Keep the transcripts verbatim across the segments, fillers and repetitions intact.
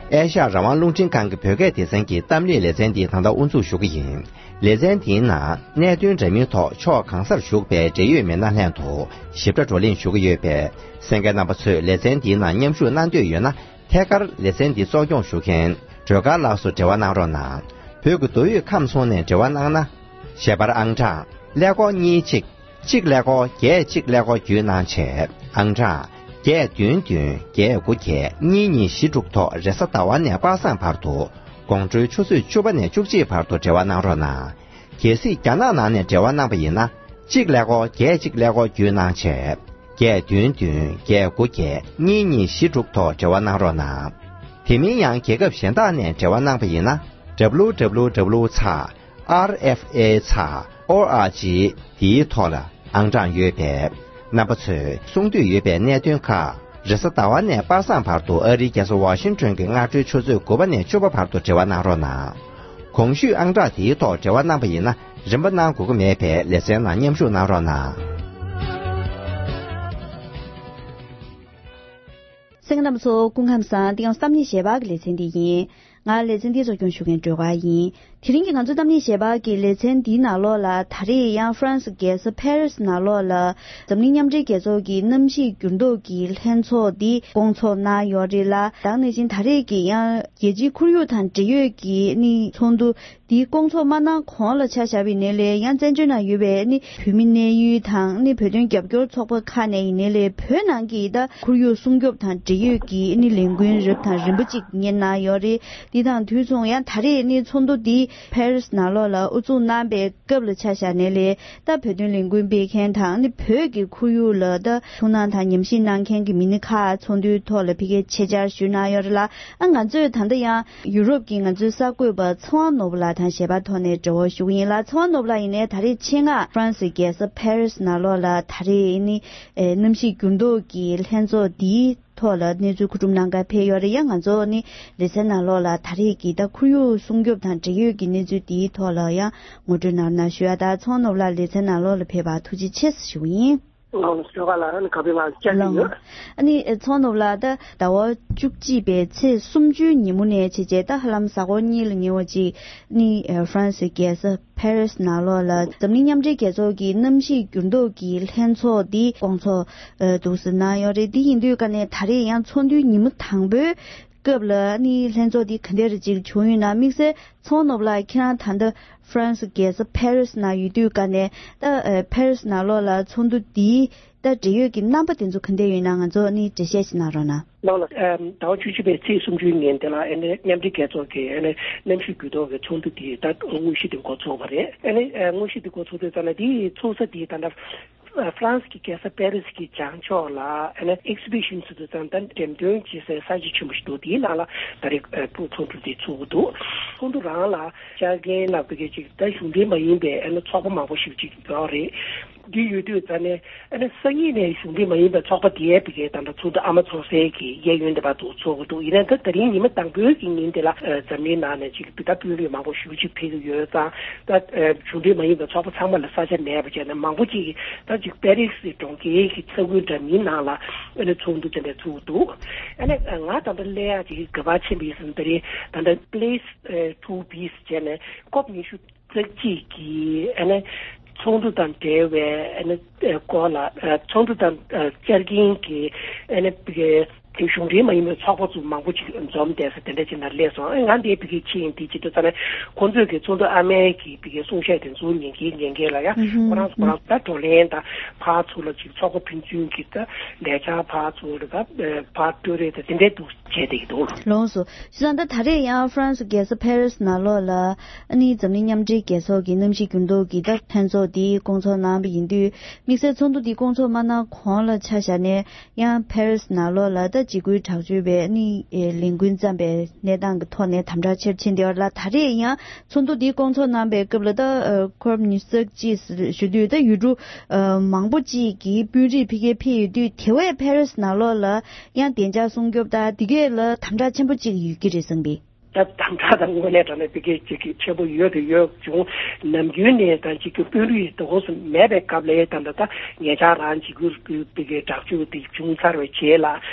ཨེ་ཤ་ཡ་རང་དབང་རླུང་འཕྲིན་ཁང་གི་བོད་སྐད་སྡེ་ཚན་གྱི་གཏམ་གླེང་ལེ་ཚན་འདི་ད་ལྟ་དབུ་འཛུགས་ཞུ་གི་ཡིན། ལེ་ཚན་འདིའི་ནང་གནད་དོན་འདྲ་མིན་ཐོག་ཕྱོགས་གང་སར་བཞུགས་པའི་འབྲེལ་ཡོད་མི་སྣ་ལྷན་དུ་ཞིབ་ཕྲ་བགྲོ་གླེང་ཞུ་གི་ཡོད་པས། གསན་མཁན་རྣམ་པ་ཚོས་ལེ་ཚན་འདིའི་ནང་མཉམ་ཞུགས་གནང་འདོད་ཡོད་ན། ཐད་ཀར་ལེ་ཚན་འདི་གཙོ་སྐྱོང་ཞུ་མཁན་སྒྲོལ་དཀར་ལགས་སུ་འབྲེལ་བ་གནང་རོགས་གནང་། བོད་ཀྱི་མདོ་དབུས་ཁམས་གསུམ་ནས་འབྲེལ་བ་གནང་ན། ཞལ་པར་ཨང་གྲངས་ཀླད་ཀོར་གཉིས་གཅིག་གཅིག་ཀླད་ཀོར་བརྒྱད་གཅིག་ཀླད་ཀོར་བརྒྱུད་གནང་བྱས། ཨང་གྲངས་བརྒྱད་བདུན་བདུན་བརྒྱད་དགུ་བརྒྱད་གཉིས་གཉིས་བཞི་དྲུག་ཐོག་རེས་གཟའ་ཟླ་བ་ནས་པ་སངས་བར་དུ་དགོང་དྲོའི་ཆུ་ཚོད་བཅུ་པ་ནས་བཅུ་གཅིག་བར་དུ་འབྲེལ་བ་གནང་རོགས་གནང་། གལ་སྲིད་རྒྱ་ནག་ནང་ནས་འབྲེལ་བ་གནང་པ་ཡིན་ན། གཅིག་ཀླད་ཀོར་བརྒྱད་གཅིག་ཀླད་ཀོར་བརྒྱུད་གནང་བྱས། བརྒྱད་བདུན་བདུན་བརྒྱད་དགུ་བརྒྱད་གཉིས་གཉིས་བཞི་དྲུག་ཐོག་འབྲེལ་བ་གནང་རོགས་གནང་། དེ་མིན་ཡང་རྒྱལ་ཁབ་གཞན་དག་ནས་འབྲེལ་བ་གནང་པ་ཡིན་ན། W W W ཚེག་R F A ཚེག་O R G འདིའི་ཐོག་ལ་ཨང་གྲངས་ཡོད་པས། རྣམ་པ་ཚོས་གསུང་འདོད་ཡོད་པའི་གནད་དོན་ཁག་རེས་གཟའ་ཟླ་བ་ནས་པ་སངས་བར་དུ་ཨ་རིའི་རྒྱལ་ས་ཝ་ཤིང་ཊོན་གྱི་སྔ་དྲོའི་ཆུ་ཚོད་དགུ་པ་ནས་བཅུ་པ་བར་དུ་འབྲེལ་བ་གནང་རོགས་གནང་། གོང་ཞུས་ཨང་གྲངས་དེའི་ཐོག་འབྲེལ་བ་གནང་པ་ཡིན་ན། རིན་པ་གནང་དགོས་ཀྱི་མེད་པས་ལེ་ཚན་ནང་མཉམ་ཞུགས་གནང་རོགས་གནང་། གསན་མཁན་རྣམ་པ་ཚོ་སྐུ་ཁམས་བཟང་། འདི་ཡང་གཏམ་གླེང་ཞལ་པར་གྱི་ལེ་ཚན་འདི་ཡིན། ང་ལེ་ཚན་འདི་གཙོ་སྐྱོང་ཞུ་མཁན་སྒྲོལ་དཀར་ཡིན། དེ་རིང་གི་ང་ཚོའི་གཏམ་གླེང་ཞལ་པར་གྱི་ལེ་ཚན་འདིའི་ནང་ལོགས་ལ་ད་རེས་ཡང་ཧྥ་རན་སི་རྒྱལ་ས་ཕ་རི་སི་ནང་ལོགས་ལ་འཛམ་གླིང་མཉམ་འབྲེལ་རྒྱལ་ཚོགས་ཀྱི་གནམ་གཤིས་འགྱུར་ལྡོག་གི་ལྷན་ཚོགས་འདི་སྐོང་ཚོགས་གནང་ཡོད་རེད་ལ། ད་ག་ནང་བཞིན་ད་རེས་ཀྱི་ཡང་རྒྱལ་སྤྱིའི་ཁོར་ཡུག་དང་འབྲེལ་ཡོད་ཀྱི་ནི་ཚོགས་འདུ་འདིའི་སྐོང་ཚོགས་མ་གནང་གོང་ལ་ཆ་བཞག་པ་ཡིན་ནའི་ལས། ཡང་བཙན་བྱོལ་ནང་ཡོད་པའི་ནི་བོད་མི་གནས་ཡུལ་དང་ནི་བོད་དོན་རྒྱབ་སྐྱོར་ཚོགས་པ་ཁག་ནས་ཡིན་ནའི་ལས། བོད་ནང་གི་ད་ཁོར་ཡུག་སྲུང་སྐྱོབ་དང་འབྲེལ་ཡོད་ཀྱི་ནི་ལས་འགུལ་རབ་དང་རིམ་པ་གཅིག་གཉེར་གནང་ཡོད་རེད། འདི་དང་དུས་མཚུངས་ཡང་ད་རེས་ནི་ཚོགས་འདུ་འདི་ཕ་རི་སི་ནང་ལོགས་ལ་དབུ་འཛུགས་གནང་པའི་སྐབས་ལ་ཆ་བཞག་ནའི་ལས། ད་བོད་དོན་ལས་འགུལ་སྤེལ་མཁན་དང་ནི་བོད་ཀྱི་ཁོར་ཡུག་ལ་ད་ཐུགས་སྣང་དང་ཉམས་ཞིབ་གནང་མཁན་གྱི་མི་སྣ་ཁག་ཚོགས་འདུའི་ཐོག་ལ་ཕ་གིར་ཆེད་བཅར་ཞུས་གནང་ཡོད་རེད་ལ། ཨ་ང་ཚོས་ད་ལྟ་ཡང་ཡུ་རོབ་ཀྱི་ང་ཚོའི་གསར་འགོད་པ་ཚེ་དབང་ནོར་བུ་ལགས་དང་ཞལ་པར་ཐོག་ནས་འབྲེལ་བ་ཞུ་གི་ཡིན་ལ། ཚེ་དབང་ནོར་བུ་ལགས་ཡིན་ནའི་ད་རེས་ཆེད་མངགས་ཧྥ་རན་སི་རྒྱལ་ས་ཕ་རི་སི་ནང་ལོགས་ལ་ད་རེས་ནི་ཨེ་གནམ་གཤིས་འགྱུར་ལྡོག་གི་ལྷན་ཚོགས་འདིའི་ཐོག་ལ་གནས་ཚུལ་མཁོ་སྒྲུབ་གནང་གར་ཕེབས་ཡོད་རེད། ཡང་ང་ཚོ་ནི་ལེ་ཚན་ནང་ལོགས་ལ་ད་རེས་ཀྱི་ད་ཁོར་ཡུག་སྲུང་སྐྱོབ་དང་འབྲེལ་ཡོད་ཀྱི་གནས་ཚུལ་འདིའི་ཐོག་ལ་ཡང་ངོ་སྤྲོད་གནང་རོགས་གནང་ཞུ་ཡ། ད་ཚེ་དབང་ནོར་བུ་ལགས་ལེ་ཚན་ནང་ལོགས་ལ་ཕེབས་པར་ཐུགས་རྗེ་ཆེ་ཞུ་གི་ཡིན། ལགས་སོ། ལགས་སོ། ཨ་ནི་ཚེ་དབང་ནོར་བུ་ལགས། ད་ཟླ་བ་བཅུ་གཅིག་པའི་ཚེས་སུམ་ཅུའི་ཉིན་མོ་ནས་བྱས་རྗེས་ད་ཧ་ལམ་གཟའ་འཁོར་གཉིས་ལ་ཉེ་བ་ཅིག་ནི་ཧྥ་རན་སི་རྒྱལ་ས་ཕ་རི་སི་ནང་ལོགས་ལ་འཛམ་གླིང་མཉམ་འབྲེལ་རྒྱལ་ཚོགས་ཀྱི་གནམ་གཤིས་འགྱུར་ལྡོག་གི་ལྷན་ཚོགས་འདི་སྐོང་ཚོགས་འདུག་སེ་གནང་ཡོད་རེད། འདི་ཡིན་དུས་ཀ་ནས་ད་རེས་ཡང་ཚོགས་འདུའི་ཉིན་མོ་དང་པོའི་སྐབས་ལ་ནི་ལྷན་ཚོགས་འདི་ག་འདྲ་རེ་ཅིག་བྱུང་ཡོད་ན། དམིགས་བསལ་ཚེ་དབང་ནོར་བུ་ལགས་ཁྱེད་རང་ད་ལྟ་ཧྥ་རན་སི་རྒྱལ་ས་ཕ་རི་སི་ནང་ཡོད་དུས་ཀ་ནས་ད་ཕ་རི་སི་ནང་ལོགས་ལ་ཚོགས་འདུ་འདིའི་ད་འབྲེལ་ཡོད་ཀྱི་རྣམ་པ་དེ་ཚོ་ག་འདྲ་ཡོད་ན་ང་ཚོ་ནི་འགྲེལ་བཤད་ཅིག་གནང་རོགས་གནང་། ལགས་ལགས། ཟླ་བ་བཅུ་གཅིག་པའི་ཚེས་སུམ་ཅུའི་ཉིན་དེ་ལ་ཨ་ནི་མཉམ་འབྲེལ་རྒྱལ་ཚོགས་ཀྱི་ཨ་ནི་གནམ་གཤིས་འགྱུར་ལྡོག་གི་ཚོགས་འདུ་དེ་ད་དངོས་གཞི་དེ་འགོ་ཚུགས་པ་རེད། ཨ་ནི་དངོས་གཞི་དེ་འགོ་ཚུགས་དུས་ཙམ་ལ་དེའི་ཚུགས་ས་དེ་ད་ལྟ་ཧྥ་རན་སི་གི་རྒྱལ་ས་པེ་རི་སི་གི་བྱང་ཕྱོགས་ལ་ཨ་ནི་ཨེག་སི་བི་ཤན་ཟེར་དུས་ཙམ་ད་འགྲེམས་སྟོན་བྱེད་སའི་ས་ཆ་ཆེན་པོ་ཞིག་འདུག་དེའི་ནང་ལ་ད་རེས་ཚོགས་འདུ་དེ་ཚུགས་ཀྱི་འདུག་ཚོགས་འདུ་རང་ལ་བཅར་མཁན་ལ་བོད་སྐད་ཅིག་ད་གཞུང་འབྲེལ་མ་ཡིན་པའི་ཨ་ནི་ཚོགས་པ་མང་པོ་ཞིག་ཅིག་ཡོད་རེད། འདི་ཡོད་དུས་ཙ་ནས་ཨ་ནི་སང་ཉིན་ནས་གཞུང་འབྲེལ་མ་ཡིན་པའི་ཚོགས་པ་དེའི་བི་གའི་ད་ལྟ་ཚོགས་འདུ་ཨ་མ་ཚོགས་སའི་གི་གཡས་གཡོན་དེ་བར་དུ་ཚོགས་ཀྱི་འདུག་ཡིན་ན་ད་ད་རིང་ཉི་མ་དང་པོའི་གི་ཉིན་དེ་ལ་འཛམ་གླིང་ནང་ནས་ཅིག་བི་ད་དཔོན་རིགས་མང་པོ་ཞེ་པོ་ཅིག་ཕེབས་ཀྱི་ཡོད་ཙང་། ད་གཞུང་འབྲེལ་མ་ཡིན་པའི་ཚོགས་པ་ཚང་མ་ལ་ས་ཆ་མེད་པ་བྱས་ནས་མང་པོ་ཅིག་ད་ཅིག་པེ་རི་སི་གྲོང་ཁྱེར་གྱི་ས་ཁུལ་འདྲ་མིན་ནང་ལ་ཨ་ནི་ཚོགས་འདུ་དེ་འདྲ་ཚུགས་འདུག་ཨ་ནི་ང་ད་ལྟ་སླེབས་ཡག་ཅིག་ག་པར་ཕྱིན་པ་ཡིན་ཟེར་ན། ད་རེས་ད་ལྟ་པི་ལེ་སི་ཊུ་བི་ཟེར་བྱས་ནས་ཀོབ་ཉི་ཤུ་རྩ་གཅིག་གི་ཨ་ནི་ཚོགས་འདུ་དང་འབྲེལ་བའི་ཨ་ནི་སྐོར་ལ་ཚོགས་འདུ་དང་བཅར་མཁན་གྱི་ཨ་ནི་གཞུང་འབྲེལ་མ་ཡིན་པའི་ཚོགས་པ་ཚོ་མང་པོ་ཅིག་འཛོམས་བསྡད་ས་དེ་འདྲ་ཅིག་ནང་སླེབས་སོང་། ཨ་ང་འདིར་བི་གའི་ཕྱིན་དེ་ཅི་འདྲ་ཟེར་ན། ཁོང་ཚོས་ཀྱི་ཚོགས་འདུ་ཨ་མའི་གི་བི་གའི་གསུང་བཤད་དེ་ཚོ་ཉན་གི་ཉན་གི་ལ་ཡ། ཁོ་རང་ཚོ་ཁོ་རང་ཚོ་ད་བགྲོ་གླེང་དང་ཕར་ཚུར་ལ་ཅིག་ཚོགས་པ་ཕན་ཚུན་གྱི་ད་ལས་འཆར་ཕར་ཚུར་ལ་ད་ཕར་སྤྲོད་རེས་དང་དེ་འདྲའི་འདུག་བྱས་བསྡད་ཀྱི་འདུག་ལགས་སོ། བྱས་ཙང་ད་ད་རེས་ཡང་ཧྥ་རན་སི་རྒྱལ་ས་ཕ་རི་སི་ནང་ལོགས་ལ་ཨ་ནི་འཛམ་གླིང་མཉམ་འབྲེལ་རྒྱལ་ཚོགས་ཀྱི་གནམ་གཤིས་འགྱུར་ལྡོག་གི་ད་ལྷན་ཚོགས་འདི་སྐོང་ཚོགས་གནང་བ་ཡིན་དུས། དམིགས་བསལ་ཚོགས་འདུ་འདི་སྐོང་ཚོགས་མ་གནང་གོང་ལ་ཆ་བཞག་ནས་ཡང་ཕ་རི་སི་ནང་ལོགས་ལ་ད་འཇིགས་སྐུལ་དྲག་སྤྱོད་པའི་ཨ་ནི་ལས་འགུལ་བརྩམས་པའི་གནས་སྟངས་ཀྱི་ཐོག་ནས་དམ་དྲག་ཆེ་རུ་ཕྱིན་བསྡད་ཡོད་ལ། ད་རེས་ཡང་ཚོགས་འདུ་འདི་སྐོང་ཚོགས་གནང་པའི་སྐབས་ལ་ད་ཨ་ཀོབ་ཉི་ཤུ་རྩ་གཅིག་ཞུ་དུས་ད་ཡུལ་གྲུ་ཨ་མང་པོ་ཅིག་གི་དཔོན་རིགས་ཕ་གིར་ཕེབས་ཡོད་དུས། དེ་བས་ཕ་རི་སི་ནང་ལོགས་ལ་ཡང་བདེ་འཇགས་སྲུང་སྐྱོབ་དང་དེ་གས་ལ་དམ་དྲག་ཆེན་པོ་ཅིག་ཡོད་ཀྱི་རེད་བསམ་པས། ད་དམ་དྲག་དང་དངོས་གནས་དྲང་གནས་དཔེ་སྐད་ཅིག་གི་ཆེན་པོ་ཡོད་དུ་ཡོད་བྱུང་། ནམ་རྒྱུན་ནས་ད་ཅིག་གི་དཔོན་རིགས་དེ་འོག་སུ་མེད་པའི་སྐབས་ལ་ད་ད་ད་ངེད་ཅག་རང་ཅིག་གུ་དཔེ་སྐད་དྲག་སྤྱོད་དེ་བྱུང་ཚར་བའི་རྗེས་ལ་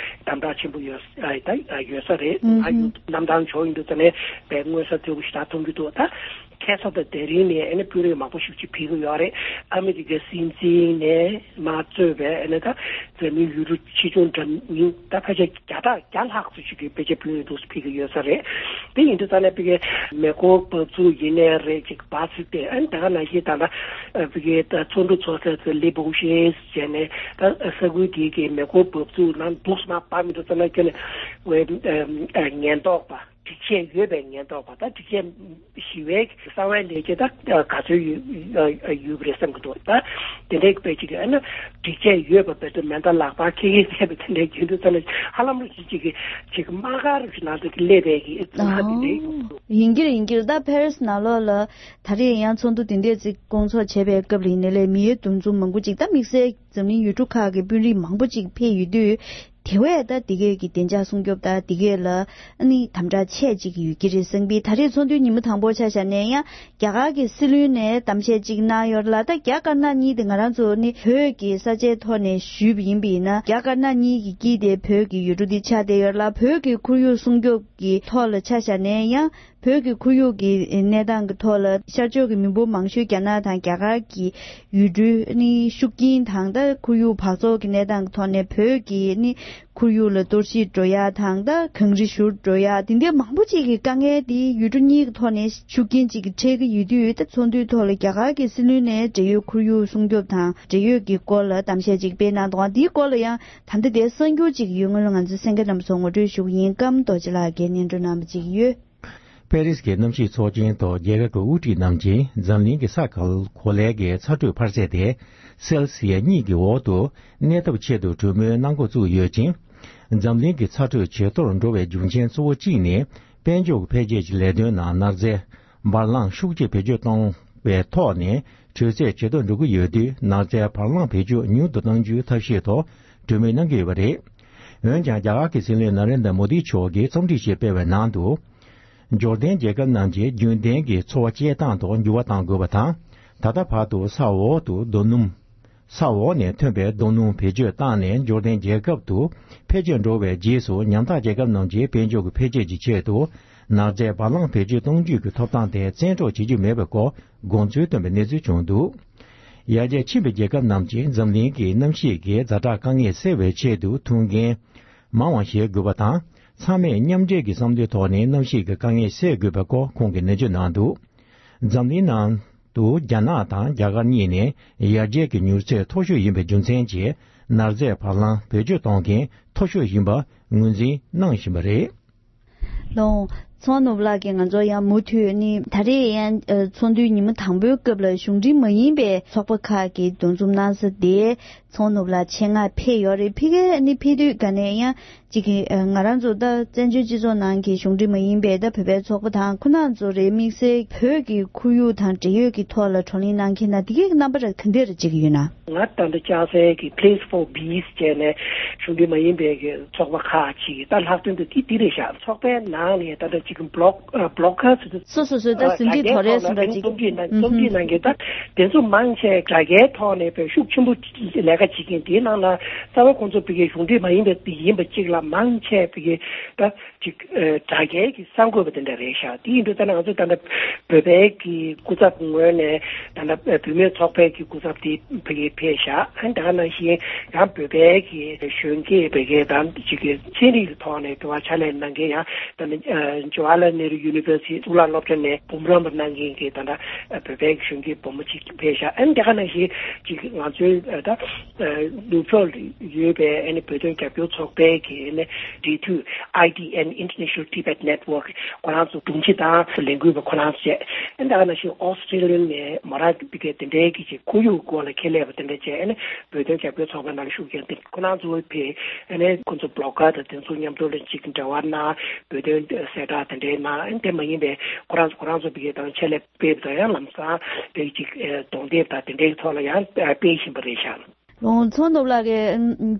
དམ་དྲག་ཆེན་པོ་ཡོད་ཨ་ད་ཡོད་ས་རེད། ཨུམ་ང་ཡུལ་ཧུམ། གནམ་ཐང་ཕྱོགས་ཡིན་དུས་ཙ་ནས་དཔེ་མངོན་གསལ་དོད་པོ་ཞིག་ད་མཐོང་གི་འདུག་ད་ཁ་སང་དང་དེ་རིང་ནས་ཨ་ནི་དཔོན་རིགས་མང་པོ་ཞིག་ཅིག་ཕེབས་ཀྱི་ཡོད་རེད། ཨ་མི་རི་ཀའི་སྲིད་འཛིན་ནས་མར་གཙོས་པའི་ཨ་ནི་ད་འཛམ་གླིང་ཡུལ་གྲུ་ཆེ་ཆུང་འདྲ་མིན་ད་ཕལ་ཆེར་བརྒྱ་ཕྲག་བརྒྱ་ལྷག་ཙམ་ཞིག་གིས་ཕལ་ཆེར་བོད་ཡུལ་དུ་ཕེབས་ཀྱི་ཡོད་ས་རེད། དེ་ཡིན་དུས་ཙ་ནས་ཕ་གིའི་མེ་འཁོར་འབབ་ཚུགས་ཡིན་ནའི་རེད། ཅིག་བ་ཚིག་སྟེ་ཨ་ནི་ད་ག་ནང་བཞིན་ད་ལྟ་ཕ་གིའི་ད་ཚོགས་འདུ་ཚོགས་ས་ཚོ་ལི་བོ་ཤེས་བྱས་ནས་ད་ས་ཁུལ་དེའི་གི་མེ་འཁོར་འབབ་ཚུགས་ནང་འདུག་སེ་མར་བབས་མི་འདུག་ཙ་ན་ཁྱོད་ནས་ངན་རྟོག་པ་སྒྲིག་ཆས་ཡོད་པའི་ངན་རྟོག་པ་ད་སྒྲིག་ཆས་ཞི་བའི་གསང་བའི་ལས་བྱེད་ད་ག་ཚོད་ཡོད་ཡོད་པ་རེད་བསམ་གྱི་འདུག་ད་དེ་འདྲའི་དཔེ་ཅིག་ཨ་ན་སྒྲིག་ཆས་ཡོད་པ་བེད་སྤྱོད་མེ་མདའ་ལག་པ་ཁེ་ཁེ་བྱས་པ་དེ་འདྲའི་རྒྱུན་དུ་ཙ་ན་ཧ་ལམ་རུ་ཅིག་ཅིག་གི་ཅིག་དམག་སྒར་རུ་ཅིག་ནང་དུ་སླེབས་པའི་གི་ཙ་ན་དེ་འདྲའི་ཡོད་འདུག་ཡིན་གྱི་རེད་ཡིན་གྱི་རེད། ད་ཕེ་རི་སི་ནང་ལོགས་ལ་ད་རེས་ཡང་ཚོགས་འདུ་དེ་འདྲས་ཅིག་སྐོང་ཚོགས་བྱས་པའི་སྐབས་ལ་ཡིན་ནའི་ལས་མི་ཡུལ་འདུ་འཛོམས་མང་པོ་ཅིག་ད་དམིགས་བསལ་འཛམ་གླིང་ཡུལ་གྲུ་ཁག་གི་དཔོན་རིགས་མང་པོ་ཅིག་ཕེབས་ཡོད་དུས། དེ་བས་ད་འདི་གས་ཀྱི་བདེ་འཇགས་སྲུང་སྐྱོབ་ད་འདི་གས་ལ་ཨ་ནི་དམ་དྲག་ཆེ་ཅིག་ཡོད་ཀྱི་རེད་བསམ་གི། ད་རེས་ཚོགས་འདུའི་ཉིན་མོ་དང་པོ་ཆ་བཞག་ནས་ཡང་རྒྱ་གར་གྱི་སྲིད་བློན་ནས་གཏམ་བཤད་ཅིག་གནང་ཡོད་ལ། ད་རྒྱ་དཀར་ནག་གཉིས་དེ་ང་རང་ཚོ་ནི་བོད་ཀྱི་ས་ཆའི་ཐོག་ནས་ཞུས་པ་ཡིན་པ་ཡིན་ན་རྒྱ་དཀར་ནག་གཉིས་ཀྱི་དཀྱིལ་དེ་བོད་ཀྱི་ཡུལ་གྲུ་དེ་ཆགས་བསྡད་ཡོད་ལ། བོད་ཀྱི་ཁོར་ཡུག་སྲུང་སྐྱོབ་ཀྱི་ཐོག་ལ་ཆ་བཞག་ནས་ཡང་བོད་ཀྱི་ཁོར་ཡུག་གི་གནས་སྟངས་ཀྱི་ཐོག་ལ་ཤར་ཕྱོགས་ཀྱི་མི་འབོར་མང་ཤོས་རྒྱ་ནག་དང་རྒྱ་གར་གྱི་ཡུལ་གྲུའི་ནི་ཤུགས་རྐྱེན་དང་ད་ཁོར་ཡུག་འབག་བཙོག་གི་གནས་སྟངས་ཀྱི་ཐོག་ནས་བོད་ཀྱི་ནི་ཁོར་ཡུག་ལ་གཏོར་བཤིག་འགྲོ་ཡ་དང་ད་གངས་རི་བཞུར་འགྲོ་ཡ་དེ་འདྲའི་མང་པོ་ཅིག་གི་དཀའ་ངལ་དེ་ཡུལ་གྲུ་གཉིས་ཀྱི་ཐོག་ནས་ཤུགས་རྐྱེན་ཅིག་གི་འཕྲད་ཀྱི་ཡོད་དུས། ད་ཚོགས་འདུའི་ཐོག་ལ་རྒྱ་གར་གྱི་སྲིད་བློན་ནས་འབྲེལ་ཡོད་ཁོར་ཡུག་སྲུང་སྐྱོབ་དང་འབྲེལ་ཡོད་ཀྱི་སྐོར་ལ་གཏམ་བཤད་ཅིག་སྤེལ་གནང་འདུག་དེའི་སྐོར་ལ་ཡང་ད་ལྟ་དེ་གསར་འགྱུར་ཅིག་ཡོད་སྔོན་ལ་ང་ཚོའི་གསན་མཁན་རྣམ་པ་ཚོ་ངོ་སྤྲོད་ཞུ་གི་ཡིན། ཀམ་རྡོ་རྗེ་ལགས་ཀྱིས་སྙན་སྒྲོན་གནང་བ་ཅིག་ཡོད། པེ་རིས་ཀྱི་གནམ་གཤིས་ཚོགས་ཆེན་ཐོག་རྒྱལ་ཁབ་ཀྱི་དབུ་ཁྲིད་རྣམས་ཀྱིས་འཛམ་གླིང་གི་ས་ག་གོ་ལའི་གི་ཚ་དྲོད་འཕར་ཚད་དེ་སེལ་སི་ཡ་གཉིས་ཀྱི་འོག་ཏུ་གནས་ཐབས་ཆེད་དུ་གྲོས་མོལ་གནང་འགོ་བཙུགས་ཡོད་ཅིང་། འཛམ་གླིང་གི་ཚ་དྲོད་ཇེ་མཐོར་འགྲོ་བའི་རྒྱུ་རྐྱེན་གཙོ་བོ་གཅིག་ནི་དཔལ་འབྱོར་འཕེལ་རྒྱས་ཀྱི་ལས་དོན་ནང་ནག་རྫས་འབར་རླངས་ཤུགས་ཆེ་བེད་སྤྱོད་གཏོང་བའི་ཐོག་ནས་དྲོད་ཚད་ཇེ་མཐོར་འགྲོ་གི་ཡོད་དུས། ནག་རྫས་འབར་རླངས་བེད་སྤྱོད་ཉུང་དུ་གཏང་རྒྱུའི་ཐབས་ཤེས་ཐོག་གྲོས་མོལ་གནང་གི་ཡོད་པ་རེད། འོན་ཀྱང་རྒྱ་གར་གྱི་སྲིད་བློན་ན་རེན་དྲ་མོ་དི་མཆོག་གིས་རྩོམ་སྒྲིག་ཞིག་སྤེལ་བའི་ནང་དུ། འབྱོར་ལྡན་རྒྱལ་ཁབ་རྣམས་ཀྱིས་རྒྱུན་ལྡན་གྱི་འཚོ་བ་སྐྱེལ་སྟངས་ཐོག་འགྱུར་བ་གཏང་དགོས་པ་དང་། ད་ལྟ་བར་དུ་ས་འོག་ཏུ་རྡོ་སྣུམ། ས་འོག་ནས་ཐོན་པའི་རྡོ་སྣུམ་བེད་སྤྱོད་བཏང་ནས་འབྱོར་ལྡན་རྒྱལ་ཁབ་ཏུ་འཕེལ་རྒྱས་འགྲོ་བའི་རྗེས་སུ། ཉམ་ཐག་རྒྱལ་ཁབ་རྣམས་ཀྱིས་དཔལ་འབྱོར་གྱི་འཕེལ་རྒྱས་ཀྱི་ཆེད་དུ་ནག་རྫས་འབར་རླངས་བེད་སྤྱོད་གཏོང་རྒྱུ་གི་ཐོབ་ཐང་དེ་བཙན་འཕྲོག་བྱེད་རྒྱུ་མེད་པའི་སྐོར་དགོངས་ཚུལ་བཏོན་པའི་གནས་ཚུལ་བྱུང་འདུག་ཡར་རྒྱས་ཕྱིན་པའི་རྒྱལ་ཁབ་རྣམས་ཀྱིས་འཛམ་གླིང་གི་གནམ་གཤིས་ཀྱི་ཛ་དྲག་དཀའ་ངལ་སེལ་བའི་ཆེད་དུ་ཐུགས་འགན་མང་བ་བཞེས་དགོས་པ་དང་། ཚང་མས་མཉམ་འབྲེལ་གྱི་བསམ་བློའི་ཐོག་ནས་གནམ་གཤིས་ཀྱི་དཀའ་ངལ་སེལ་དགོས་པའི་སྐོར་ཁོང་གིས་ནན་བརྗོད་གནང་འདུག་འཛམ་གླིང་ནང་དུ་རྒྱ་ནག་དང་རྒྱ་གར་གཉིས་ནས་ཡར་རྒྱས་ཀྱི་མྱུར་ཚད་མཐོ་ཤོས་ཡིན་པའི་རྒྱུ་མཚན་གྱིས་ནག་རྫས་བར་ལམ་བེད་སྤྱོད་གཏོང་མཁན་མཐོ་ཤོས་ཡིན་པ་ངོས་འཛིན་གནང་བཞིན་པ་རེད། ལོང་། ཚོང་ནུབ་ལགས་ཀྱིས་ང་ཚོ་ཡང་མུ་མཐུད་ནི་ད་རེས་ཡང་ཚོགས་འདུའི་ཉིན་མོ་དང་པོའི་སྐབས་ལ་གཞུང་འབྲེལ་མ་ཡིན་པའི་ཚོགས་པ་ཁག་གིས་འདུ་འཛོམས་གནང་ས་དེ་ཚོང་ནུབ་ལ་ཆེད་མངགས་ཕེབས་ཡོད་རེད། ཕ་གིར་ནི་ཕེབས་དུས་ག་ནས་ཡང་གཅིག་གི་ང་རང་ཚོ་ད་བཙན་བྱོལ་སྤྱི་ཚོགས་ནང་གི་གཞུང་འབྲེལ་མ་ཡིན་པའི་ད་བོད་པའི་ཚོགས་པ་དང་ཁོ་རང་ཚོ་རེད། དམིགས་བསལ་བོད་ཀྱི་ཁོར་ཡུག་དང་འབྲེལ་ཡོད་ཀྱི་ཐོག་ལ་བགྲོ་གླེང་གནང་མཁན་ན་དེ་གའི་རྣམ་པ་ར་ག་འདྲ་ར་གཅིག་ཡོད་ན། ང་ད་ལྟ་ལྕགས་གཟན་གྱི་Place for Bees་བྱས་ནས་གཞུང་འབྲེལ་མ་ཡིན་པའི་གི་ཚོགས་པ་ཁག་ཅིག་ད་ལྷག་དོན་དུ་དེ་འདི་རེད་ཤག་ཚོགས་པའི་ནང་ནས་ད་ལྟ་གཅིག་གི་Blog- ཨ་Bloggers་དེ་སོ་སོ་སོའི་ད་ཟིན་བྲིས་དོ་རེད་སོང་འདྲ་ཅིག་རྩོམ་སྒྲིག་གནང་རྩོམ་སྒྲིག་གནང་མཁན་ད་དེ་ཚོ་མང་ཆེ་དྲ་རྒྱའི་ཐོག་ནས་དཔེ་ཤུགས་ཆེན་པོ་ལས་ཀ་བྱེད་མཁན་དེའི་ནང་ལ་རྩ་བ་ཁོང་ཚོ་ཕ་གི་གཞུང་འབྲེལ་མ་ཡིན་པའི་དེ་ཡིན་པ་གཅིག་ལ་མང་ཆེ་ཕ་གི་ད་ཅིག་ཨ་དྲ་རྒྱའི་གི་གསར་འགོད་པ་དེ་འདྲ་རེད་ཤག་དེ་ཡིན་དུས་ད་ནང་ང་ཚོ་ད་ལྟ་བོད་པའི་གི་སྐུ་ཚབ་ངོས་ནས་ད་ལྟ་བུད་མེད་ཚོགས་པའི་གི་སྐུ་ཚབ་དེ་ཕ་གི་ཕེབས་ཤག་ཨ་ནི་ད་ག་ནང་བཞིན་ཡང་བོད་པའི་གི་གཞོན་སྐྱེས་ཕ་གི་ད་ཅིག་གི་ཚན་རིག་གི་ཐོག་ནས་དེ་བ་ཕྱག་ལས་གནང་མཁན་ཡང་ད་ནི་ཨ་Jawaharlal Nehru University་གཙུག་ལག་སློབ་གྲྭ་ནས་འབུམ་རམས་པ་གནང་མཁན་གི་ད་ལྟ་བོད་པའི་གི་གཞོན་སྐྱེས་བུ་མོ་ཅིག་ཕེབས་ཤག་ཨ་ནི་ད་ག་ནང་བཞིན་ཅིག་ང་ཚོའི་ཨ་ད་ནུབ་ཕྱོགས་ཡོད་པའི་ཨ་ནི་བོད་དོན་རྒྱབ་སྐྱོར་ཚོགས་པའི་གི་ཨ་ནི་འབྲེལ་མཐུད་I T N International Tibet Network་ཁོ་རང་ཚོ་དྲུང་ཆེ་དང་ལས་འགུལ་བ་ཁོ་རང་ཚོ་བྱས། ཨ་ནི་ད་ག་ནང་བཞིན་ཨོ་སི་ཀྲི་ལི་ཡ་ནས་མོ་ར་པི་ཀའི་དེ་འདྲའི་གི་ཅིག་ཁོར་ཡུག་སྐོར་ལ་ཁྱད་ལས་པ་དེ་འདྲ་བྱས། ཨ་ནི་བོད་དོན་རྒྱབ་སྐྱོར་ཚོགས་པའི་ནང་ལ་ཤུགས་རྒྱག་དེ་ཁོ་རང་ཚོ་ཕེབས། ཨ་ནི་ཁོ་ཚོ་བི་ལོག་གར་དང་དེ་ཚོ་མཉམ་དུ་ལ་ཅིག་འབྲེལ་བ་གནང་། བོད་དོན་གསལ་བསྒྲགས་དེ་འདྲའི་གནང་། ཨ་ནི་དེ་མ་ཡིན་པའི་ཁོ་རང་ཚོ་ཁོ་རང་ཚོ་ཕ་གི་དང་ཆེད་ལས་ཕེབས་དང་ཡང་ལམ་སང་ཕ་གི་ཅིག་ཨ་གདོང་དེབ་དང་དེ་འདྲའི་ཐོག་ལ་ཡང་ཨ་སྤེལ་བཞིན་པ་རེད་ཤག་ལོང་ཚོང་ནོར་ལགས་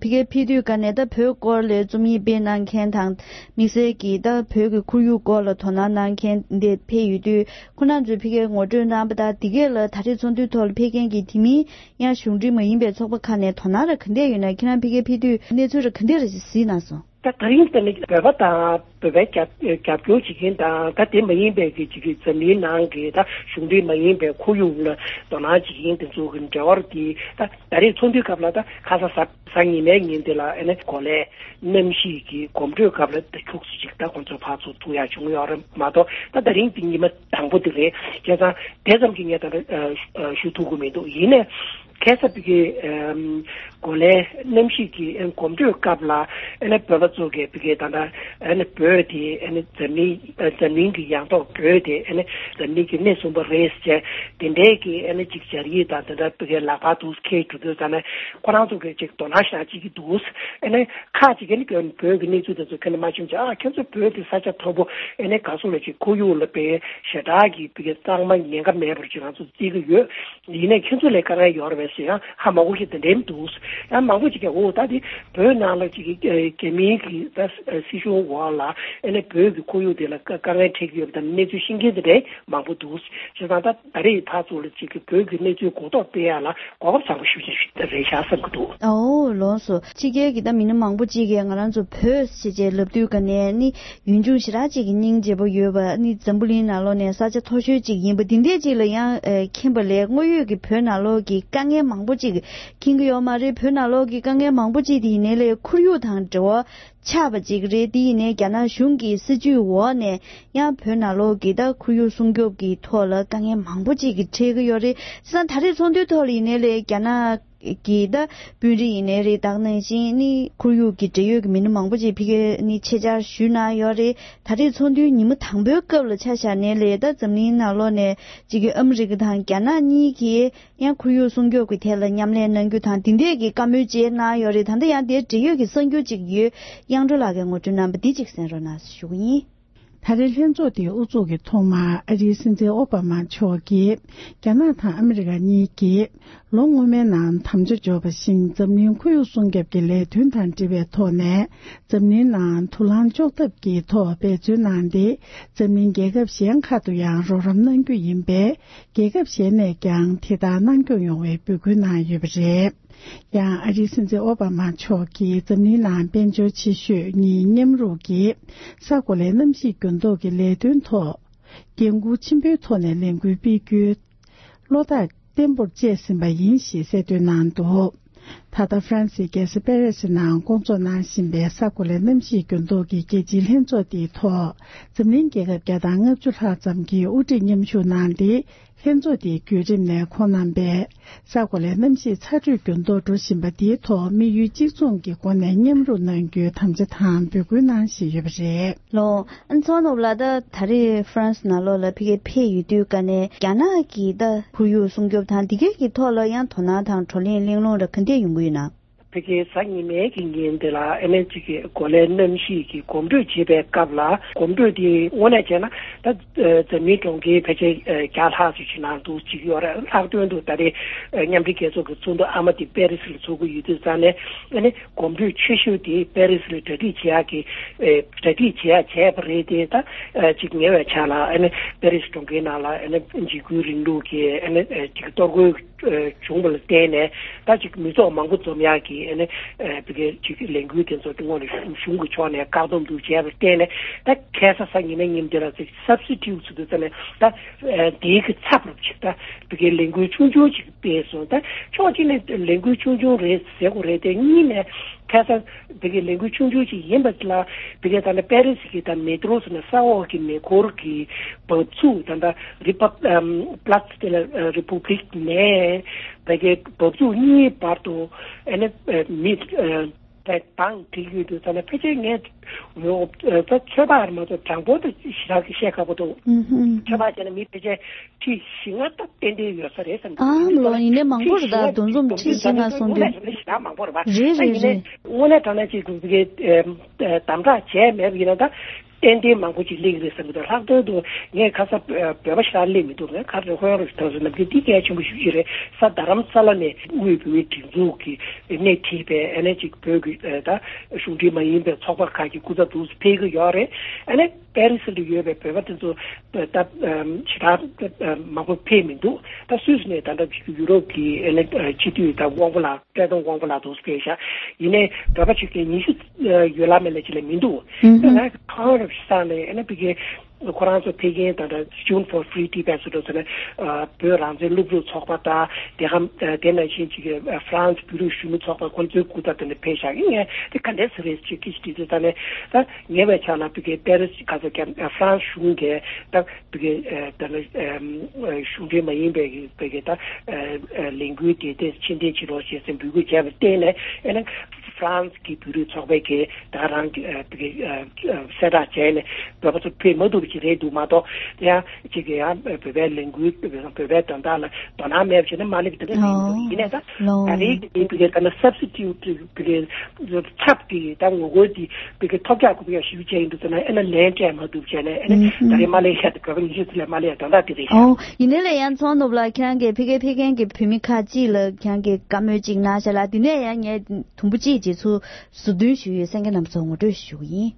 ཀྱིས་ཕ་གིར་ཕེབས་དུས་ཀ་ནས་ད་བོད་སྐོར་ལ་རྩོམ་ཡིག་སྤེལ་གནང་མཁན་དང་དམིགས་བསལ་གྱིས་ད་བོད་ཀྱི་ཁོར་ཡུག་སྐོར་ལ་དོ་སྣང་གནང་མཁན་འདི་ཕེབས་ཡོད་དུས། ཁོང་རྣམ་ཚོས་ཕ་གིར་ངོ་སྤྲོད་གནང་པ་དང་། འདི་གས་ལ་ད་རེས་ཚོགས་འདུའི་ཐོག་ལ་ཕེབས་མཁན་གྱི་དེ་མིན་ཡང་གཞུང་འབྲེལ་མ་ཡིན་པའི་ཚོགས་པ་ཁག་ནས་དོ་སྣང་ར་ག་འདྲས་ཡོད་ན། ཁྱེད་རང་ཕ་གིར་ཕེབས་དུས་གནས་ཚུལ་ར་ག་འདྲས་ར་གཟིགས་གནང་སོང་། ད་ད་རིང་དེ་ནི་བོད་པ་དང་བོད་པའི་རྒྱབ་རྒྱབ་སྐྱོར་བྱེད་མཁན་དང་། ད་དེ་མ་ཡིན་པའི་གི་ཅིག་གི་འཛམ་གླིང་ནང་གི་ད་གཞུང་འབྲེལ་མ་ཡིན་པའི་ཁོར་ཡུག་ལ་དོ་སྣང་བྱེད་མཁན་དེ་ཚོ་གི་འབྲེལ་བ་དེ། ད་ད་རེས་ཚོགས་འདུའི་སྐབས་ལ་ད་ཁ་ས་གཟའ་གཟའ་ཉི་མའི་ཉིན་དེ་ལ་ཨ་ནི་གོ་ལའི་གནམ་གཤིས་ཀྱི་གོམ་བགྲོད་སྐབས་ལ་ད་ཁྱུག་ཙམ་ཅིག་ད་ཁོང་ཚོ་ཕར་ཚུར་ཐུག་ཡག་བྱུང་ཡོད་རེད་མ་གཏོགས། ད་ད་རིང་དེ་ཉི་མ་དང་པོ་དེ་རེད། བྱས་ཙང་དེ་ཙམ་གྱིས་ངས་ད་ལྟ་ཨ་ཞུ་ཐུབ་ཀྱི་མི་འདུག། ཡིན་ནའི་ཁ་སང་ཕ་གིའི་ཨམ་གོ་ལའི་གནམ་གཤིས་ཀྱི་ཨ་གོམ་བགྲོད་སྐབས་ལ་ཨ་ནི་བོད་པ་ཚོ་གིས་ཕ་གིའི་ད་ལྟ་ཨ་ནི་བོད་དེ་ཨ་ནི་འཛམ་གླིང་ཨ་འཛམ་གླིང་གི་ཡང་ཐོག་བོད་དེ་ཨ་ནི་འཛམ་གླིང་གི་སྣེ་གསུམ་པ་རེད་ཟེར། དེ་འདྲའི་གི་ཨ་ནི་ཅིག་སྦྱར་ཡིག་དང་དེ་འདྲ་ཕ་གིའི་ལག་པར་དུ་འཁྱེར་འགྲོ་དུས་ཙ་ན་ཁོ་རང་ཚོ་གིས་ཅིག་དོ་སྣང་ཞེ་དྲག་བྱེད་ཀྱི་འདུག། ཨ་ནི་ཁག་ཅིག་གིས་ནི་བོད་ཀྱི་གནས་ཚུལ་དེ་ཚོ་ཁྱོན་ནས་མ་ཤེས་ཀྱང་། ཨ་ཁྱོད་ཚོ་བོད་དེ་ས་ཆ་མཐོ་པོ། ཨ་ནི་ག་སོགས་ལ་ཅིག་ཁོར་ཡུག་ལ་དཔེ་ཞེ་དྲག་གི་ཕ་གིའི་གཙང་མ་ཉེན་ཁ་མེད་པར་ཅིག་ང་ཚོ་བརྩི་གི་ཡོད། ཡིན་ནའི་ཁྱོད་ཚོ་ལ་དཀའ་ངལ་ཡོད་རེད་པས་ཟེར་ཡང་ཧ་མ་གོ་མཁན་དེ་འདྲ་མི་འདུག། ཡང་མང་པོ་ཅིག་གིས་འོ་ད་དེ་བོད་ནང་ལ་ཅིག་གི་རྒྱ་མིའི་གི་ད་སྲིད་གཞུང་འོག་ལ་ཨ་ནི་བོད་ཀྱི་ཁོར་ཡུག་དེ་ལ་དཀའ་དཀའ་ངལ་འཕྲད་ཀྱི་ཡོད་པ་དང་གནས་ཚུལ་ཤེས་མཁན་དེ་འདྲ་མང་པོ་འདུག། བྱས་ཙང་ད་ད་རེས་ཕར་ཚུར་ལ་ཅིག་གི་བོད་ཀྱི་གནས་ཚུལ་གོ་རྟོགས་སྤེལ་ཡག་ལ་གོ་སྐབས་བཟང་པོ་ཞེ་པོ་ཅིག་རེད་ཤག་བསམ་གྱི་འདུག། ཨོ་ལགས་སོ། ཕྱི་རྒྱལ་གྱི་ད་མི་སྣ་མང་པོ་ཅིག་གིས་ང་རང་ཚོ་བོད་ཟེར་བྱས་ལབ་དུས་ཀ་ནས་ནི་ཡུལ་ལྗོངས་ཞེ་དྲག་ཅིག་གི་སྙིང་རྗེ་པོ་ཡོད་པ། ནི་འཛམ་བུ་གླིང་ནང་ལོགས་ནས་ས་ཆ་མཐོ་ཤོས་ཅིག་ཡིན་པ་འདི་འདྲས་ཅིག་ལ་ཡང་ཨེ་མཁྱེན་པ་ལས། དངོས་ཡོད་ཀྱི་བོད་ནང་ལོགས་ཀྱི་དཀའ་ངལ་མང་པོ་ཅིག་མཁྱེན་གྱི་ཡོད་མ་རེད། བོད་ནང་ལོགས་ཀྱི་དཀའ་ངལ་མང་པོ་ཅིག་དེ་ཡིན་ནའི་ལས་ཁོར་ཡུག་དང་འབྲེལ་བ་ཆགས་པ་ཅིག་རེད། དེ་ཡིན་ནའི་རྒྱ་ནག་གཞུང་གི་སྲིད་ཇུས་འོག་ནས་ཡང་བོད་ནང་ལོགས་ཀྱི་ད་ཁོར་ཡུག་སྲུང་སྐྱོབ་ཀྱི་ཐོག་ལ་དཀའ་ངལ་མང་པོ་ཅིག་གི་འཕྲད་ཀྱི་ཡོད་རེད། བྱས་ཙང་ད་རེས་ཚོགས་འདུའི་ཐོག་ལ་ཡིན་ནའི་ལས་རྒྱ་ནག་གི་ད་དཔོན་རིགས་ཡིན་ནའི་རེད། ད་ག་ནང་བཞིན་ནི་ཁོར་ཡུག་གི་འབྲེལ་ཡོད་ཀྱི་མི་སྣ་མང་པོ་ཅིག་ཕ་གིར་ནི་ཆེད་བཅར་ཞུས་གནང་ཡོད་རེད། ད་རེས་ཚོགས་འདུའི་ཉིན་མོ་དང་པོའི་སྐབས་ལ་ཆ་བཞག་ནའི་ལས་ད་འཛམ་གླིང་ནང་ལོགས་ནས་གཅིག་གི་ཨ་མི་རི་ཀ་དང་རྒྱ་ནག་གཉིས་ཀྱིས་ཡང་ཁོར་ཡུག་སྲུང་སྐྱོབ་ཀྱི་ཐད་ལ་མཉམ་ལས་གནང་རྒྱུ་དང་དེ་འདྲས་ཀྱི་བཀའ་མོལ་བཅས་གནང་ཡོད་རེད། ད་ལྟ་ཡང་དེའི་འབྲེལ་ཡོད་ཀྱི་གསར་འགྱུར་ཅིག་ཡོད། དབྱངས་སྒྲོལ་ལགས་ཀྱིས་ངོ་སྤྲོད་གནང་བ་འདི་གཅིག་གསན་རོགས་གནང་ཞུ་གི་ཡིན། ད་རེས་ལྷན་ཚོགས་དེའི་དབུ་འཛུགས་ཀྱི་ཐོག་མར་ཨ་རིའི་སྲིད་འཛིན་ཨོ་བྷ་མ་མཆོག་གིས་རྒྱ་ནག་དང་ཨ་མི་རི་ཀ་གཉིས་ཀྱིས་ལོ་སྔོན་མའི་ནང་དམ་བཅའ་འཇོག་པ་བཞིན་འཛམ་གླིང་ཁོར་ཡུག་སྲུང་སྐྱོབ་ཀྱི་ལས་དོན་དང་འབྲེལ་བའི་ཐོག་ནས་འཛམ་གླིང་ནང་དུག་རླངས་གཅོག་ཐབས་ཀྱི་ཐོག་འབད་བརྩོན་གནང་སྟེ། འཛམ་གླིང་རྒྱལ་ཁབ་གཞན་ཁག་ཏུ་ཡང་རོགས་རམ་གནང་རྒྱུ་ཡིན་པས། རྒྱལ་ཁབ་གཞན་ནས་ཀྱང་དེ་ལྟར་གནང་སྐྱོང་ཡོང་བའི་འབོད་སྐུལ་གནང་ཡོད་པ་རེད། ཡང་ཨ་རིའི་སྲིད་འཛིན་ཨོ་བྷ་མ་མཆོག་གིས་འཛམ་གླིང་ནང་དཔལ་འབྱོར་ཆེ་ཤོས་གཉིས་མཉམ་རུབ་ཀྱིས་ས་གོ་ལའི་གནམ་གཤིས་འགྱུར་ལྡོག་གི་ལས་དོན་ཐོག་འགན་འཁུར་ཆེན་པོའི་ཐོག་ནས་ལས་འགུལ་སྤེལ་རྒྱུའི་བློ་ཐག་བརྟན་པོར་བཅད་ཟིན་པ་ཡིན་ཞེས་གསལ་སྟོན་གནང་འདུག། ད་ལྟ་ཧྥ་རན་སིའི་རྒྱལ་ས་པེ་རི་སི་ནང་སྐོང་ཚོགས་གནང་བཞིན་པའི་ས་གོ་ལའི་གནམ་གཤིས་འགྱུར་ལྡོག་གི་རྒྱལ་སྤྱིའི་ལྷན་ཚོགས་འདིའི་ཐོག་འཛམ་གླིང་རྒྱལ་ཁབ་བརྒྱ་དང་ལྔ་བཅུ་ལྷག་ཙམ་གྱིས་དབུ་ཁྲིད་མཉམ་ཞུགས་གནང་སྟེ། ལྷན་ཚོགས་འདིའི་བརྒྱུད་རིམ་ནས་ཁོང་རྣམ་པས་ས་གོ་ལའི་གནམ་གཤིས་ཚ་དྲོད་འགྱུར་ལྡོག་འགྲོ་བཞིན་པ་འདིའི་ཐོག་དམིགས་ཡུལ་གཅིག་མཚུངས་ཀྱི་སྒོ་ནས་མཉམ་རུབ་གནང་རྒྱུའི་དམ་བཅའ་དང་འབོད་སྐུལ་གནང་བཞིན་ཡོད་པ་རེད། ལོ། ཨ་ཚོགས་ནོར་ལ་ད་ད་རེས་ཧྥ་རན་སི་ནང་ལོགས་ལ་ཕ་གིར་ཕེབས་ཡོད་དུས་ཀ་ནས་རྒྱ་ནག་གི་ད་ཁོར་ཡུག་སྲུང་སྐྱོབ་དང་འདི་གའི་གི་ཐོག་ལ་ཡང་དོ་སྣང་དང་བགྲོ་གླེང་གླེང་སློང་ར་ག་འདྲས་ཡོང་གི་ཡོད་ན། ཕ་གིའི་གཟའ་ཉི་མའི་གི་ཉིན་དེ་ལ་ཨ་ནི་གཅིག་གི་གོ་ལའི་གནམ་གཤིས་ཀྱི་གོམ་བགྲོད་བྱེད་པའི་སྐབས་ལ། གོམ་བགྲོད་དེ་དངོས་གནས་བྱས་ན་ད་འཛམ་གླིང་གྲོང་ཁྱེར་ཕལ་ཆེར་བརྒྱ་ལྷག་ཙམ་ཞིག་ནང་དུ་ཅིག་ཡོད་རེད། ལྷག་དོན་དུ་ད་རེས་མཉམ་འབྲེལ་རྒྱལ་ཚོགས་ཀྱི་ཚོགས་འདུ་ཨ་མ་དེ་པེ་རི་སི་ལ་ཚོགས་ཀྱི་ཡོད་དུས་ཙང་ནས། ཨ་ནི་གོམ་བགྲོད་ཆེ་ཤོས་དེ་པེ་རི་སི་ལ་གྲ་སྒྲིག་བྱེད་ཡག་གི་གྲ་སྒྲིག་བྱེད་ཡག་བྱས་པ་རེད་དེ། ད་ཅིག་ཉེ་བའི་ཆར་ལ་ཨ་ནི་པེ་རི་སི་གྲོང་ཁྱེར་ནང་ལ་ཨ་ནི་འཇིགས་སྐུལ་རིང་ལུགས་ཀྱི་ཨ་ནི་ཅིག་གཏོར་རྒོལ་བྱུང་བ་ལ་བརྟེན་ནས། ད་ཅིག་མི་ཚོགས་མང་པོ་འཛོམས་ཡག་གི་ཨ་ནི་ཨ་ཕ་གིའི་ཅིག་ལས་འགུལ་དེ་ཚོ་དངོས་གནས་གཞུང་གི་ཕྱོགས་ནས་བཀག་སྡོམ་འདུག་བྱས་པར་བརྟེན་ནས། ད་ཁ་སང་གཟའ་ཉི་མའི་ཉིན་དེ་ལ་ཅིག་སབ་སི་ཊི་ཊུཊ་ཟེར་དུས་ཙམ་ནས། ད་ཨ་དེའི་གི་ཚབ་རུ་ཅིག་ད་ཕ་གིའི་ལས་འགུལ་ཆུང་ཆུང་ཅིག་སྤེལ་སོང་། ད་ཕྱོགས་གཅིག་ནས་ལས་འགུལ་ཆུང་ཆུང་རེད་ཟེར་དགོས་རེད་དེ། གཉིས་ནས་ཁ་སང་ཕ་གིའི་ལས་འགུལ་ཆུང་ཆུང་ཅིག་ཡིན་པ་ལ། ཕ་གིའི་ད་ལྟ་པེ་རི་སི་གི་ད་མེ་ཏྲོ་ཟེར་ན་ས་འོག་གི་མེ་འཁོར་གྱི་འབབ་ཚུགས། ད་ལྟ་རི་པབ་ཨམ་Place de la République ནས་ཕ་གིའི་འབབ་ཚུགས་གཉིས་བར་དུ་ཨ་ནི་ཨ་མི་ཨ་ད་དང་དེ་ཡོད་དུས་ཙམ་ནས། ཕལ་ཆེར་ངས་ད་ཚོད་དཔག་རེད་མ་གཏོགས་གྲངས་འབོར་དེ་ཞེ་དྲག་གི་བཤད་ཁག་པོ་འདུག། ཨུ་ཧུམ། ཚོད་དཔག་བྱས་ན་མི་ཕལ་ཆེར་ཁྲི་བཞི་ལྔ་ད་ཏན་ཏན་ཡོད་ས་རེད་བསམ་གྱི་འདུག། ཨ་མ་ལོ། ཡིན་ནའི་མང་པོ་རེད། ད་འདུ་འཛོམས་ཁྲི་བཞི་ལྔ་སོང་དུས། དངོས་གནས་ཞེ་དྲག་མང་པོ་རེད་པ། རེད་རེད་རེད། དངོས་གནས་དྲང་གནས་ཅིག་གི་དམ་དྲག་བྱས་མེད་པ་ཡིན་ན། ད་ ཏན་ཏན་མང་པོ་ཅིག་སླེབས་ཀྱི་རེད་བསམ་གྱི་འདུག་ལྷག་དོན་དུ་ངས་ཁ་ས་བོད་པ་ཞེ་དྲག་སླེབས་མི་འདུག་ངས་ཁ་རེ་ཧོན་རེ་ཐོག་སོ་ནམ་རྒྱུན་འདི་གལ་ཆེན་པོ་ཞིག་ཅིག་རེད། ས་རྡ་རམ་ས་ལ་ནས་དབུས་བོད་མིའི་སྒྲིག་འཛུགས་ཀྱི་སྣེ་ཁྲིད་པའི་ཨ་ནེ་ཅིག་བོད་ཀྱི་ད་གཞུང་འབྲེལ་མ་ཡིན་པའི་ཚོགས་པ་ཁག་གི་སྐུ་ཚབ་དུ་ཕེབས་ཀྱི་ཡོད་རེད། ཨ་ནེ་པེ་རི་སི་ལ་ཡོད་པའི་བོད་པ་དེ་ཚོ་ད་ཞེ་དྲག་མང་པོ་ཕེབས་མི་འདུག་ད་སུད་སི་ནས་ད་ལྟ་ཡུ་རོབ་ཀྱི་ཨ་ནེ་སྤྱི་འཐུས་ད་དབང་པོ་ལགས། བཀྲས་མཐོང་དབང་པོ་ལགས་འདུག་སེ་ཕེབས་ཤག་ཡིན་ནའི་བོད་པ་ཆོས་སྐད་ཉི་ཤུ་ཡོད་ལ་མེད་ལ་ཅིག་ལས་མི་འདུག་ཨུ་ཧུ། ད་ང་ཁོང་རབ་ཤི་སང་ནས་ཨ་ནི་བི་གེ་ཁོ་རང་ཚོ་ཕེབས་མཁན་དང་འདྲ་Students for Free Tibet སུ་འགྲོ་ཚོ་ནས་བོད་རང་བཙན་སློབ་ཕྲུག་ཚོགས་པ་དང་དེ་གམ་དེ་ནང་བཞིན་ཅིག་ཧྥ་རན་སི་བོད་རིགས་གཞོན་ནུ་ཚོགས་པ་ཁོ་ཚོའི་སྐུ་ཚབ་དེ་ནས་ཕེབས་ཤག་ཡིན་ངས་དེ་ག་འདྲས་ཟེར་རེད་ཅིག་ཀི་ཅིག་དྲིས་ཚེ་ད་ནས་ད་ངས་བས་ཆགས་ན་བི་གེ་པེ་རི་སི་ག་ཚོད་ཀྱང་ཧྥ་རན་སི་གཞུང་གིས་ད། བི་གེ་ད་ནི་གཞུང་འབྲེལ་མ་ཡིན་པའི་བི་གེ་ད་ལས་འགུལ་དེ་དེ་ཕྱིར་འཐེན་བྱེད་རོགས་ཞེས་སེམས་འབོད་སྐུལ་བྱས་པར་བརྟེན་ནས་ཨེ་ནི་ཧྥ་རན་སི་གི་བོད་རིགས་ཚོགས་པའི་གི་ད་རང་གི་བི་གེ་གསལ་བསྒྲགས་བྱས་ནས་བོད་པ་ཚོ་ཕེབས་མ་ཐུབ་པ་ཅིག་རེད་འདུག་མ་གཏོགས་དེ་ཡང་ཅིག་གི་ཡང་བོད་པའི་ལས་འགུལ་བོད་པའི་དོན་དག་ལ་དོ་སྣང་མེད་པ་བྱས་ན་མ་སླེབས་དེ་འདྲ་ཡིན་འདུག་ཡིན་ནའི་ད་ད་རེས་ཀྱི་བི་གེ་ད་ནི་སབ་སི་ཊི་ཊུ་ཊི་བི་གེ་ཚབ་ཀྱི་ད་ངོ་རྒོལ་དེ་བི་གེ་ཐོབ་རྒྱག་དགོས་ཡ་ཞིབ་བྱས་ཡིན་འདུག་ཟེར་ན་ཨེ་ན་ལན་སྤྲད་མ་ཐུབ་བྱས་ནས་ཨེ་ན་ད་རེས་མ་ལས་ཤ་དེ་བོད་པ་ཉི་ཤུ་ཙམ་ལས་མ་ལས་ཡ་དོན་དག་དེ་རེད་ཤག་ཨོ། ཡིན་ནའི་ལས་ཡང་ཚོང་ནོར་བུ་ལགས་ཁྱེད་རང་གིས་ཕ་གིར་ཕེབས་མཁན་གྱི་བོད་མི་ཁག་ཅིག་ལ་ཁྱེད་རང་གིས་བཀའ་མོལ་ཅིག་གནང་ཤག་ལ་དེ་ནས་ཡང་ངས་དུམ་བུ་གཅིག་རྗེས་སུ་ཟུར་འདོན་ཞུས་ཡོད། གསན་མཁན་རྣམ་ཚོར་ངོ་སྤྲོད་ཞུ་གི་ཡིན།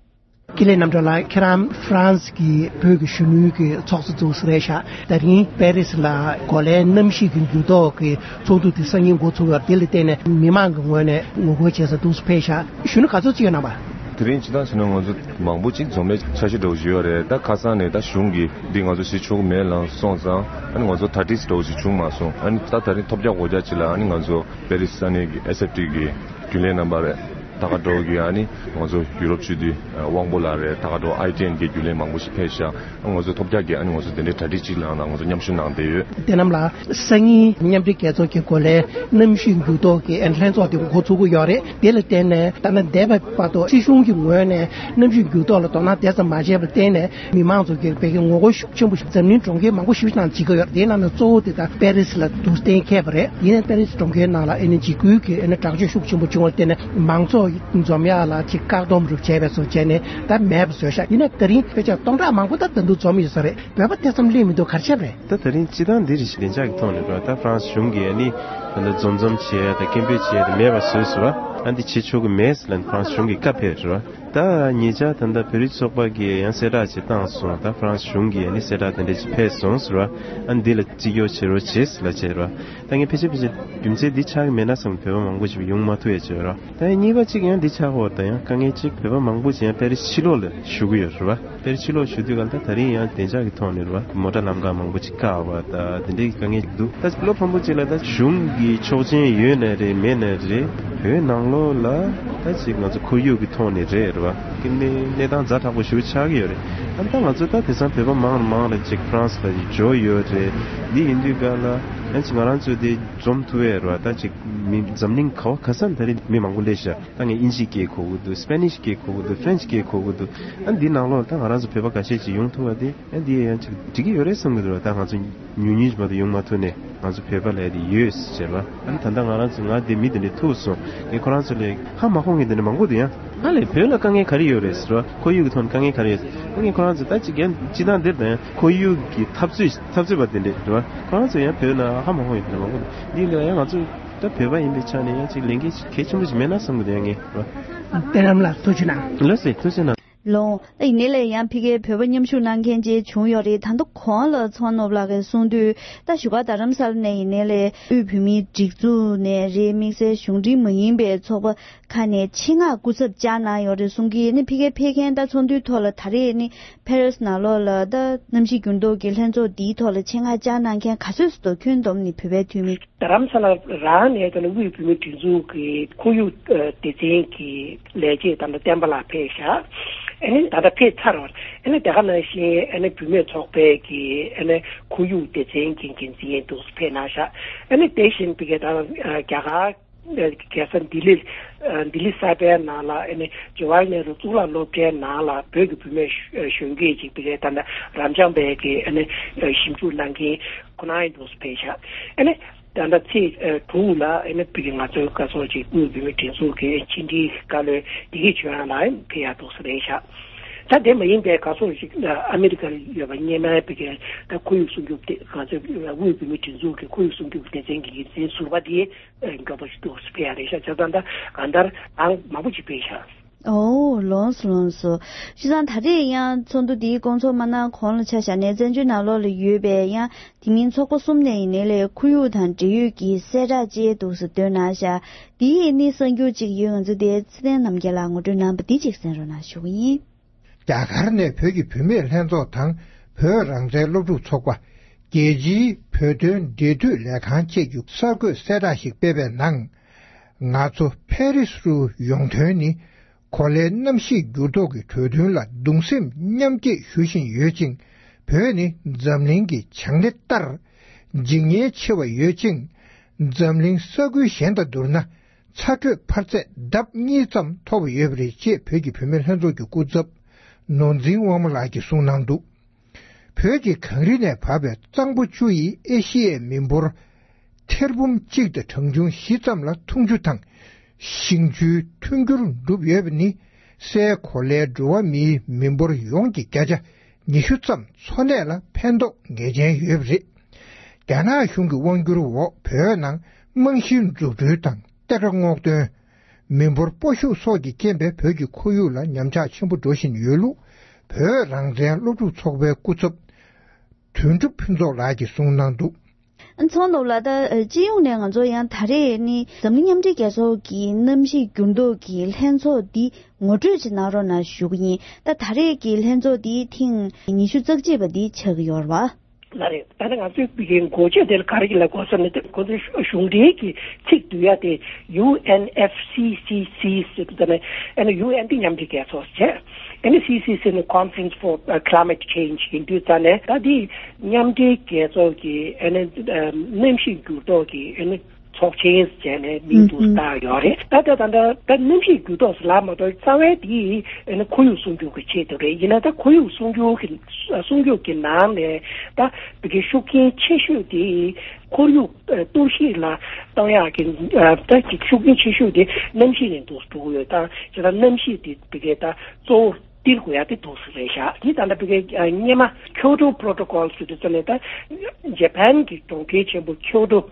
ཀི་ལེ་རྣམ་གྲོལ་ལགས་ཁྱེད་རང་ཧྥ་རན་སི་གི་བོད་ཀྱི་གཞོན་ནུའི་གི་ཚོགས་གཙོ་ཚོགས་སུ་རེད་ཤག་ད་རིང་པེ་རི་སི་ལ་གོ་ལའི་གནམ་གཤིས་ཀྱི་འགྱུར་ལྡོག་གི་ཚོགས་འདུ་དེ་སང་ཉིན་འགོ་ཚུགས་ཡོད། དེ་ལ་བརྟེན་ནས་མི་མང་གི་ངོས་ནས་ངོ་རྒོལ་བྱེད་ས་འདུག་སེ་ཕེབས་ཤག་གཞོན་ནུ་ག་ཚོད་ཅིག་ཡོད་ན་བ། དེ་རིང་སྤྱི་བཏང་བྱས་ན་ང་ཚོ་མང་པོ་ཅིག་འཛོམས་ལས་འཆར་གཞི་འདྲ་བོ་ཞིག་ཡོད་རེད། ད་ཁ་སང་ནས་ད་གཞུང་གིས་འདི་ང་ཚོ་བྱེད་ཆོག་གི་མེད་ལབ་སོང་ཙང་ཨ་ནི་ང་ཚོ་ད་ཏིས་འདྲ་བོ་ཞིག་བྱུང་མ་སོང་། ཨ་ནི་ད་ད་རིང་ཐོབ་རྒྱག་སྒོ་རྒྱག་ཅིག་ལ་ཨ་ནི་ང་ཚོ་པེ་རི་སི་ས་གནས་ཀྱི་ཨེས་ཨེཕ་ཊི་གི་རྒྱུན་ལས་རྣམ་པ་རེད། ད་ག་འདྲ་བོ་གི་ཨ་ནི་ང་ཚོ་ཡུ་རོབ་སྤྱི་འཐུས་དབང་པོ་ལགས་རེད། ད་ག་འདྲ་བོ་ཨའི་ཊི་ཨེན་གི་རྒྱུན་ལས་མང་པོ་ཞིག་ཕེབས་ཤག་ང་ཚོ་ཐོབ་རྒྱག་གི་ཨ་ནི་ང་ཚོ་དེ་འདྲའི་གྲ་སྒྲིག་ཅིག་ལ་ང་ཚོ་མཉམ་ཞུགས་གནང་བསྡད་ཡོད། དེ་རྣམས་ལ་སང་ཉིན་མཉམ་འབྲེལ་རྒྱལ་ཚོགས་ཀྱི་གོ་ལའི་གནམ་གཤིས་འགྱུར་ལྡོག་གི་ཨེ་ནི་ལྷན་ཚོགས་དེ་འགོ་ཚུགས་ཀྱི་ཡོད་རེད། དེ་ལ་བརྟེན་ནས་ད་ལྟ་འདས་པའི་བར་དུ་སྲིད་གཞུང་གི་ངོས་ནས་གནམ་གཤིས་འགྱུར་ལྡོག་ལ་དོ་སྣང་དེ་ཙམ་མ་བྱས་པར་བརྟེན་ནས་མི་མང་ཚོ་གིས་བོད་ཀྱི་ངོ་རྒོལ་ཤུགས་ཆེན་པོ་ཞིག་འཛམ་གླིང་གྲོང་ཁྱེར་མང་པོ་ཞིག་ནང་བྱེད་ཀྱི་ཡོད་རེད། དེའི་ནང་ནས་གཙོ་བོ་དེ་ད་པེ་རི་སི་ལ་འདུག་སེ་གཏན་འཁེལ་བ་རེད། ཡིན་ནའི་པེ་རི་སི་གྲོང་ཁྱེར་ནང་ལ་ཨེ་ནི་འཇིགས་སྐུལ་གྱི་ཨེ་ནི་དྲག་སྤྱོད་ཤུགས་ཆེན་པོ་བྱུང་བར་བརྟེན་ནས་མང་ཚོགས་འཛོམས་ཡག་ལ་ཅིག་བཀག་སྡོམ་རུ་བྱས་པའི་བཟོ་བྱས་ནས་ད་མེད་པ་བཟོས་ཤག་ཡིན་ནའི་ད་རིང་ཕལ་ཆེར་སྟོང་ཕྲག་མང་པོ་ད་ད་དུང་འཛོམས་ཡོད་ས་རེད། བོད་པ་དེ་ཙམ་སླེབས་མི་འདུག་ག་རེ་བྱས་པ་རེད། ད་ད་རིང་སྤྱི་བཏང་འདི་རེ་ཞིག་བདེ་འཇགས་ཀྱི་ཐོག་ནས་རེད་བ། ད་ཧྥ་རན་སི་གཞུང་གིས་ཨ་ནི་ད་ལྟ་འཛོམས་འཛོམས་བྱས་ཡ་དང་སྐད་འབོད་བྱས་ཡ་དེ་མེད་པ་བཟོས་སོང་ར། ཨ་འདི་བྱེད་ཆོག་གི་མེད་ཟེར་ལབ་ནས་ཧྥ་རན་སི་གཞུང་གིས་བཀའ་ཕེབས་རེད་བ། ད་ཉེ་ཆར་ད་ལྟ་བོད་རིགས་ཚོགས་པ་གིས་ཡང་གསལ་བསྒྲགས་ཅིག་བཏང་སོང་། ད་ཧྥ་རན་སི་གཞུང་གིས་ཨ་ནི་གསལ་བསྒྲགས་དེ་འདྲ་ཅིག་ཕེབས་སོང་ཟེར་བ། ཨ་འདི་ལ་བརྩི་འཇོག་བྱེད་རོགས་བྱེད་ཟེར་ལབ་བྱས་རེད་བ། ད་ངས་ཕལ་ཆེར་ཕལ་ཆེར་རྒྱུ་མཚན་འདི་ཆགས་ཀྱི་མེད་ན་བསམ་གྱི་བོད་པ་མང་པོ་ཞིག་ཡོང་མ་ཐུབ་ཡ་བྱས་རེད་བ། ད་ཡང་གཉིས་པ་གཅིག་ཡང་འདི་ཆགས་ཡོད། ད་ཡང་དཀའ་ངལ་གཅིག་བོད་པ་མང་པོ་ཅིག་ཡང་པེ་རི་སི་ཕྱི་ལོགས་ལ་བཞུགས་ཀྱི་ཡོད་རེད་བ། པེ་རི་སི་ཕྱི་ལོགས་བཞུགས་དུས་ག་ལ་ད་ད་རིང་ཡང་བདེ་འཇགས་ཀྱི་ཐོག་ནས་རེད་བ། མོ་ཊ་ལམ་ཁ་མང་པོ་ཅིག་བཀག་པ་ད་དེ་འདྲའི་དཀའ་ངལ་ཅིག་འདུག་ད་བློ་ཕམ་པོ་ཅིག་ལ་ད་གཞུང་གི་ཆོག་མཆན་ཡོད་ནའི་རེད་མེད་ནའི་རེད། བོད་ནང་ལོགས་ལ་ད་ཅིག་ང་ཚོ་ཁོར་ཡུག་གི་ཐོག་ནས་རེད་རེད་བ། གི་གནས་གནས་སྟངས་ཛ་དྲག་པོ་ཞིག་ཆགས་ཀྱི་ཡོད་རེད། ཨ་ད་ང་ཚོ་ད་དེང་སང་བོད་པ་མང་རུ་མང་རུ་ཅིག་ཧྥ་རན་སི་ལ་ཅིག་འབྱོར་ཡོད་རེད། འདི་ཡིན་དུས་ག་ལ་ཨ་ཅིག་ང་རང་ཚོ་དེ་འཛོམས་ཐུབ་ཡས་རེད་བ། ད་ཅིག་མི་འཛམ་གླིང་ག་བ་ག་ས་ནས་ད་རེས་མི་མང་པོ་སླེབས་ཤག་ད་ངས་དབྱིན་ཇིའི་སྐད་གོ་གི་འདུག་སི་པེ་ནིཤ་སྐད་གོ་གི་འདུག་ཧྥ་རན་སི་སྐད་གོ་གི་འདུག་ཨ་འདི་ནང་ལོགས་ད་ང་རང་ཚོ་བོད་པ་ཁ་ཤས་ཅིག་ཡོང་ཐུབ་པ་དེ་ཨ་འདི་ཡང་ཅིག་འགྲིག་གི་ཡོད་རེད་བསམ་གི་འདུག་ད་ང་ཚོ་ཉུང་ཉུང་ཅིག་མ་གཏོགས་ཡོང་མ་ཐུབ་ནས་ང་ཚོ་བོད་པ་ལབ་ཡ་དེ་ཡོད་ཟེར་བ། ཨ་ནི་ད་ལྟ་ང་རང་ཚོ་ང་དེ་མི་དེ་འདྲ་ཐུག་སོང་། ངས་ཁོ་རང་ཚོ་ལས་ཧ་མ་གོ་མཁན་དེ་འདྲ་མང་པོ་འདུག་ཡང་ང་ལས་བོད་ལ་དཀའ་ངལ་ག་རེ་ཡོད་རེད་ཟེར་བ། ཁོར་ཡུག་གི་ཐོག་ནས་དཀའ་ངལ་ག་རེ་ཡོད་ཟེར་བ། ངས་ཁོ་རང་ཚོ་ད་ཅིག་ཡང་སྤྱི་བཏང་འདིར་ད་ཡང་ཁོར་ཡུག་གི་འཐབ་རྩོད་འཐབ་རྩོད་པ་དེ་འདྲ་རེད་བ། ཁོ་རང་ཚོ་ཡང་བོད་ལ་ཧ་མ་གོ་མཁན་དེ་འདྲ་མང་པོ་འདུག་འདི་ལ་ཡང་ང་ཚོ་ད་བོད་པ་ཡིན་པའི་ཆ་ནས་ཡང་ཅིག་ལས་འགན་ཞིག་གལ་ཆེན་པོ་ཞིག་མེད་ན་བསམ་གི་འདུག་ཡང་ངས་རེད་བ། བསྟན་ལམ་ལ་ཐུགས་རྗེ་གནང་། ལགས་སེ་ཐུགས་རྗེ་གནང་། ལོང་། ད་ཡིན་ནའི་ལས་ཡང་ཕ་གིར་བོད་པ་མཉམ་ཞུགས་གནང་མཁན་ཅིག་བྱུང་ཡོད་རེད། ད་ལྟ་གོང་ལ་ཚོང་ནོར་བུ་ལགས་ཀྱིས་གསུངས་དུས་ད་བཞུགས་སྒར་རྡ་རམ་ས་ལ་ནས་ཡིན་ནའི་ལས་དབུས་བོད་མིའི་སྒྲིག་འཛུགས་ནས་རེད། དམིགས་བསལ་གཞུང་འབྲེལ་མ་ཡིན་པའི་ཚོགས་པ་ཁག་ནས་ཆེད་མངགས་སྐུ་ཚབ་བཅར་གནང་ཡོད་རེད་གསུང་གི། ནི་ཕ་གིར་ཕེབས་མཁན་ད་ཚོགས་འདུའི་ཐོག་ལ་ད་རེས་ནི་ཕ་རི་སི་ནང་ལོགས་ལ་ད་གནམ་གཤིས་འགྱུར་ལྡོག་གི་ལྷན་ཚོགས་འདིའི་ཐོག་ལ་ཆེད་མངགས་བཅར་གནང་མཁན་ག་ཚོད་ཙམ་འདུག་ཁྱོན་བསྡོམས་ནས་བོད་པའི་འཐུས་མི། རྡ་རམ་ས་ལ་རང་ནས་ད་ནི་དབུས་བོད་མིའི་སྒྲིག་འཛུགས་ཀྱི་ཁོར་ཡུག་སྡེ་ཚན་གྱི་ལས་བྱེད་ད་ལྟ་བསྟན་པ་ལགས་ཕེབས་ཤག་ཨ་ནི་ད་ལྟ་ཕེབས་ཚར་བ། ཨ་ནི་དེ་ག་ནང་བཞིན་ཨ་ནི་བུད་མེད་ཚོགས་པའི་གི་ཨ་ནི་ཁོར་ཡུག་སྡེ་ཚན་གྱི་འགན་འཛིན་འདུག་ཕེབས་གནང་ཤག་ཨ་ནི་དེ་བཞིན་པའི་གི་ད་རྒྱ་གར་རྒྱལ་ས་ལྡི་ལི། ལྡི་ལི་གསར་པའི་ནང་ལ་ཨ་ནི་ཇ་ཝ་ཧར་ནེ་རུ་གཙུག་ལག་སློབ་གྲྭའི་ནང་ལ་བོད་ཀྱི་བུད་མེད་གཞོན་སྐྱེས་ཅིག་ཕ་གིར་ད་ལྟ་རབ་འབྱམས་པའི་གི་ཨ་ནི་ཞིབ་འཇུག་གནང་མཁན་ཁོ་ན་ཡང་འདུག་སེ་ཕེབས་ཤག་ཨ་ནི་ད་ལྟ་ཚེས་དྲུག་ལ་ཨ་ནི་ཕ་གིར་ང་ཚོའི་བཀའ་ཟུར་ཅིག་དབུས་བོད་མིའི་སྒྲིག་འཛུགས་ཀྱི་ཕྱི་འབྲེལ་བཀའ་བློན་བདེ་སྐྱིད་ཆོས་དབྱངས་ལགས་ཕེབས་ཡག་འདུག་སེ་རེད་ཤག་ད་དེ་མ་ཡིན་པའི་ག་སོགས་ཤིག་ཨ་མེ་རི་ཀར་ཡོད་པ་སྔོན་མའི་བོད་ཀྱི་ད་ཁོར་ཡུག་སྲུང་སྐྱོབ་དེ་ག་ཚོད་དབུས་བོད་མིའི་སྒྲིག་འཛུགས་ཀྱི་ཁོར་ཡུག་སྲུང་སྐྱོབ་སྡེ་ཚན་གྱི་འགན་འཛིན་ཟུར་པ་དེ་མགྱོགས་པོ་ཞིག་ཏུ་ཕེབས་ཡ་རེད་ཤག་བྱས་ཙང་ད་གང་ལྟར་ཨང་མང་པོ་ཅིག་ཕེབས་ཤག་ཨོ། ལགས་སོ་ལགས་སོ། བྱས་ཙང་ད་རེས་ཡང་ཚོགས་འདུ་འདིའི་སྐོང་ཚོགས་མ་གནང་གོང་ལ་ཆ་བཞག་ནས་བཙན་བྱོལ་ནང་ལོགས་ལ་ཡོད་པའི་ཡང་དེ་མིན་ཚོགས་པ་གསུམ་ནས་ཡིན་ནའི་ལས་ཁོར་ཡུག་དང་འབྲེལ་ཡོད་ཀྱི་གསལ་བསྒྲགས་ཅིག་འདུག་སེ་བཏོན་གནང་ཤག་དེའི་ནི་གསར་འགྱུར་ཅིག་ཡོད། ང་ཚོ་དེ་ཚེ་བརྟན་རྣམ་རྒྱལ་ལགས་ངོ་སྤྲོད་གནང་བ་འདི་ཅིག་གསན་རོགས་གནང་ཞུ་གི་ཡིན། རྒྱ་གར་ནས་བོད་ཀྱི་བུད་མེད་ལྷན་ཚོགས་དང་བོད་རང་བཙན་སློབ་ཕྲུག་ཚོགས་པ། རྒྱལ་སྤྱིའི་བོད་དོན་འབྲེལ་མཐུད་ལས་ཁང་བཅས་ཀྱིས་གསར་འགོད་གསལ་བསྒྲགས་ཤིག་སྤེལ་བའི་ནང་། ང་ཚོ་ཕ་རི་སིའུ་ཡོང་དོན་ནི། གོ་ལའི་གནམ་གཤིས་འགྱུར་ལྡོག་གི་གྲོས་མཐུན་ལ་གདུང་སེམས་མཉམ་སྐྱེད་ཞུ་བཞིན་ཡོད་ཅིང་། བོད་ནི་འཛམ་གླིང་གི་བྱང་སྣེ་ལྟར་འཇིག་ཉེན་ཆེ་བ་ཡོད་ཅིང་། འཛམ་གླིང་ས་ཁུལ་གཞན་དང་བསྡུར་ན། ཚ་དྲོད་འཕར་ཚད་ལྡབ་གཉིས་ཙམ་མཐོ་བ་ཡོད་པ་རེད་ཅེས་བོད་ཀྱི་བུད་མེད་ལྷན་ཚོགས་ཀྱི་སྐུ་ཚབ་ནོར་འཛིན་དབང་མོ་ལགས་ཀྱིས་གསུངས་གནང་འདུག་བོད་ཀྱི་གངས་རི་ནས་བབས་པའི་གཙང་པོ་བཅུ་ཡིས་ཨེ་ཤི་ཡའི་མི་འབོར་ཐེར་འབུམ་གཅིག་དང་གྲངས་ཆུང་བཞི་ཙམ་ལ་འཐུང་ཆུ་དང་ཞིང་ཆུའི་མཐུན་འགྱུར་འགྲུབ་ཡོད་པ་ནི། སའི་གོ་ལའི་འགྲོ་བ་མིའི་མི་འབོར་ཡོངས་ཀྱི་བརྒྱ་ཆ་ཉི་ཤུ་ཙམ་འཚོ་གནས་ལ་ཕན་ཐོགས་ངེས་ཅན་ཡོད་པ་རེད། རྒྱ་ནག་གཞུང་གི་དབང་སྒྱུར་འོག་བོད་ནང་རྨང་གཞིའི་འཛུགས་སྐྲུན་དང་གཏེར་ཁ་སྔོག་འདོན། མི་འབོར་སྤོ་ཤུགས་སོགས་ཀྱི་རྐྱེན་པས་བོད་ཀྱི་ཁོར་ཡུག་ལ་ཉམས་ཆག་ཆེན་པོ་འགྲོ་བཞིན་ཡོད་ལུགས། བོད་རང་བཙན་སློབ་ཕྲུག་ཚོགས་པའི་སྐུ་ཚབ་དོན་གྲུབ་ཕུན་ཚོགས་ལགས་ཀྱིས་གསུངས་གནང་འདུག་ཚོགས་གཙོ་ལགས། ད་སྤྱི་ཡོངས་ནས་ང་ཚོ་ཡང་ད་རེས་ནི་འཛམ་གླིང་མཉམ་འབྲེལ་རྒྱལ་ཚོགས་ཀྱི་གནམ་གཤིས་འགྱུར་ལྡོག་གི་ལྷན་ཚོགས་འདི་ངོ་སྤྲོད་ཅིག་གནང་རོགས་གནང་ཞུ་གི་ཡིན། ད་ད་རེས་ཀྱི་ལྷན་ཚོགས་འདི་ཐེངས་ཉི་ཤུ་རྩ་གཅིག་པ་འདི་ཆགས་ཀྱི་ཡོད་རེད་པ། ལགས་རེད། ད་ནི་ང་ཚོའི་བོད་ཀྱི་འགོ་བརྗོད་དེ་ལ་ག་རེ་ལབ་དགོས་ཟེར་ན། དེ་ཁོ་ཚོའི་གཞུང་འབྲེལ་གྱི་ཚིག་བསྡུ་ཡ་དེ་ཡུ་ཨེན་ཨེཕ་སི་སི་སི་ཟེར་དུས་ཙམ་ནས། ཨ་ནི་ཡུ་ཨེན་དེ་མཉམ་འབྲེལ་རྒྱལ་ཚོགས་བྱས། ཨ་ནི་སི་སི་སི་ནི་Conference for Climate Change ཡིན་དུས་ཙམ་ནས། ད་དེ་མཉམ་འབྲེལ་རྒྱལ་ཚོགས་ཀྱི་ཨ་ནི་གནམ་གཤིས་འགྱུར་ལྡོག་གི་ཨ་ནི་ཚོགས་ཆེན་བྱས་ནས་མིང་དུ་བཏགས་ཡོད་རེད། ད་ལྟ་ད་ལྟ་ད་གནམ་གཤིས་འགྱུར་ལྡོག་ཟེར་ལབ་མ་གཏོགས། རྩ་བའི་དེ་ཨ་ནི་ཁོར་ཡུག་སྲུང་སྐྱོབ་ཀྱི་ཆེད་དུ་རེད། ཡིན་ན་ད་ཁོར་ཡུག་སྲུང་སྐྱོབ་ཀྱི་སྲུང་སྐྱོབ་ཀྱི་ནང་ནས་ད་བོད་ཀྱི་ཤུགས་རྐྱེན་ཆེ་ཤོས་དེ་ཁོར་ཡུག་གཏོར་བཤིག་ལ་གཏོང་ཡག་གི་ད་ཅིག་ཤུགས་རྐྱེན་ཆེ་ཤོས་དེ་གནམ་གཤིས་ནས་འདུག་འགྲོ་གི་ཡོད། ད་བྱས་ཙང་གནམ་གཤིས་དེ་བོད་ཀྱི་ད་གཙོ་བོ་སྟེར་དགོས་ཡ་དེ་འདུག་ཟེར་རེད་ཤག་དེ་ད་ལྟ་བོད་ཀྱི་སྔོན་མ་ཁྱོ་ཏོ་པྲོ་ཏོ་ཀོལ་ཟེར་དུས་ཙམ་ནས། ད་ཇ་པན་གྱི་གྲོང་ཁྱེར་ཆེན་པོ་ཁྱོ་ཏོ།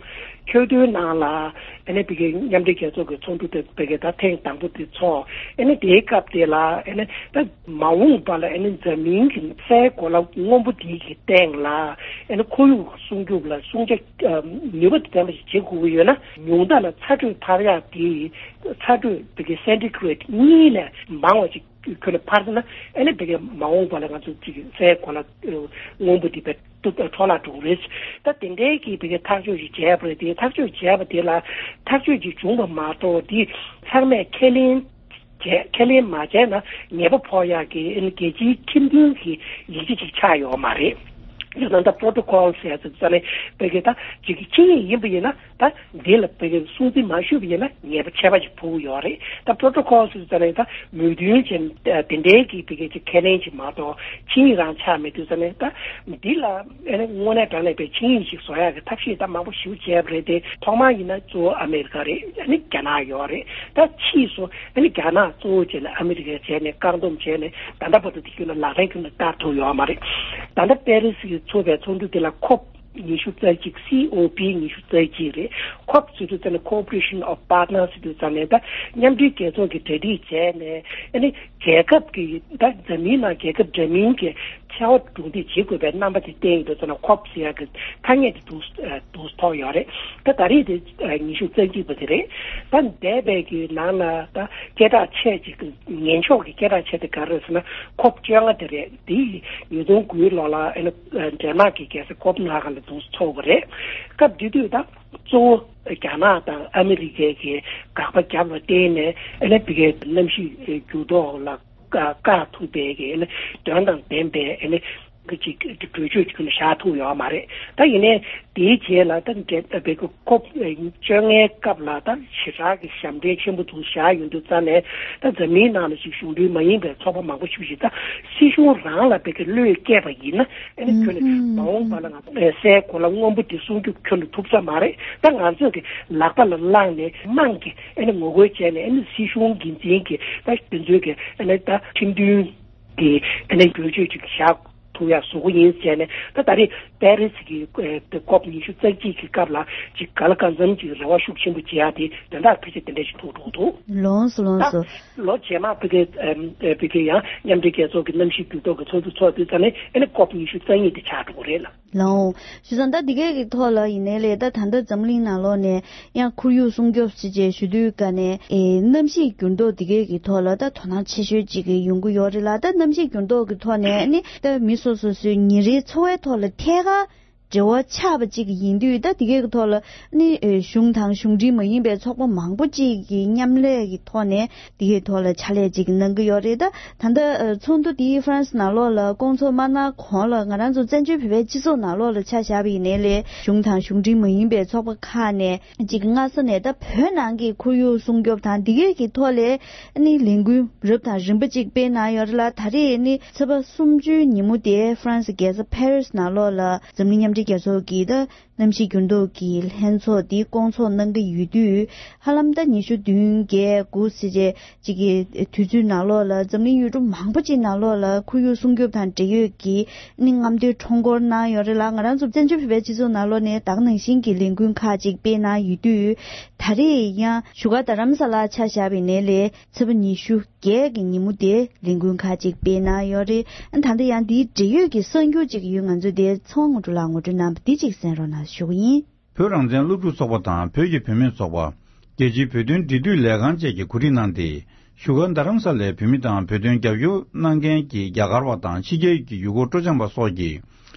ཁྱོ་ཏོའི་ནང་ལ་ཨ་ནི་བོད་ཀྱི་མཉམ་འབྲེལ་རྒྱལ་ཚོགས་ཀྱི་ཚོགས་འདུ་དེ་བོད་ཀྱི་ད་ཐེངས་དང་པོ་དེ་ཚོགས། ཨ་ནི་དེའི་སྐབས་དེ་ལ་ཨ་ནི་ད་མ་འོངས་པ་ལ་ཨ་ནི་འཛམ་གླིང་གི་སའི་གོ་ལ་སྔོན་པོ་དེ་གི་སྟེང་ལ་ཨ་ནི་ཁོར་ཡུག་སྲུང་སྐྱོབ་ལ་སྲུང་བྱ་ནུས་པ་ལྡན་པ་ཞིག་བྱེད་དགོས་ཀྱི་ཡོད་ན། ཉུང་མཐའ་ལ་ཚ་དྲོད་འཕར་ཡག་དེ། ཚ་དྲོད་བོད་ཀྱི་སེན་ཊི་གྷི་རེཌ་གཉིས་ལས་མང་བ་ཅིག་ཁྱོན་ནས་འཕར་སོང་ན། ཨ་ནི་བོད་ཀྱི་མ་འོངས་པ་ལ་ང་ཚོ་ཅིག་སའི་གོ་ལ་སྔོན་པོ་དེ་བས་འཕྲོ་བརླག་འགྲོ་གི་རེད། ད་དེ་འདྲའི་གི་བོད་ཀྱི་ཐག་གཅོད་ཅིག་བྱས་པ་རེད་དེ། ཐག་གཅོད་བྱས་པ་དེ་ལ་ཐག་གཅོད་ཅིག་བྱུང་བ་མ་གཏོགས། དེ་ཚང་མས་ཁས་ལེན་བྱས། ཁས་ལེན་མ་བྱས་ན་ཉེས་པ་ཕོག་ཡག་གི་ཨ་ནི་རྒྱལ་སྤྱིའི་ཁྲིམས་མཐུན་གྱི་ཡིག་ཆ་ཅིག་ཆགས་ཡོད་མ་རེད། ཡང་ན་ད་པྲོ་ཏོ་ཀོལ་ཟེར་ཡ་ཙམ་ཙམ་ནས། བོད་ཀྱི་ད་ཅིག་ཆིངས་ཡིག་ཡིན་པ་ཡིན་ན། ད་འདི་ལ་བོད་ཀྱི་སྲུང་བརྩི་མ་ཞུས་པ་ཡིན་ན་ཉེས་པ་ཆད་པ་ཅིག་ཕོག་གི་ཡོད་རེད། ད་པྲོ་ཏོ་ཀོལ་ཟེར་ཙམ་ནས་ད་མོས་མཐུན་བྱས་དེ་འདྲའི་གི་བོད་ཀྱི་ཅིག་ཁས་ལེན་ཅིག་མ་གཏོགས་ཆིངས་ཡིག་རང་ཆགས་མེད་དུས་ཙམ་ནས། ད་འདི་ལ་ཨ་ནི་དངོས་གནས་དྲང་གནས་པའི་ཆིངས་ཡིག་ཅིག་བཟོ་ཡག་གི་ཐབས་ཤེས་ད་མང་པོ་ཞིག་བྱས་པ་རེད་དེ། ཐོག་མར་ཡིན་ན་གཙོ་བོ་ཨ་མེ་རི་ཀ་རེད། ཨ་ནི་རྒྱ་ནག་ཡོད་རེད། ད་ཕྱིས་སུ་ཨ་ནི་རྒྱ་ནག་གཙོ་བོ་བྱས་ནས་ཨ་མེ་རི་ཀས་བྱས་ནས་བཀག་སྡོམ་བྱས་ནས། ད་ལྟ་བར་དུ་དེ་ཁྱོན་ནས་ལག་ལེན་ཁྱོན་ནས་བསྟར་ཐུབ་ཡོད་མ་རེད། ད་ལྟ་པེ་རི་སི་གི་ཚོགས་པའི་ཚོགས་འདུ་དེ་ལ་ཁོབ་ཉི་ཤུ་རྩ་གཅིག། སི་ཨོ་པི་ཉི་ཤུ་རྩ་གཅིག་རེད། ཁོབ་ཟེར་དུས་ཙམ་ནས་Cooperation of Partners ཟེར་དུས་ཙམ་ནས། ད་མཉམ་འབྲེལ་རྒྱལ་ཚོགས་ཀྱིས་གྲ་སྒྲིག་བྱས་ནས། ཨ་ནི་རྒྱལ་ཁབ་ཀྱི། ད་འཛམ་གླིང་ནང་རྒྱལ་ཁབ་འདྲ་མིན་གྱི་ཕྱར་བ་གྲུ་འདེགས་བྱེད་དགོས་པའི་རྣམ་པ་དེ་བསྟན་ཡོད་དུས་ཙམ་ན། ཁོབ་ཟེར་ཡག་གི་ཐ་སྙད་དེ་འདུག་འདུག་ཐོགས་ཡོད་རེད། ད་ད་རེས་དེ་ཉི་ཤུ་རྩ་གཅིག་པ་དེ་རེད། ད་འདས་པའི་གི་ནང་ལ་ད་སྐད་གྲགས་ཆེ་ཅིག་གི་ངན་ཕྱོགས་ཀྱི་སྐད་གྲགས་ཆེ་དེ་ག་རེ་རེད་ཟེར་ན། ཁོབ་བཅོ་ལྔ་དེ་རེད། དེ་ཉིས་སྟོང་དགུའི་ལོ་ལ་ཨ་ནི་ཌེན་མཱག་གི་རྒྱལ་ས་ཀོབ་ན་ཧ་གན་ལ་འདུག་ཚོགས་པ་རེད། སྐབས་དེ་དུས་ད་གཙོ་བོ་རྒྱ་ནག་དང་ཨ་མི་རི་ཀའི་གི་དགག་པ་བརྒྱབ་པ་བརྟེན་ནས། ཨ་ནི་བོད་ཀྱི་གནམ་གཤིས་འགྱུར་ལྡོག་ལ་བཀག་ཐུབ་པའི་གི་ཨ་ནི་དོན་དང་ལྡན་པའི་ཨ་ནི་གི་ཅིག་གྲོས་ཆོད་ཅིག་ཁྱོན་ནས་བཞག་ཐུབ་ཡོད་མ་རེད། ད་ཡིན་ནའི་དེའི་རྗེས་ལ་ད་འདྲ་བོད་ཀྱི་ཁོབ་བཅོ་ལྔའི་སྐབས་ལ་ད་ཞེ་དྲག་གི་ཞབས་འདྲེན་ཆེན་པོ་འདུག་བཞག་ཡོང་དུས་ཙམ་ནས། ད་འཛམ་གླིང་ནང་ལ་ཅིག་གཞུང་འབྲེལ་མ་ཡིན་པའི་ཚོགས་པ་མང་པོ་ཞིག་ཅིག་ད་སྲིད་གཞུང་རང་ལ་བོད་ཀྱི་བློས་བཀལ་བ་ཡིན་ན། ཨ་ནི་ཁྱོན་ནས་མ་འོངས་པ་ལ་ང་ཚོ་སའི་གོ་ལ་སྔོན་པོ་དེ་སྲུང་སྐྱོབ་ཁྱོན་ནས་ཐུབ་ས་མ་རེད། ད་ང་ཚོས་ཀྱི་ལག་པ་ལ་བླངས་ནས་དམངས་ཀྱིས་ཨ་ནི་ངོ་རྒོལ་བྱས་ནས། ཨ་ནི་སྲིད་གཞུང་འགན་འཛིན་གྱིས་ད་དེ་ཚོའི་གི་ཨ་ནི་ད་ཁྲིམས་མཐུན་ དེ་ཨ་ནི་བསྒྱུར་བཅོས་ཅིག་བཞག་ཐུབ་ཡ་བཟོ་གི་ཡིན་ཟེར་ནས། ད་ད་རེས་པེ་རི་སི་གི་ཨེ་དེ་ཀོབ་ཉི་ཤུ་རྩ་གཅིག་གི་སྐབས་ལ་ཅིག་ག་ལ་གང་འཚམ་ཅིག་རེ་བ་ཤུགས་ཆེན་པོ་བྱེད་ཡ་དེ་དོན་དག་ཕལ་ཆེར་དེ་འདྲ་ཞིག་ཐུག་འགྲོ་འདུག། ལོངས་སུ་ལོངས་སུ། ད་ལོ་རྗེས་མ་ཕ་གི་ཨེམ་ཨེ་ཕ་གི་ཡང་མཉམ་འབྲེལ་རྒྱལ་ཚོགས་ཀྱི་གནམ་གཤིས་འགྱུར་ལྡོག་གི་ཚོགས་འདུ་ཚོགས་དུས་ཙམ་ནས་ཨ་ནི་ཀོབ་ཉི་ཤུ་རྩ་གཉིས་དེ་ཆགས་འགྲོ་གི་རེད་ལ། ལའོ། བྱས་ཙང་ད་འདི་གའི་གི་ཐོག་ལ་ཡིན་ནའི་ལས། ད་ད་ལྟ་འཛམ་གླིང་ནང་ལོགས་ནས་ཡང་ཁོར་ཡུག་སྲུང་སྐྱོབ་ཅེས་བྱས་ཞུ་དུས་ཀ་ནས་ཨེ་གནམ་གཤིས་འགྱུར་ལྡོག་འདི་གའི་གི་ཐོག་ལ་ད་དོ་སྣང་ཆེ་ཤོས་ཅིག་གི་ཡོང་གི་ཡོད་རེད་ལ། ད་གནམ་གཤིས་འགྱུར་ལྡོག་གི་ཐོག་ནས་ནི་ད་མི་སོ་སོ་སོའི་ཉིན་རེའི་འཚོ་བའི་ཐོག་ལ་ཐད་ཀར་འབྲེལ་བ་ཆགས་པ་ཅིག་ཡིན་དུས། ད་འདི་གའི་གི་ཐོག་ལ་ནི་ཨེ་གཞུང་དང་གཞུང་འབྲེལ་མ་ཡིན་པའི་ཚོགས་པ་མང་པོ་ཅིག་གི་མཉམ་ལས་ཀྱི་ཐོག་ནས་དེའི་ཐོག་ལ་ཕྱག་ལས་ཅིག་གནང་གི་ཡོད་རེད། ད་ད་ལྟ་ཨ་ཚོགས་འདུ་དེ་ཧྥ་རན་སི་ནང་ལོགས་ལ་བསྐོང་ཚོགས་མ་གནང་གོང་ལ་ང་རང་ཚོ་བཙན་བྱོལ་བོད་པའི་སྤྱི་ཚོགས་ནང་ལོགས་ལ་ཆ་བཞག་པ་ཡིན་ནའི་ལས། གཞུང་དང་གཞུང་འབྲེལ་མ་ཡིན་པའི་ཚོགས་པ་ཁག་ནས་ཅིག་སྔ་ས་ནས་ད་བོད་ནང་གི་ཁོར་ཡུག་སྲུང་སྐྱོབ་དང་འདི་གའི་གི་ཐོག་ལ་ཨ་ནི་ལས་འགུལ་རབ་དང་རིམ་པ་ཅིག་སྤེལ་གནང་ཡོད་རེད་ལ། ད་རེས་ནི་ཚེས་པ་སུམ་ཅུའི་ཉིན་མོ་དེ་ཧྥ་རན་སི་རྒྱལ་ས་ཕ་རི་སི་ནང་ལོགས་ལ་འཛམ་གླིང་མཉམ་འབྲེལ་རྒྱལ་ཚོགས་ཀྱི་ད་གནམ་གཤིས་འགྱུར་ལྡོག་གི་ལྷན་ཚོགས་འདི་བསྐོང་ཚོགས་གནང་གི་ཡོད་དུས། ཧ་ལམ་ད་ཉི་ཤུ་བདུན་བརྒྱད་དགུ་ཟེར་བྱས་ཅིག་གི་དུས་ཚོད་ནང་ལོགས་ལ་འཛམ་གླིང་ཡུལ་གྲུ་མང་པོ་ཅིག་ནང་ལོགས་ལ་ཁོར་ཡུག་སྲུང་སྐྱོབ་དང་འབྲེལ་ཡོད་ཀྱི་ནི་རྔམ་སྟོན་ཁྲོམ་སྐོར་གནང་ཡོད་རེད་ལ། ང་རང་ཚོ་བཙན་བྱོལ་བོད་པའི་སྤྱི་ཚོགས་ནང་ལོགས་ནས་ད་ག་ནང་བཞིན་གྱི་ལས་འགུལ་ཁག་ཅིག་སྤེལ་གནང་ཡོད་དུས། ད་རེས་ཡང་བཞུགས་སྒར་རྡ་རམ་ས་ལར་ཆ་བཞག་པ་ཡིན་ནའི་ལས། ཚེས་པ་ཉི་ཤུ་བརྒྱད་ཀྱི་ཉིན་མོ་དེ་ལས་འགུལ་ཁག་ཅིག་སྤེལ་གནང་ཡོད་རེད། ད་ལྟ་ཡང་འདིའི་འབྲེལ་ཡོད་ཀྱི་གསར་འགྱུར་ཅིག་ཡོད། ང་ཚོས་དེ་ཚེ་དབང་དངོས་གྲུབ་ལགས་ངོ་སྤྲོད་གནང་བ་འདི་ཅིག་གསན་རོགས་གནང་ཞུ་གི་ཡིན། བོད་རང་བཙན་སློབ་ཕྲུག་ཚོགས་པ་དང་བོད་ཀྱི་བུད་མེད་ཚོགས་པ། རྒྱལ་སྤྱིའི་བོད་དོན་འབྲེལ་མཐུད་ལས་ཁང་བཅས་ཀྱིས་གོ་སྒྲིག་གནང་སྟེ། བཞུགས་སྒར་རྡ་རམ་ས་ལའི་བོད་མི་དང་བོད་དོན་རྒྱབ་སྐྱོར་གནང་མཁན་གྱི་རྒྱ་གར་བ་དང་ཕྱི་རྒྱལ་གྱི་ཡུལ་སྐོར་སྤྲོ་འཆམ་པ་སོགས་ཀྱིས།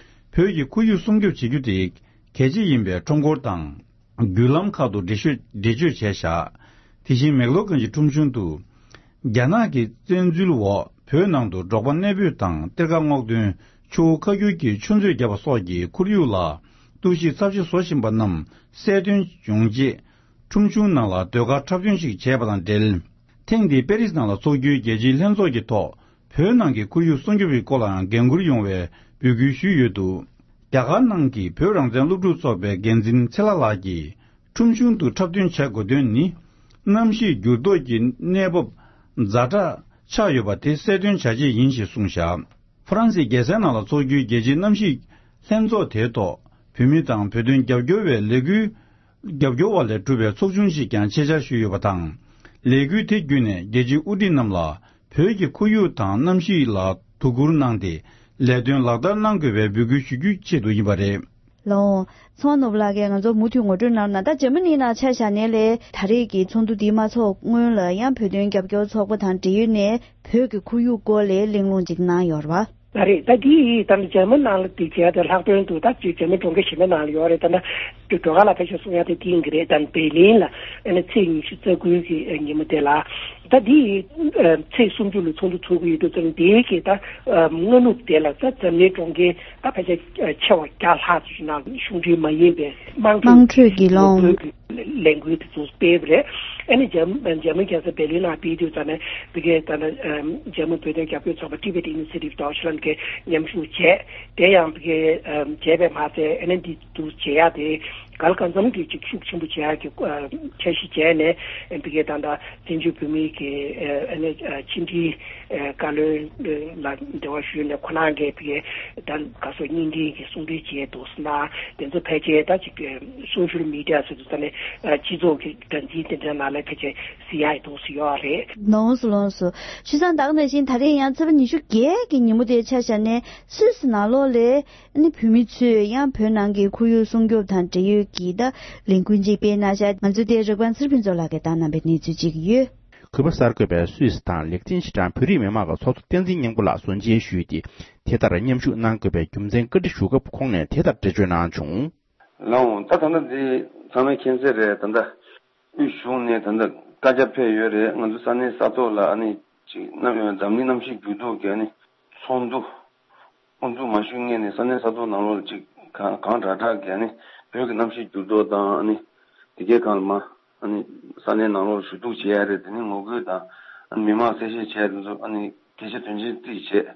བོད་ཀྱི་ཁོར་ཡུག་སྲུང་སྐྱོབ་བྱེད་རྒྱུ་དེ་གལ་ཆེ་ཡིན་པའི་ཁྲོམ་སྐོར་དང་། བརྒྱུད་ལམ་ཁག་ཏུ་འགྲེལ་བཤད་འགྲེལ་བརྗོད་བྱས་བཞག། དེ་བཞིན་མེག་ལོར་གྱི་ཁྲོམ་གཞུང་དུ། རྒྱ་ནག་གི་བཙན་འཛུལ་འོག་བོད་ནང་དུ་འབྲོག་པ་གནས་སྤོས་དང་གཏེར་ཁ་སྔོག་འདོན། ཆུ་བོ་ཁ་སྒྱུར་གྱི་ཆུ་མཛོད་བརྒྱབ་པ་སོགས་ཀྱིས་ཁོར་ཡུག་ལ་གཏོར་བཤིག་ཚབས་ཆེ་བཟོ་བཞིན་པ་རྣམས་གསལ་སྟོན་ཡོང་ཆེད། ཁྲོམ་གཞུང་ནང་ལ་ཟློས་གར་འཁྲབ་སྟོན་ཞིག་བྱས་པ་དང་འབྲེལ། ཐེངས་འདིའི་པེ་རིས་ནང་ལ་འཚོགས་རྒྱུའི་རྒྱལ་སྤྱིའི་ལྷན་ཚོགས་ཀྱི་ཐོག་བོད་ནང་གི་ཁོར་ཡུག་སྲུང་སྐྱོབ་ཀྱི་སྐོར་ལའང་འགན་འཁུར་ཡོང་བའི་འབོད་སྐུལ་ཞུས་ཡོད་འདུག། རྒྱ་གར་ནང་གི་བོད་རང་བཙན་སློབ་ཕྲུག་ཚོགས་པའི་འགན་འཛིན་ཚེ་ལྷ་ལགས་ཀྱིས། ཁྲོམ་གཞུང་དུ་འཁྲབ་སྟོན་བྱ་དགོས་དོན་ནི། གནམ་གཤིས་འགྱུར་ལྡོག་གི་གནས་བབ་ཛ་དྲག་ཆགས་ཡོད་པ་དེ་གསལ་སྟོན་བྱ་ཆེད་ཡིན་ཞེས་གསུངས་བཞག། ཧྥ་རན་སིའི་རྒྱལ་ས་ནང་ལ་འཚོགས་རྒྱུའི་རྒྱལ་སྤྱིའི་གནམ་གཤིས་ལྷན་ཚོགས་དེའི་ཐོག་བོད་མི་དང་བོད་དོན་རྒྱབ་སྐྱོར་བའི་ལས་འགུལ་རྒྱབ་སྐྱོར་བ་ལས་གྲུབ་པའི་ཚོགས་ཆུང་ཞིག་ཀྱང་ཆེད་བཅར་ཞུས་ཡོད་པ་དང་། ལས་འགུལ་དེ་བརྒྱུད་ནས་རྒྱལ་སྤྱིའི་དབུ་ཁྲིད་རྣམས་ལ། བོད་ཀྱི་ཁོར་ཡུག་དང་གནམ་གཤིས་ལ་དོ་ཁུར་གནང་སྟེ། ལས་དོན་ལག་བསྟར་གནང་དགོས་པའི་འབོད་སྐུལ་ཞུ་རྒྱུའི་ཆེད་དུ་ཡིན་པ་རེད། ལའོ། ཚང་ནོར་བུ་ལགས་ཀྱིས་ང་ཚོར་མུ་མཐུད་ངོ་སྤྲོད་གནང་ན། ད་འཇར་མ་ནི་ནང་ཆ་བཞག་ནའི་ལས། ད་རེས་ཀྱི་ཚོགས་འདུ་འདི་མ་ཚོགས་སྔོན་ལ་ཡང་བོད་དོན་རྒྱབ་སྐྱོར་ཚོགས་པ་དང་འབྲེལ་ཡོད་ནས་བོད་ཀྱི་ཁོར་ཡུག་སྐོར་ལས་གླེང་སློང་ཅིག་གནང་ཡོད་རེད་པ། ད་རེད། ད་འདི་ད་ལྟ་འཇར་མ་ནང་ལ་འདི་བྱས་ཏེ། ལྷག་དོན་དུ་ད་འཇར་མ་གྲོང་ཁྱེར་གཞན་པའི་ནང་ལ་ཡོད་རེད། ད་ལྟ་སྒྲོལ་དཀར་ལགས་ཕལ་ཆེར་གསུང་ཡ་དེ་འདི་ཡིན་གྱི་རེད། ད་བེར་ལིན་ལ་ཨ་ནི་ཚེས་ཉི་ཤུ་རྩ་དགུ་གི་ཉིན་མོ་དེ་ལ། ད་འདི་ཚེས་སུམ་ཅུ་ལ་ཚོགས་འདུ་ཚོགས་ཀྱི་ཡོད་དུས་ཙམ། འདིའི་གི་ད་སྔ་ནུབ་དེ་ལ་ད་འཛམ་གླིང་གྲོང་ཁྱེར་ད་ཕལ་ཆེར་ཆེ་བ་བརྒྱ་ལྷག་ཙམ་ཞིག་ནང་གཞུང་འབྲེལ་མ་ཡིན་པའི་དམངས་ཁྲོད་དམངས་ཁྲོད་ཀྱི་ཀྱི་ལོ་རྒོལ་གྱི་ལས་འགུལ་དེ་ཚོ་སྤེལ་བ་རེད། ཨ་ནི་འཇར་འཇར་མན་རྒྱལ་ས་བེར་ལིན་ནང་སྤེལ་དུས་ཙམ་ནས། ཕ་གིའི་ད་ལྟ་འཇར་མན་བོད་དོན་རྒྱབ་སྐྱོར་ཚོགས་པ་Tibet Initiative Deutschland གིས་མཉམ་ཞུགས་བྱས། དེ་ཡང་ཕ་གིའི་བྱས་པས་མ་ཚད། ཨ་ནི་འདི་འདུ་བྱེད་ཡ་དེ་ག་ལ་གང་འཚམ་གྱི་ཅིག་ཤུགས་ཆེན་པོ་བྱེད་ཡ་གི་འཆར་གཞི་བྱས་ནས། ཕ་གིའི་ད་ལྟ་བཙན་བྱོལ་བོད་མིའི་གི་ཨ་ནི་ཕྱི་འབྲེལ་བཀའ་བློན་ལ་འབྲེལ་བ་ཞུས་ནས། ཁོ་རང་གིས་ཕ་གིའི་ད་ག་སོ་བརྙན་འཕྲིན་གྱི་གསུང་འཕྲིན་བྱས་འདུག་ཟེར་ན། དེ་ཚོ་ཕལ་ཆེར་ད་ཅིག་social media ཟེར་དུས་ཙམ་ནས་སྤྱི་ཚོགས་ཀྱི་སྒྲ་འཛིན་དེ་འདྲ་ནང་ལ་ཕལ་ཆེར་གཟིགས་ཡག་འདུག་ཟེར་ཡོད་རེད། ལོངས་སུ་ལོངས་སུ། བྱས་ཙང་ད་ག་ནང་བཞིན་ད་རེས་ཡང་ཚེས་པ་ཉི་ཤུ་བརྒྱད་ཀྱི་ཉིན་མོ་དེ་ཆ་བཞག་ནས། སུད་སི་ནང་ལོགས་ལ་ནི་བོད་མི་ཚོས་ཡང་བོད་ནང་གི་ཁོར་ཡུག་སྲུང་སྐྱོབ་དང་འབྲེལ་ཡོད་ཀྱི་ད་ལས་འགུལ་ཅིག་སྤེལ་གནང་ཤག། ང་ཚོའི་དེ་རིག་པ་ཚེ་རིང་ཕུན་ཚོགས་ལགས་ཀྱིས་བཏང་གནང་བའི་གནས་ཚུལ་ཅིག་ཡོད། གུས་པ་གསར་འགོད་པས་སུད་སི་དང་ལེགས་ལྡན་ཕྱི་དྲང་བོད་རིགས་མི་མང་གི་ཚོགས་གཙོ་བསྟན་འཛིན་སྙིང་པོ་ལགས་ཟུར་མཇལ་ཞུས་ཏེ། དེ་ལྟར་མཉམ་ཞུགས་གནང་དགོས་པའི་རྒྱུ་མཚན་བཀའ་འདྲི་ཞུ་སྐབས། ཁོང་ནས་དེ་ལྟར་འགྲེལ་བརྗོད་གནང་བྱུང་། ལགས་འོང་། ད་ད་ལྟ་འདི་ཚང་མས་མཁྱེན་གསལ་རེད། ད་ལྟ་དབུས་གཞུང་ནས་ད་ལྟ་བཀའ་རྒྱ་ཕེབས་ཡོད་རེད། ང་ཚོ་ས་གནས་ས་ཐོག་ལ་ཨ་ནི་ཅིག་གནམ་འཛམ་གླིང་གནམ་གཤིས་འགྱུར་ལྡོག་གི་ཨ་ནི་ཚོགས་འདུ་དབུ་འཛུགས་མ་ཞུ་སྔོན་ནས་ས་གནས་ས་ཐོག་ནང་ལོགས་ལ་ཅིག་གང་གང་དྲག་དྲག་གི་ཨ་ནི་བོད་ཀྱི་གནམ་གཤིས་འགྱུར་ལྡོག་དང་། ཨ་ནི་དེ་གའི་སྒང་ལ་མ་ཨ་ནི་ས་གནས་ནང་ལོགས་ལ་ཞུ་གཏུག་བྱེད་ཡ་རེད། དེ་ནི་ངོ་རྒོལ་དང་། ཨ་ནི་མི་མང་གསལ་བཤད་བྱས་དེ་ཚོ་ཨ་ནི་གལ་ཆེ་དོན་ཆེན་རྩིས་བྱས་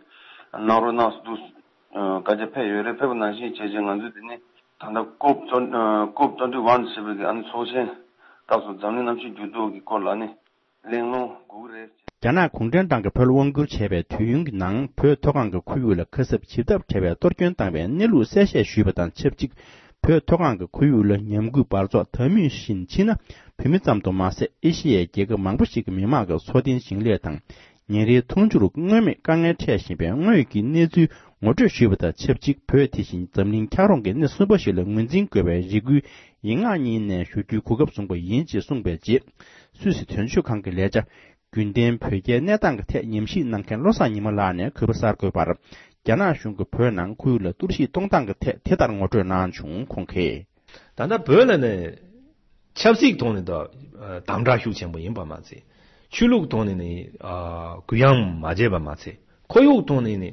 གནང་རོགས་གནང་ཟེར་འདུག། བཀའ་རྒྱ་ཕེབས་ཡོད་རེད། ཕེབས་པ་ནང་བཞིན་བྱས་རྗེས་ང་ཚོས་དེ་ནི་ད་ལྟ་ཀོབ་ཀོབ་ཊུ་ཝེན་ཊི་ཞེས་པའི་གི་ཨ་ནི་ཚོགས་ཆེན་སྐབས་སུ་འཛམ་གླིང་གནམ་གཤིས་འགྱུར་ལྡོག་གི་སྐོར་ལ་ཨ་ནི་ གླེང་སློང་སྒུག་རེད། རྒྱ་ནག་གུང་ཁྲན་ཏང་གིས་བོད་ལ་དབང་བསྒྱུར་བྱས་པའི་དུས་ཡུན་གྱི་ནང་བོད་མཐོ་སྒང་གི་ཁོར་ཡུག་ལ་ཁ་གསབ་ཇི་ལྟར་བྱ་བའི་གཏོར་སྐྱོན་བཏང་བའི་གནས་ལུགས་གསལ་བཤད་ཞུས་པ་དང་ཆབས་ཅིག་བོད་མཐོ་སྒང་གི་ཁོར་ཡུག་ལ་ཉམས་རྒུད་འབར་རྫོགས་དང་མུས་བཞིན་ཕྱིན་ན་བོད་མི་ཙམ་དུ་མ་ཟད་ཨེ་ཤི་ཡའི་རྒྱལ་ཁབ་མང་པོ་ཞིག་གི་མི་དམངས་ཀྱི་འཚོ་རྟེན་ཞིང་ལས་དང་ཉིན་རེའི་འཐུང་ཆུར་མངོན་མེད་དཀའ་ངལ་འཕྲད་བཞིན་པའི་དངོས་ཀྱི་གནས་ཚུལ་ངོ་སྤྲོད་ཞུས་པ་དང་ཆབས་ཅིག་བོད་དེ་བཞིན་འཛམ་གླིང་འཁྱགས་རོམ་གྱི་གནས་གསུམ་པ་ཞིག་ལ་ངོས་འཛིན་དགོས་པའི་རེ་སྐུལ་ཡིག་ངག་གཉིས་ནས་ཞུ་རྒྱུའི་གོ་སྐབས་བཟུང་བ་ཡིན་ཅེས་གསུངས་པའི་རྗེས། སུད་སི་དོན་གཅོད་ཁང་གི་ལས་བྱ། རྒྱུན་ལྡན་བོད་རྒྱའི་གནས་སྟངས་ཀྱི་ཐད་ཉམས་ཞིབ་གནང་མཁན་བློ་བཟང་ཉི་མ་ལགས་ནས་གུས་པ་གསར་འགོད་པར། རྒྱ་ནག་གཞུང་གིས་བོད་ནང་ཁོར་ཡུག་ལ་གཏོར་བཤིག་གཏོང་སྟངས་ཀྱི་ཐད་དེ་ལྟར་ངོ་སྤྲོད་གནང་བྱུང་། ཁོང་གིས། ད་ལྟ་བོད་ལ་ནི་ཆབ་སྲིད་ཐོག་ནས་ད་དམ་དྲག་ཤུགས་ཆེན་པོ་ཡིན་པ་མ་ཚད། ཆོས་ལུགས་ཐོག་ནས་ནི་གུ་ཡངས་མ་བྱས་པ་མ་ཚད། ཁོར་ཡུག་ཐོག་ནས་ནི་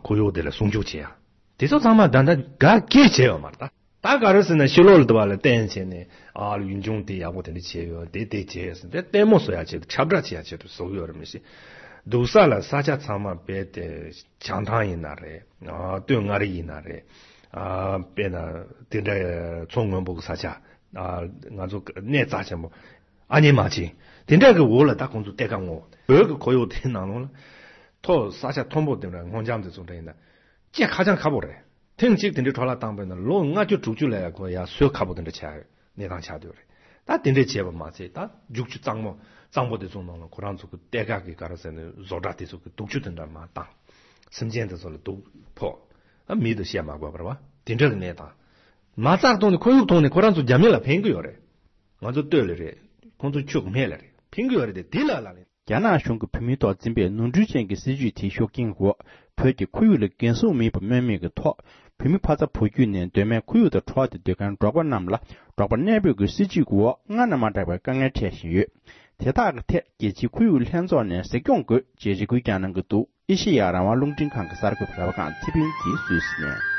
ཁོར་ཡུག་དེ་ལ་སྲུང་སྐྱོབ་བྱེད་ཡ། དེ་ཚོ་ཚང་མ་ད་ལྟ་ག་གེ་བྱས་ཡོད་མ་རེད་ད། ད་ག་རེ་ཟེར་ན་ཕྱི་ལོགས་ལ་དུ་བ་ལ་བསྟན་བྱས་ནས་ཨ་ལ་ཡུལ་ལྗོངས་དེ་ཡག་པོ་དེ་འདྲ་བྱས་ཡོད་དེ་དེ་བྱས་ཟེར་དེ་ལྟད་མོ་བཟོ་ཡ་ཆེད་དུ་ཁྱབ་བསྒྲགས་བྱེད་ཡ་ཆེད་དུ་བཟོ་གི་ཡོད་རེད་མི་ཤེས། འདུག་ས་ལ་ས་ཆ་ཚང་མ་རྦད་དེ་བྱང་ཐང་ཡིན་ན་རེད། ཨ་སྟོད་མངའ་རིས་ཡིན་ན་རེད། ཨ་དཔེར་ན་དེ་འདྲ་མཚོ་སྔོན་པོ་གི་ས་ཆ། ཨ་ང་ཚོ་གནས་རྩ་ཆེན་པོ་ཨ་ཉེ་མ་ཆེ་དེ་འདྲ་གི་འོག་ལ་ད་ཁོང་ཚོ་གཏེར་ཁ་བསྔོགས། བོད་ཀྱི་ཁོར་ཡུག་དེའི་ནང་ལོགས་ལ་མཐོ་ས་ཆ་མཐོན་པོ་དེ་འདྲ་སྔོ་ལྗང་དེ་ཚོ་འདྲ་ཡིན་ན་སྐྱེ་ཁ་ཅང་ཁ་པོ་རེད། ཐེངས་གཅིག་དེ་འདྲའི་འཕྲོ་བརླག་བཏང་པས་ན་ལོ་ལྔ་བཅུ་དྲུག་ཅུ་ལ་ཡང་ཁོ་ཡང་སོས་ཁ་པོ་དེ་འདྲ་ཆགས་ཡོད་གནས་སྟངས་ཆགས་བསྡད་ཡོད་རེད། ད་དེ་འདྲས་བྱས་པ་མ་ཚད་ད་རྒྱུག་ཆུ་གཙང་མོ་གཙང་པོ་དེ་ཚོ་ནང་ལ་ཁོ་རང་ཚོ་གི་གཏེར་ཁ་གི་ག་རེ་ཟེར་ནས་བཟོ་གྲྭ་དེ་ཚོ་གི་དུག་ཆུ་དེ་འདྲ་མར་བཏང་། སེམས་ཅན་དེ་ཚོ་ལ་དུག་ཕོག་ཨ་མི་དུ་བཤད་མ་དགོས་པ་རེད་བ། དེ་འདྲ་གི་གནས་སྟངས་མ་རྩ་ཐོག་ནས་ཁོར་ཡུག་ཐོག་ནས་ཁོ་རང་ཚོ་རྒྱ་མི་ལ་ཕན་གི་ཡོད་རེད། ང་ཚོ་སྟོད་ལ་རེད། ཁོང་ཚོ་ཆུ་སྨད་ལ་རེད། ཕན་གི་ཡོད་རེད་དེ་དེ་ལ་ལ་ལེན། རྒྱ་ནག་གཞུང་གིས་བོད་མིའི་ཐོག་འཛིན་པའི་ནོར་འཁྲུལ་ཅན་གྱི་སྲིད་བྱུས་དེའི་ཤུགས་རྐྱེན་འོག་བོད་ཀྱི་ཁོར་ཡུག་ལ་འགན་སྲུང་མེད་པ་སྨོས་མེད་ཀྱི་ཐོག་བོད་མི་ཕ་ཚ་བུ་རྒྱུད་ནས་གདོད་མའི་ཁོར་ཡུག་དང་འཕྲོག་སྟེ་སྡོད་མཁན་འབྲོག་པ་རྣམས་ལ་འབྲོག་པ་གནས་སྤོས་ཀྱི་སྲིད་བྱུས་ཀྱི་འོག་སྔར་ན་མ་འདྲ་བའི་དཀའ་ངལ་འཕྲད་བཞིན་ཡོད། དེ་དག་གི་ཐད་རྒྱལ་སྤྱིའི་ཁོར་ཡུག་ལྷན་ཚོགས་ནས་གཟིགས་སྐྱོང་དགོས་ཅེས་རེ་སྐུལ་ཀྱང་གནང་གི་འདུག་ཨེ་ཤེ་ཡ་རང་དབང་རླུང་འཕྲིན་ཁང་གི་གསར་འགོད་པ་ར་བ་ཀང་ཚེ་ཕུན་གྱིས་སུད་སི་ནས།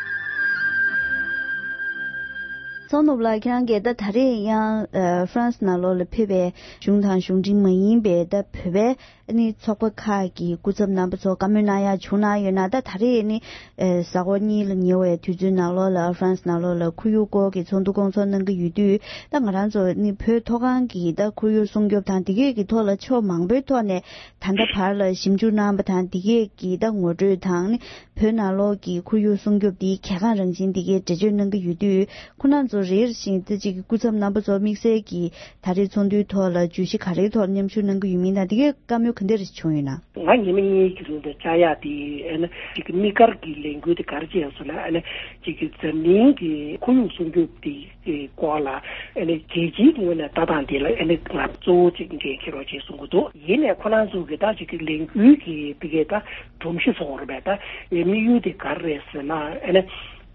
ཚོགས་ནུབ་ལགས་ཁྱེད་རང་གིས་ད་ད་རེས་ཡང་ཨ་ཧྥ་རན་སི་ནང་ལོགས་ལ་ཕེབས་པའི་གཞུང་དང་གཞུང་འབྲེལ་མ་ཡིན་པའི་ད་བོད་པའི་ནི་ཚོགས་པ་ཁག་གི་སྐུ་ཚབ་རྣམ་པ་ཚོ་བཀའ་མོལ་གནང་ཡག་བྱུང་གནང་ཡོད་ན། ད་ད་རེས་ནི་ཨ་གཟའ་འཁོར་གཉིས་ལ་ཉེ་བའི་དུས་ཚོད་ནང་ལོགས་ལ་ཧྥ་རན་སི་ནང་ལོགས་ལ་ཁོར་ཡུག་སྐོར་གྱི་ཚོགས་འདུ་སྐོང་ཚོགས་གནང་གི་ཡོད་དུས། ད་ང་རང་ཚོ་ནི་བོད་མཐོ་སྒང་གི་ད་ཁོར་ཡུག་སྲུང་སྐྱོབ་དང་དེ་གས་ཀྱི་ཐོག་ལ་ཕྱོགས་མང་པོའི་ཐོག་ནས་ད་ལྟ་བར་ལ་ཞིབ་འཇུག་གནང་པ་དང་དེ་གས་ཀྱི་ད་ངོ་སྤྲོད་དང་ནི་བོད་ནང་ལོགས་ཀྱི་ཁོར་ཡུག་སྲུང་སྐྱོབ་དེའི་གལ་འགངས་རང་བཞིན་དེ་གས་འགྲེལ་བརྗོད་གནང་གི་ཡོད་དུས། ཁོང་རྣམ་ཚོ་རེ་རེ་བཞིན་ད་ཅིག་སྐུ་ཚབ་རྣམ་པ་ཚོ་དམིགས་བསལ་གྱི་ད་རེས་ཚོགས་འདུའི་ཐོག་ལ་བརྗོད་གཞི་ག་རེའི་ཐོག་མཉམ་ཞུགས་གནང་གི་ཡོད་མིན་དང་དེ་གས་བཀའ་མོལ་ག་འདྲ་རེ་བྱུང་ཡོད་ན། ང་ཉི་མ་གཉིས་ཀྱི་རིང་དུ་བཅར་ཡག་དེ་ཨ་ནི་ཅིག་གི་དམིགས་བཀར་གྱི་ལས་འགུལ་དེ་ག་རེ་བྱས་ཡོད་ཟེར་ན། ཨ་ནི་ཅིག་གི་འཛམ་གླིང་གི་ཁོར་ཡུག་སྲུང་སྐྱོབ་དེ་གི་སྐོར་ལ་ཨ་ནི་རྒྱལ་སྤྱིའི་ངོས་ནས་ལྟ་སྟངས་དེ་ལ་ཨ་ནི་ང་གཙོ་བོ་ཅིག་འགན་འཁྱེར་རོགས་ཅེས་གསུང་གི་འདུག་ཡིན་ནའི་ཁོ་རང་ཚོ་གི་ད་ཅིག་གི་ལས་འགུལ་གྱི་དེ་གའི་ད་སྒྲོམ་གཞི་བཟོ་བར་བས་ད་ཡ་དམིགས་ཡུལ་དེ་ག་རེ་རེད་ཟེར་ན། ཨ་ནི་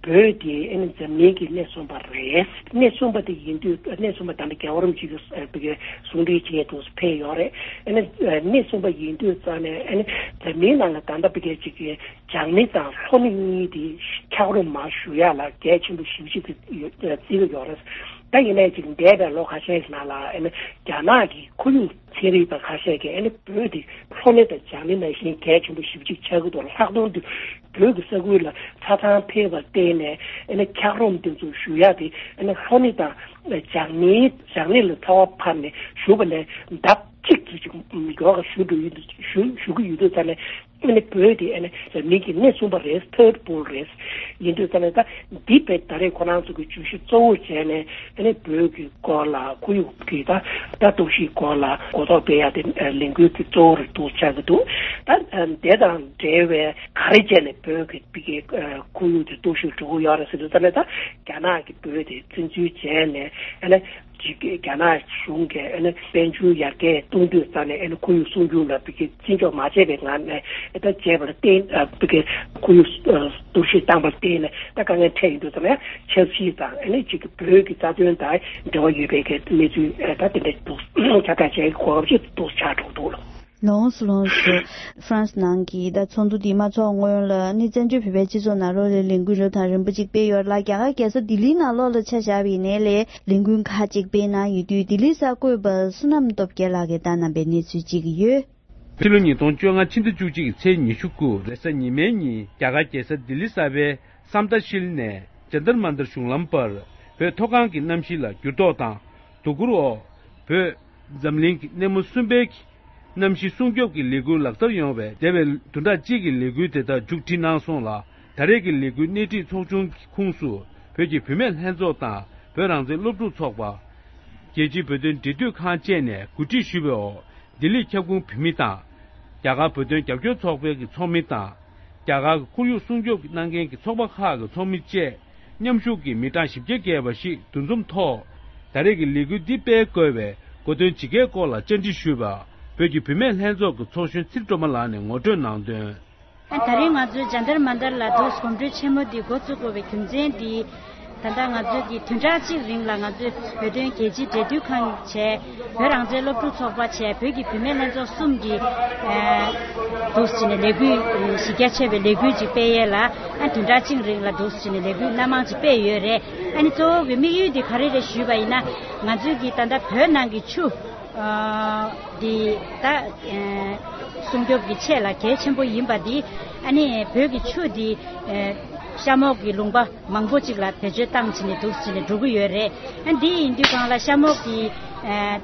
བོད་དེ་ཨ་ནི་འཛམ་གླིང་གི་སྣེ་གསུམ་པ་རེད། སྣེ་གསུམ་པ་དེ་ཡིན་དུས་སྣེ་གསུམ་པ་ད་ལྟ་རྒྱལ་བ་རིན་པོ་ཆེ་གི་ཨ་བི་གའི་གསུང་འཕྲིན་བཅས་དུ་ཕེབས་ཡོད་རེད། ཨ་ནི་སྣེ་གསུམ་པ་ཡིན་དུས་ཙང་ནས་ཨ་ནི་འཛམ་གླིང་ནང་ལ་ད་ལྟ་བི་གའི་ཅིག་གི་བྱང་སྣེ་དང་ལྷོ་སྣེ་གཉིས་དེ་འཁྱགས་རོམ་མར་བཞུ་ཡག་ལ་གལ་ཆེན་པོ་ཞེ་པོ་ཅིག་ཏུ་ཡོད་བརྩི་གི་ཡོད་རེད། ད་ཡིན་ནའི་ཅིག་འདས་པའི་ལོ་ཁ་ཤས་ཤིག་ནང་ལ་ཨ་ནི་རྒྱ་ནག་གི་ཁོར་ཡུག་ཚན་རིག་པ་ཁ་ཤས་ཀྱིས་ཨ་ནི་བོད་དེ་ལྷོ་སྣེ་དང་བྱང་སྣེ་ནང་བཞིན་གལ་ཆེན་པོ་ཞེ་པོ་ཅིག་ཆགས་ཀྱི་འདུག་ལྷག་དོན་དུ་བོད་ཀྱི་ས་ཁུལ་ལ་ཆ་ཚང་ཕེབས་པར་བརྟེན་ནས་ཨ་ནི་འཁྱགས་རོམ་དེ་ཚོ་བཞུ་ཡག་དེ་ཨ་ནི་ལྷོ་སྣེ་དང་བྱང་སྣེ་བྱང་སྣེ་ལ་ཚ་བ་འཕར་ནས་བཞུ་བ་ནས་ལྡབ་གཅིག་ཏུ་ཅིག་མགྱོགས་པ་བཞུ་འགྲོ་ཡོད་འདུག་བཞུ་བཞུ་གི་ཡོད་འདུག་ཙང་ནས། ཨ་ནི་བོད་དེ་ཨ་ནི་འཛམ་གླིང་གི་སྣེ་གསུམ་པ་རེད། ཐར་ཌི་ཝོལཌ་རེད། ཡིན་དུས་ཙང་ནས་ད་འདི་བས་ད་རེས་ཁོ་རང་ཚོ་གི་བརྗོད་གཞི་གཙོ་བོ་བྱས་ནས་ཨ་ནི་བོད་ཀྱི་སྐོར་ལ་ཁོར་ཡུག་གི་ད་ད་གཏོར་བཤིག་སྐོར་ལ་གོ་རྟོགས་སྤེལ་ཡག་དེ་ལས་འགུལ་གྱི་གཙོ་བོ་རེད་འདུག་ཆགས་ཀྱི་འདུག་ད་དེ་དང་འབྲེལ་བའི་ག་རེ་བྱས་ནས་བོད་ཀྱི་བི་གའི་ཁོར་ཡུག་དེ་གཏོར་བཤིག་འགྲོ་གི་ཡོད་རེད་ཟེར་དུས་ཙང་ནས་ད་རྒྱ་ནག་གི་བོད་དེ་བཙན་འཛུལ་བྱས་ནས་ཨ་ནི། ཅིག་རྒྱ་ནག་གཞུང་གིས་ཨ་ནི་དཔལ་འབྱོར་ཡར་རྒྱས་གཏོང་དུས་ཙང་ནས་ཨ་ནི་ཁོར་ཡུག་སྲུང་སྐྱོབ་ལ་བི་གའི་བརྩི་འཇོག་མ་བྱས་པའི་ངང་ནས་ཨ་ད་བྱས་པར་བརྟེན་ཨ་བི་གའི་ཁོར་ཡུག་གཏོར་བཤིག་བཏང་པར་བརྟེན་ནས་ད་དཀའ་ངལ་འཕྲད་ཡོང་དུས་ཙང་ནས་ཆབ་སྲིད་དང་ཨ་ནི་ཅིག་བོད་ཀྱི་རྩ་དོན་དང་འབྲེལ་བ་ཡོད་པའི་གི་གནས་ཚུལ་ཨ་ད་དེ་འདྲ་འདུག་ཁྱབ་བསྒྲགས་བྱས་གོ་སྐབས་ཅིག་འདུག་ཆགས་འགྲོ་འདུག་ལ། ལོངས་སུ་ལོངས་སུ། ཧྥ་རན་སི་ནང་གི་ད་ཚོགས་འདུ་འདི་མ་ཚོགས་སྔོན་ལ་ནི་བཙན་བྱོལ་བོད་པའི་སྤྱི་ཚོགས་ནང་ལོགས་ལ་ལས་འགུལ་རབ་དང་རིམ་པ་ཅིག་སྤེལ་ཡོད་ལ། རྒྱ་གར་རྒྱལ་ས་ལྡི་ལིའི་ནང་ལོགས་ལ་ཆ་བཞག་པ་ཡིན་ནའི་ལས་ལས་འགུལ་ཁག་ཅིག་སྤེལ་གནང་ཡོད་དུས་ལྡི་ལིའི་གསར་འགོད་པ་བསོད་ནམས་སྟོབས་རྒྱལ་ལགས་ཀྱིས་བཏང་གནང་པའི་གནས་ཚུལ་ཅིག་ཡོད། ཕྱི་ལོ་ཉིས་སྟོང་བཅོ་ལྔ་ཕྱི་ཟླ་བཅུ་གཅིག་ཚེས་ཉི་ཤུ་དགུ་རེས་གཟའ་ཉི་མའི་ཉིན་རྒྱ་གར་རྒྱལ་ས་ལྡི་ལི་གསར་པའི་སམ་ཏ་ཤིལ་ནས་ཇན་ཏར་མན་ཏར་གཞུང་ལམ་བར་བོད་མཐོ་སྒང་གི་གནམ་གཤིས་ལ་འགྱུར་ལྡོག་དང་དོ་ཁུར་འོག་བོད་ འཛམ་གླིང་གི་སྣེ་མོ་གསུམ་པའི་གནམ་གཤིས་སྲུང་སྐྱོབ་ཀྱི་ལས་འགུལ་ལག་བསྟར་ཡོང་བའི་འདས་པའི་བདུན་ཕྲག་གཅིག་གི་ལས་འགུལ་དེ་དག་མཇུག་སྒྲིལ་གནང་སོང་ལ། ད་རེས་ཀྱི་ལས་འགུལ་སྣེ་ཁྲིད་ཚོགས་ཆུང་གི་ཁོངས་སུ་བོད་ཀྱི་བུད་མེད་ལྷན་ཚོགས་དང་བོད་རང་བཙན་སློབ་ཕྲུག་ཚོགས་པ། རྒྱལ་སྤྱིའི་བོད་དོན་འབྲེལ་མཐུད་ཁང་བཅས་ནས་གོ་སྒྲིག་ཞུས་པའི་འོག་ལྡི་ལི་ཁྱབ་ཁོངས་བོད་མི་དང་། རྒྱ་གར་བོད་དོན་རྒྱབ་སྐྱོར་ཚོགས་པའི་གི་ཚོགས་མི་དང་། རྒྱ་གར་གྱི་ཁོར་ཡུག་སྲུང་སྐྱོབ་གནང་མཁན་གྱི་ཚོགས་པ་ཁག་གི་ཚོགས་མི་བཅས་མཉམ་ཞུགས་ཀྱིས་མི་གྲངས་བཞི་བརྒྱ་བརྒལ་བ་ཞིག་འདུ་འཛོམས་ཐོག་ད་རེས་ཀྱི་ལས་འགུལ་འདི་སྤེལ་དགོས་པའི་གོ་སྟོན་ཇི་སྐད་སྐོར་ལ་བཅར་འདྲི་ཞུས་པར་བོད་ཀྱི་བུད་མེད་ལྷན་ཚོགས་ཀྱི་ཚོགས་གཞོན་ཚེ་སྒྲོལ་མ་ལགས་ནས་ངོ་སྤྲོད་གནང་དོན། ད་རེས་ང་ཚོའི་ཇཱན་ཏར་མན་ཏར་ལ་འདུག་གོམ་བགྲོད་ཆེན་མོ་འདི་འགོ་བཙུགས་དགོས་པའི་རྒྱུ་མཚན་འདི། ད་ལྟ་ང་ཚོས་ཀྱི་བདུན་ཕྲག་གཅིག་རིང་ལ་ང་ཚོས་བོད་དོན་རྒྱལ་སྤྱིའི་འབྲེལ་མཐུད་ཁང་བྱས། བོད་རང་བཙན་སློབ་ཕྲུག་ཚོགས་པ་བྱས། བོད་ཀྱི་བུད་མེད་ལྷན་ཚོགས་གསུམ་གྱིས་ཨ་འདུག་སེ་བྱས་ནས་ལས་འགུལ་གཞི་རྒྱ་ཆེ་བའི་ལས་འགུལ་ཅིག་སྤེལ་ཡས་ལ། ཨ་བདུན་ཕྲག་གཅིག་རིང་ལ་འདུག་སེ་བྱས་ནས་ལས་འགུལ་སྣ་མང་ཅིག་སྤེལ་ཡོད་རེད། ཨ་ནི་གཙོ་བོ་གི་དམིགས་ཡུལ་འདི་ག་རེ་རེད་ཞུས་པ་ཡིན་ན། ང་ཚོས་ཀྱི་ད་ལྟ་བོད་ནང་གི་ཆུ། ཨ་འདི་ད་ཨ་སྲུང་སྐྱོབ་ཀྱི་ཆེད་ལ་གལ་ཆེན་པོ་ཡིན་པ་འདི། ཨ་ནི་བོད་ཀྱི་ཆུ་འདི་ཨ་གཤམ་འོག་གི་ལུང་པ་མང་པོ་ཅིག་ལ་བེད་སྤྱོད་བཏང་བྱས་ནས་འདུག་སེ་བྱས་ནས་འགྲོ་གི་ཡོད་རེད། ཨ་འདི་ཡིན་དུས་སྒང་ལ་གཤམ་འོག་གི་ཨ་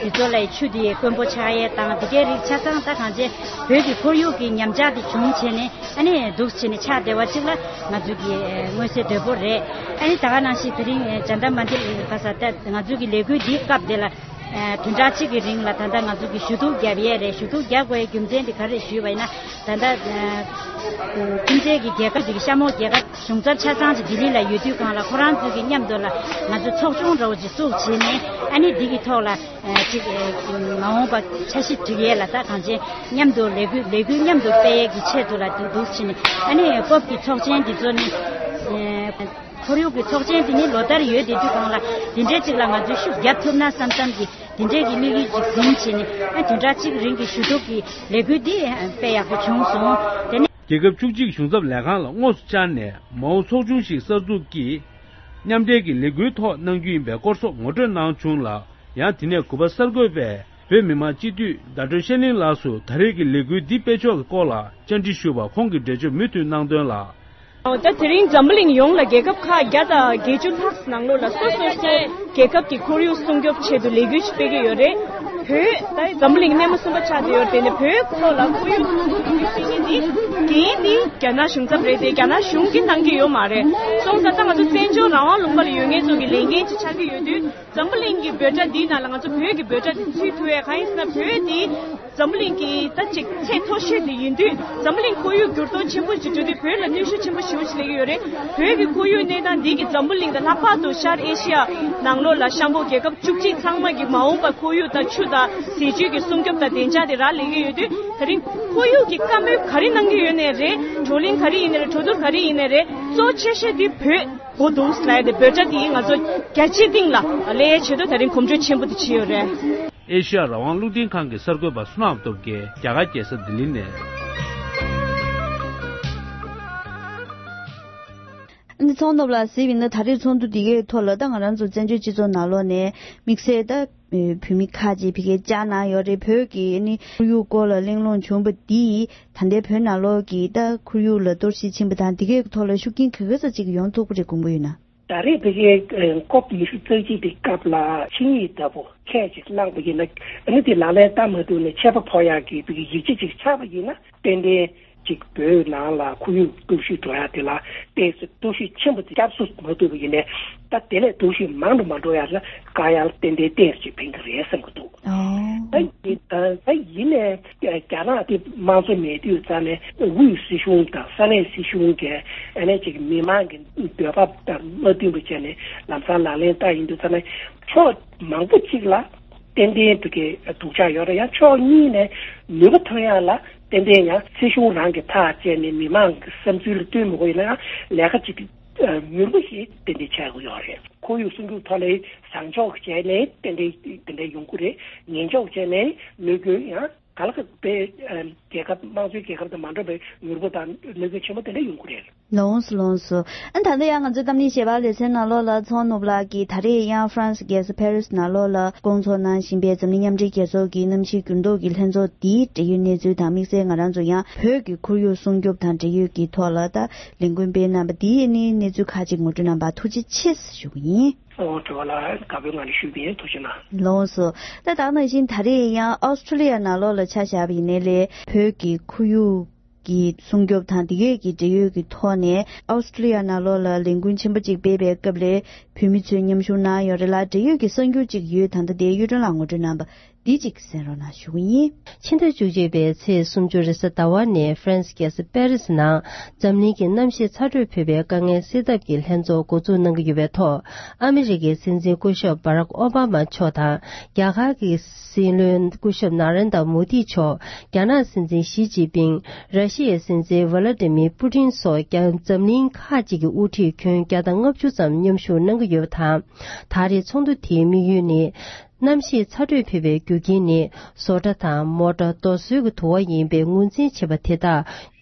འདི་ཚོ་ལ་ཆུ་འདི་དཀོན་པོ་ཆགས་ཡས་དང་འདི་གའི་རིགས་ཆ་ཚང་ད་གང་ཅི་བོད་ཀྱི་ཁོར་ཡུག་གི་ཉམས་ཆག་འདི་བྱུང་བྱས་ནས། ཨ་ནི་འདུག་སེ་བྱས་ནས་ཆགས་བསྡད་པ་ཅིག་ལ་ང་ཚོས་ཀྱི་མངོན་གསལ་དོད་པོ་རེད། ཨ་ནི་ད་ག་ནང་བཞིན་དེ་རིང་ཇཱན་ཏར་མན་ཏར་ག་ས་ད་ང་ཚོས་ཀྱི་ལས་འགུལ་འདིའི་སྐབས་དེ་ལ། ཨ་བདུན་ཕྲག་གཅིག་གི་རིང་ལ་ད་ལྟ་ང་ཚོ་གི་ཞུ་གཏུག་བརྒྱབ་ཡས་རེད། ཞུ་གཏུག་བརྒྱབ་དགོས་ཡའི་རྒྱུ་མཚན་དེ་ག་རེ་ཞུས་པ་ཡིན་ན། ད་ལྟ་ཨ་ཁྱིམ་མཚེས་ཀྱི་རྒྱལ་ཁབ་དེ་གི་གཤམ་འོག་རྒྱལ་ཁབ་གཞུང་ཚབ་ཆ་ཚང་ཅིག་ལྡི་ལི་ལ་ཡོད་དུས་སྒང་ལ་ཁོ་རང་ཚོ་གི་མཉམ་དུ་ལ་ང་ཚོ་ཚོགས་ཆུང་འདྲ་བོ་ཅིག་བཙུགས་བྱས་ནས། ཨ་ནི་འདི་གི་ཐོག་ལ་ཨ་ཅིག་ཨ་མ་འོངས་པ་འཆར་གཞི་སྒྲིག་ཡས་ལ་ད་གང་ཅི་མཉམ་དུ་ལས་འགུལ་ལས་འགུལ་མཉམ་དུ་སྤེལ་ཡས་ཀྱི་ཆེད་དུ་ལ་འདུག་འདུག་བྱས་ནས། ཨ་ནི་ཀོབ་ཀྱི་ཚོགས་ཆེན་འདི་ཚོ་ནི་ཨ་ཁོར་ཡུག་གི་ཚོགས་ཆེན་དེ་ནི་ལོ་ལྟར་ཡོད་བསྡད་དུས་སྒང་ལ་དེ་འདྲའི་ཅིག་ལ་ང་ཚོས་ཤུགས་རྒྱབ་ཐུབ་ན་བསམ་བསམ་གྱི་དེ་འདྲའི་གི་དམིགས་ཡུལ་ཅིག་འཛིན་བྱས་ནས། ཨ་བདུན་ཕྲག་གཅིག་རིང་གི་ཞུ་གཏུག་གི་ལས་འགུལ་འདི་དཔེ་ཡག་པོ་བྱུང་སོང་། དེ་ནས། རྒྱལ་ཁབ་བཅུ་གཅིག་གཞུང་ཚབ་ལས་ཁང་ལ་དངོས་སུ་བཅར་ནས་མ་འོངས་ཚོགས་ཆུང་ཞིག་གསར་འཛུགས་ཀྱིས་མཉམ་འབྲེལ་གྱི་ལས་འགུལ་ཐོག་གནང་རྒྱུ་ཡིན་པའི་སྐོར་སོགས་ངོ་སྤྲོད་གནང་བྱུང་ལ། ཡང་དེ་ནས་གུས་པ་གསར་འགོད་པས་བོད་མི་མང་སྤྱི་འཐུས་ཟླ་སྒྲོན་ཤར་གླིང་ལགས་སུ་ད་རེས་ཀྱི་ལས་འགུལ་འདི་སྤེལ་ཕྱོགས་ཀྱི་སྐོར་ལ་བཅར་འདྲི་ཞུས་པར་ཁོང་གིས་འགྲེལ་བརྗོད་མུ་མཐུད་གནང་དོན་ལ། ད་དེ་རིང་འཛམ་བུ་གླིང་ཡོངས་ལ་རྒྱལ་ཁབ་ཁག་བརྒྱ་དང་བརྒྱད་ཅུ་ལྷག་ནང་ལོགས་ལ་སོ་སོ་སོའི་རྒྱལ་ཁབ་ཀྱི་ཁོར་ཡུག་སྲུང་སྐྱོབ་ཆེད་དུ་ལས་འགུལ་ཞིག་སྤེལ་གྱི་ཡོད་རེད། བོད་ད་འཛམ་བུ་གླིང་སྣེ་མོ་གསུམ་པ་ཆགས་བསྡད་ཡོད་རེད། དེ་ནས་བོད་ཐོག་ལ་ཁོར་ཡུག་སྲུང་སྐྱོབ་ཀྱི་བྱེད་མཁན་འདི་འགན་འདི་རྒྱ་ནག་གཞུང་ཚབ་རེད་དེ། རྒྱ་ནག་གཞུང་གིས་གནང་གི་ཡོད་མ་རེད། སོང་ཙང་ད་ང་ཚོ་བཙན་བྱོལ་རང་དབང་ལུང་པ་ལ་ཡོད་མཁན་ཚོ་གི་ལས་འགན་ཅིག་ཆགས་ཀྱི་ཡོད་དུས། འཛམ་བུ་གླིང་གི་འབོད་སྒྲ་འདིའི་ནང་ལ་ང་ཚོ་བོད་ཀྱི་འབོད་སྒྲ་འདི་ཚུད་ཐུབ་ཡས། གང་ཡིན་ཟེར་ན་བོད་འདི་འཛམ་བུ་གླིང་གི་ད་ཅིག་ཚད་མཐོ་ཤོས་དེ་ཡིན་དུས། འཛམ་བུ་གླིང་ཁོར་ཡུག་འགྱུར་ལྡོག་ཆེན་པོ་ཞིག་འགྲོ་དུས་བོད་ལ་གནོན་ཤུགས་ཆེན་པོ་ཞེ་པོ་ཞིག་སླེབས་ཀྱི་ཡོད་རེད། བོད་ཀྱི་ཁོར་ཡུག་གནས་སྟངས་འདི་གིས་འཛམ་བུ་གླིང་དང་ལྷག་པར་དུ་ཤར་ཨེ་ཤི་ཡ་ནང་ལོགས་ལ་གཤམ་འོག་རྒྱལ་ཁབ་བཅུ་གཅིག་ཚང་མ་གི་མ་འོངས་པ་ཁོར་ཡུག་དང་ཆུ་དང་ཟས་བཅུད་ཀྱི་སྲུང་སྐྱོབ་དང་བདེ་འཇགས་དེ་རག་ལས་ཀྱི་ཡོད་དུས། ད་རིང་ཁོར་ཡུག་གི་བཀའ་མོལ་ག་རེ་གནང་གི་ཡོད་ནའི་རེད། བགྲོ་གླེང་ག་རེ་ཡིན་ནའི་རེད། གྲོས་བསྡུར་ག་རེ་ཡིན་ནའི་རེད། གཙོ་ཆེ་ཤོས་དེ་བོད། གོ་འདུག་ལབ་ཡ་དེ་འབོད་སྒྲ་དེ་ང་ཚོ་རྒྱ་ཆེའི་སྟེང་ལ་སླེབས་ཡའི་ཆེད་དུ་ད་རིང་གོམ་བགྲོད་ཆེན་པོ་དེ་བྱས་ཡོད་རེད། ཨེ་ཤེ་ཡ་རང་དབང་རླུང་འཕྲིན་ཁང་གི་གསར་འགོད་པ་བསོད་ནམས་སྟོབས་རྒྱལ། རྒྱ་གར་རྒྱལ་ས་ལྡི་ལི་ནས། ཨ་ནི་ཚོང་ནོར་ལ་གཟིགས་པ་ཡིན་ན། ད་རེས་ཚོགས་འདུ་འདི་གའི་ཐོག་ལ་ད་ང་རང་ཚོ་བཙན་བྱོལ་སྤྱི་ཚོགས་ནང་ལོགས་ནས་དམིགས་བསལ་ད། ཨེ་བོད་མི་ཁག་ཅིག་ཕ་གིར་བཅར་གནང་ཡོད་རེད། བོད་ཀྱི་ཨ་ནི་ཁོར་ཡུག་སྐོར་ལ་གླེང་སློང་བྱུང་བ་འདིས་ད་ལྟའི་བོད་ནང་ལོགས་ཀྱི་ད་ཁོར་ཡུག་ལ་གཏོར་བཤིག་ཕྱིན་པ་དང་། འདི་གའི་ཐོག་ལ་ཤུགས་རྐྱེན་ག་ག་ཙམ་ཅིག་ཡོང་ཐུབ་ཀྱི་རེད་དགོངས་པ་ཡོད་ན། ད་རེས་ཕ་གིའི་ཀོབ་ཉི་ཤུ་རྩ་གཅིག་དེ་སྐབས་ལ་ཆིངས་ཡིག་ལྟ་བུ་ཁས་ཅིག་བླངས་པ་ཡིན་ན། ཨ་ནི་དེ་ལག་ལེན་བསྟར་མ་ཐུབ་ནས་ཆད་པ་ཕོག་ཡག་གི་ཕ་གིའི་ཡིག་ཆ་ཅིག་ཆགས་པ་ཡིན་ན། ཏན་ཏན་ཅིག་བོད་ནང་ལ་ཁོར་ཡུག་གཏོར་བཤིག་འགྲོ་ཡ་དེ་ལ་ཏོག་ཙམ་གཏོར་བཤིག་ཆེན་པོ་དེ་སྐྱབས་གསོ་མ་ཐུབ་པ་ཡིན་ནའི། ད་དེ་ལས་གཏོར་བཤིག་མང་དུ་མ་འགྲོ་ཡ་ལ་དཀའ་ཡག་ཏན་ཏན་ཏོག་ཙམ་ཅིག་ཕན་གྱི་རེད་བསམ་གྱི་འདུག། ཨོ། ད་ཡིན་ད་ད་ཡིན་ནའི་རྒྱ་ནག་དེ་དམངས་གཙོ་མེད་དུས་ཙང་ནས་དབུས་སྲིད་གཞུང་དང་ས་གནས་སྲིད་གཞུང་གིས་ཨ་ནི་ཅིག་མི་མང་གི་འདོད་པ་དང་མ་མཐུན་པ་བྱས་ནས་ལམ་སང་ལག་ལེན་བསྟར་ཡིན་དུས་ཙང་ནས་ཕྱོགས་མང་པོ་ཅིག་ལ། ཏན་ཏན་དུ་གི་སྡུག་ཅག་ཡོད་རེད། ཡང་ཕྱོགས་གཉིས་ནས་ནུས་པ་ཐོན་ཡག་ལ་ཏན་ཏན་ཡང་སྲིད་གཞུང་རང་གི་ཐག་བཅད་ནས་མི་མང་གི་བསམ་ཚུལ་ལ་བསྟུན་མི་དགོས་ཡིན་ན་ཡང་ལས་ཀ་ཅིག་མྱུར་པོ་ཞིག་ཏན་ཏན་བྱེད་དགོས་ཡོད་རེད། ཁོར་ཡུག་སྲུང་སྐྱོབ་ཐོག་ལ་བཟང་ཕྱོགས་བྱས་ནས་ཏན་ཏན་དེ་འདྲ་ཡོང་གི་རེད། ངན་ཕྱོགས་བྱས་ནས་གནོད་སྐྱོན་ཡང་ག་ལ་ག་པའི་རྒྱལ་ཁབ་དམངས་གཙོའི་རྒྱལ་ཁབ་དང་མ་འདྲ་བའི་མྱུར་པོ་དང་གནོད་སྐྱོན་ཆེན་པོ་དེ་འདྲ་ཡོང་གི་རེད། ལོངས་སུ་ལོངས་སུ། ཨ་ད་ལྟ་ཡང་ང་ཚོའི་གཏམ་གླེང་ཞལ་པར་ལེ་ཚན་ནང་ལོགས་ལ་ཚོང་ནུབ་ལགས་ཀྱིས་ད་རེས་ཡང་ཧྥ་རན་སི་རྒྱལ་ས་ཕ་རི་སི་ནང་ལོགས་ལ་སྐོང་ཚོགས་གནང་བཞིན་པའི་འཛམ་གླིང་མཉམ་འབྲེལ་རྒྱལ་ཚོགས་ཀྱི་གནམ་གཤིས་འགྱུར་ལྡོག་གི་ལྷན་ཚོགས་འདིའི་འབྲེལ་ཡོད་གནས་ཚུལ་དང་། དམིགས་བསལ་ང་རང་ཚོ་ཡང་བོད་ཀྱི་ཁོར་ཡུག་སྲུང་སྐྱོབ་དང་འབྲེལ་ཡོད་ཀྱི་ཐོག་ལ་ད་ལས་འགུལ་སྤེལ་གནང་བ་འདིའི་ནི་གནས་ཚུལ་ཁག་ཅིག་ངོ་སྤྲོད་གནང་བར་ཐུགས་རྗེ་ཆེ་ཞུ་གི་ཡིན། ཨོ་དྲི་བ་ལ་དགའ་པོའི་ངང་ནས་ཞུས་པ་ཡིན། ཐུགས་རྗེ་གནང་། ལགས་སོ། ད་ད་ག་ནང་བཞིན་ད་རེས་ཡང་ཨོ་སི་ཁྲུ་ལི་ཡ་ནང་ལོགས་ལ་ཆ་བཞག་པ་ཡིན་ནའི་ལས་བོད་ཀྱི་ཁོར་ཡུག་གི་སྲུང་སྐྱོབ་དང་དེ་གའི་གི་འབྲེལ་ཡོད་ཀྱི་ཐོག་ནས་ཨོ་སི་ཁྲུ་ལི་ཡ་ནང་ལོགས་ལ་ལས་འགུལ་ཆེན་པོ་གཅིག་སྤེལ་བའི་སྐབས་ལ་བོད་མི་ཚོས་མཉམ་ཞུགས་གནང་ཡོད་རེད་ལ། འབྲེལ་ཡོད་ཀྱི་གསར་འགྱུར་གཅིག་ཡོད། ད་ལྟ་དེའི་གཡུ་སྒྲོན་ལགས་ངོ་སྤྲོད་གནང་བ་འདི་གཅིག་གསན་རོགས་གནང་ཞུ་གི་ཡིན། ཕྱི་ཟླ་བཅུ་གཅིག་པའི་ཚེས་སུམ་ཅུ་རེས་གཟའ་ཟླ་བ་ནས་ཧྥ་རན་སི་རྒྱལ་ས་པེ་རི་སི་ནང་འཛམ་གླིང་གི་གནམ་གཤིས་ཚ་དྲོད་ཕོད་པའི་དཀའ་ངལ་སེལ་ཐབས་ཀྱི་ལྷན་ཚོགས་འགོ་འཛུགས་གནང་གི་ཡོད་པའི་ཐོག་ཨ་མི་རི་ཀའི་སྲིད་འཛིན་སྐུ་ཞབས་བྷ་རག་ཨོ་བྷ་མ་མཆོག་དང་རྒྱ་གར་གྱི་སྲིད་བློན་སྐུ་ཞབས་ན་རེན་དྲ་མོ་དི་མཆོག་རྒྱ་ནག་སྲིད་འཛིན་ཞི་ཅིན་ཕིང་། ར་ཤི་ཡའི་སྲིད་འཛིན་ཝ་ལ་ཏི་མིར་པུ་ཏིན་སོགས་ཀྱང་འཛམ་གླིང་ཁག་ཅིག་གི་དབུ་ཁྲིད་ཁྱོན་བརྒྱ་དང་ལྔ་བཅུ་ཙམ་མཉམ་ཞུགས་གནང་གི་ཡོད་པ་དང་། ད་རེས་ཚོགས་འདུ་དེའི་དམིགས་ཡུལ་ནི། གནམ་གཤིས་ཚ་དྲོད་འཕེལ་བའི་རྒྱུ་རྐྱེན་ནི་བཟོ་གྲྭ་དང་མོ་ཊ་རྡོ་སོལ་གྱི་དུ་བ་ཡིན་པའི་ངོས་འཛིན་བྱེད་པ་དེ་དག་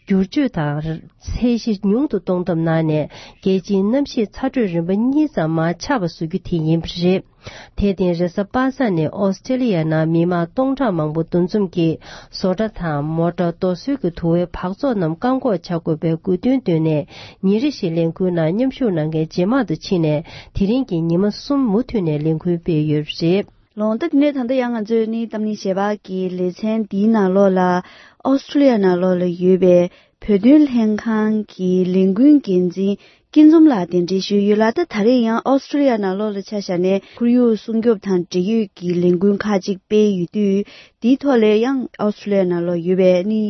བསྒྱུར་བཅོས་དང་ཚད་གཞི་ཉུང་དུ་གཏོང་ཐབས་གནང་ནས། རྒྱལ་སྤྱིའི་གནམ་གཤིས་ཚ་དྲོད་རིམ་པ་གཉིས་ཙམ་མར་ཆག་པ་བཟོ་རྒྱུ་དེ་ཡིན་པ་རེད། དེར་བརྟེན་རེས་གཟའ་པ་སངས་ནས་ཨོ་སི་ཀྲེ་ལི་ཡ་ནང་མི་མང་སྟོང་ཕྲག་མང་པོ་འདུ་འཛོམས་ཀྱིས་བཟོ་གྲྭ་དང་མོ་ཊ་རྡོ་སོལ་གྱི་དུ་བའི་འབག་བཙོག་རྣམས་བཀག་འགོག་བྱ་དགོས་པའི་དགོས་འདུན་བཏོན་ནས། ཉིན་རེ་བཞིན་ལས་འགུལ་ནང་མཉམ་ཞུགས་གནང་མཁན་ཇེ་མང་དུ་ཕྱིན་ནས། དེ་རིང་གི་ཉི་མ་གསུམ་མུ་མཐུད་ནས་ལས་འགུལ་སྤེལ་ཡོད་པ་རེད། ལགས་སོ། ད་དེ་ནས་ད་ལྟ་ཡང་ང་ཚོས་ནི་གཏམ་གླེང་ཞལ་པར་གྱི་ལེ་ཚན་འདིའི་ནང་ལོགས་ལ་ཨོ་སི་ཀྲུ་ལི་ཡ་ནང་ལོགས་ལ་ཡོད་པའི་བོད་དོན་ལྷན་ཁང་གི་ལས་འགུལ་འགན་འཛིན་སྐྱིད་འཛོམས་ལགས་གདན་འདྲེན་ཞུས་ཡོད་ལ། ད་ད་རེས་ཡང་ཨོ་སི་ཀྲུ་ལི་ཡ་ནང་ལོགས་ལ་ཆ་བཞག་ནས་ཁོར་ཡུག་སྲུང་སྐྱོབ་དང་འབྲེལ་ཡོད་ཀྱི་ལས་འགུལ་ཁག་ཅིག་སྤེལ་ཡོད་དུས། དེའི་ཐོག་ལ་ཡང་ཨོ་སི་ཀྲུ་ལི་ཡ་ནང་ལོགས་ཡོད་པའི་ནི་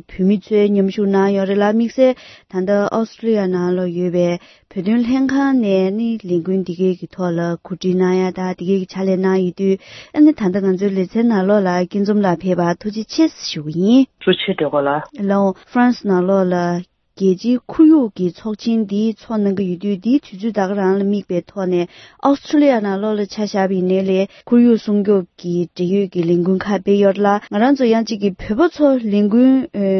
བོད་མི་ཚོས་མཉམ་ཞུགས་གནང་ཡོད་རེད་ལ། དམིགས་བསལ་ད་ལྟ་ཨོ་སི་ཀྲུ་ལི་ཡ་ནང་ལོགས་ཡོད་པའི་བོད་དོན་ལྷན་ཁང་ནས་ནི་ལས་འགུལ་འདི་གའི་གི་ཐོག་ལ་གོ་སྒྲིག་གནང་ཡ་དང་འདི་གའི་གི་ཕྱག་ལས་གནང་ཡོད་དུས། ཨ་ནི་ད་ལྟ་ང་ཚོའི་ལེ་ཚན་ནང་ལོགས་ལ་སྐྱིད་འཛོམས་ལགས་ཕེབས་པར་ཐུགས་རྗེ་ཆེ་ཞུ་གི་ཡིན། ཐུགས་རྗེ་ཆེ་སྒྲོལ་དཀར་ལགས། ལགས་འོང་། ཧྥ་རན་སི་ནང་ལོགས་ལ་རྒྱལ་སྤྱིའི་ཁོར་ཡུག་གི་ཚོགས་ཆེན་འདི་ཚོགས་གནང་གི་ཡོད་དུས། འདིའི་དུས་ཚོད་ད་ག་རང་ལ་དམིགས་པའི་ཐོག་ནས་ཨོ་སི་ཀྲུ་ལི་ཡ་ནང་ལོགས་ལ་ཆ་བཞག་པ་ཡིན་ནའི་ལས་ཁོར་ཡུག་སྲུང་སྐྱོབ་ཀྱི་འབྲེལ་ཡོད་ཀྱི་ལས་འགུལ་ཁག་སྤེལ་ཡོད་ལ། ང་རང་ཚོ་ཡང་གཅིག་གི་བོད་པ་ཚོ་ལས་འགུལ་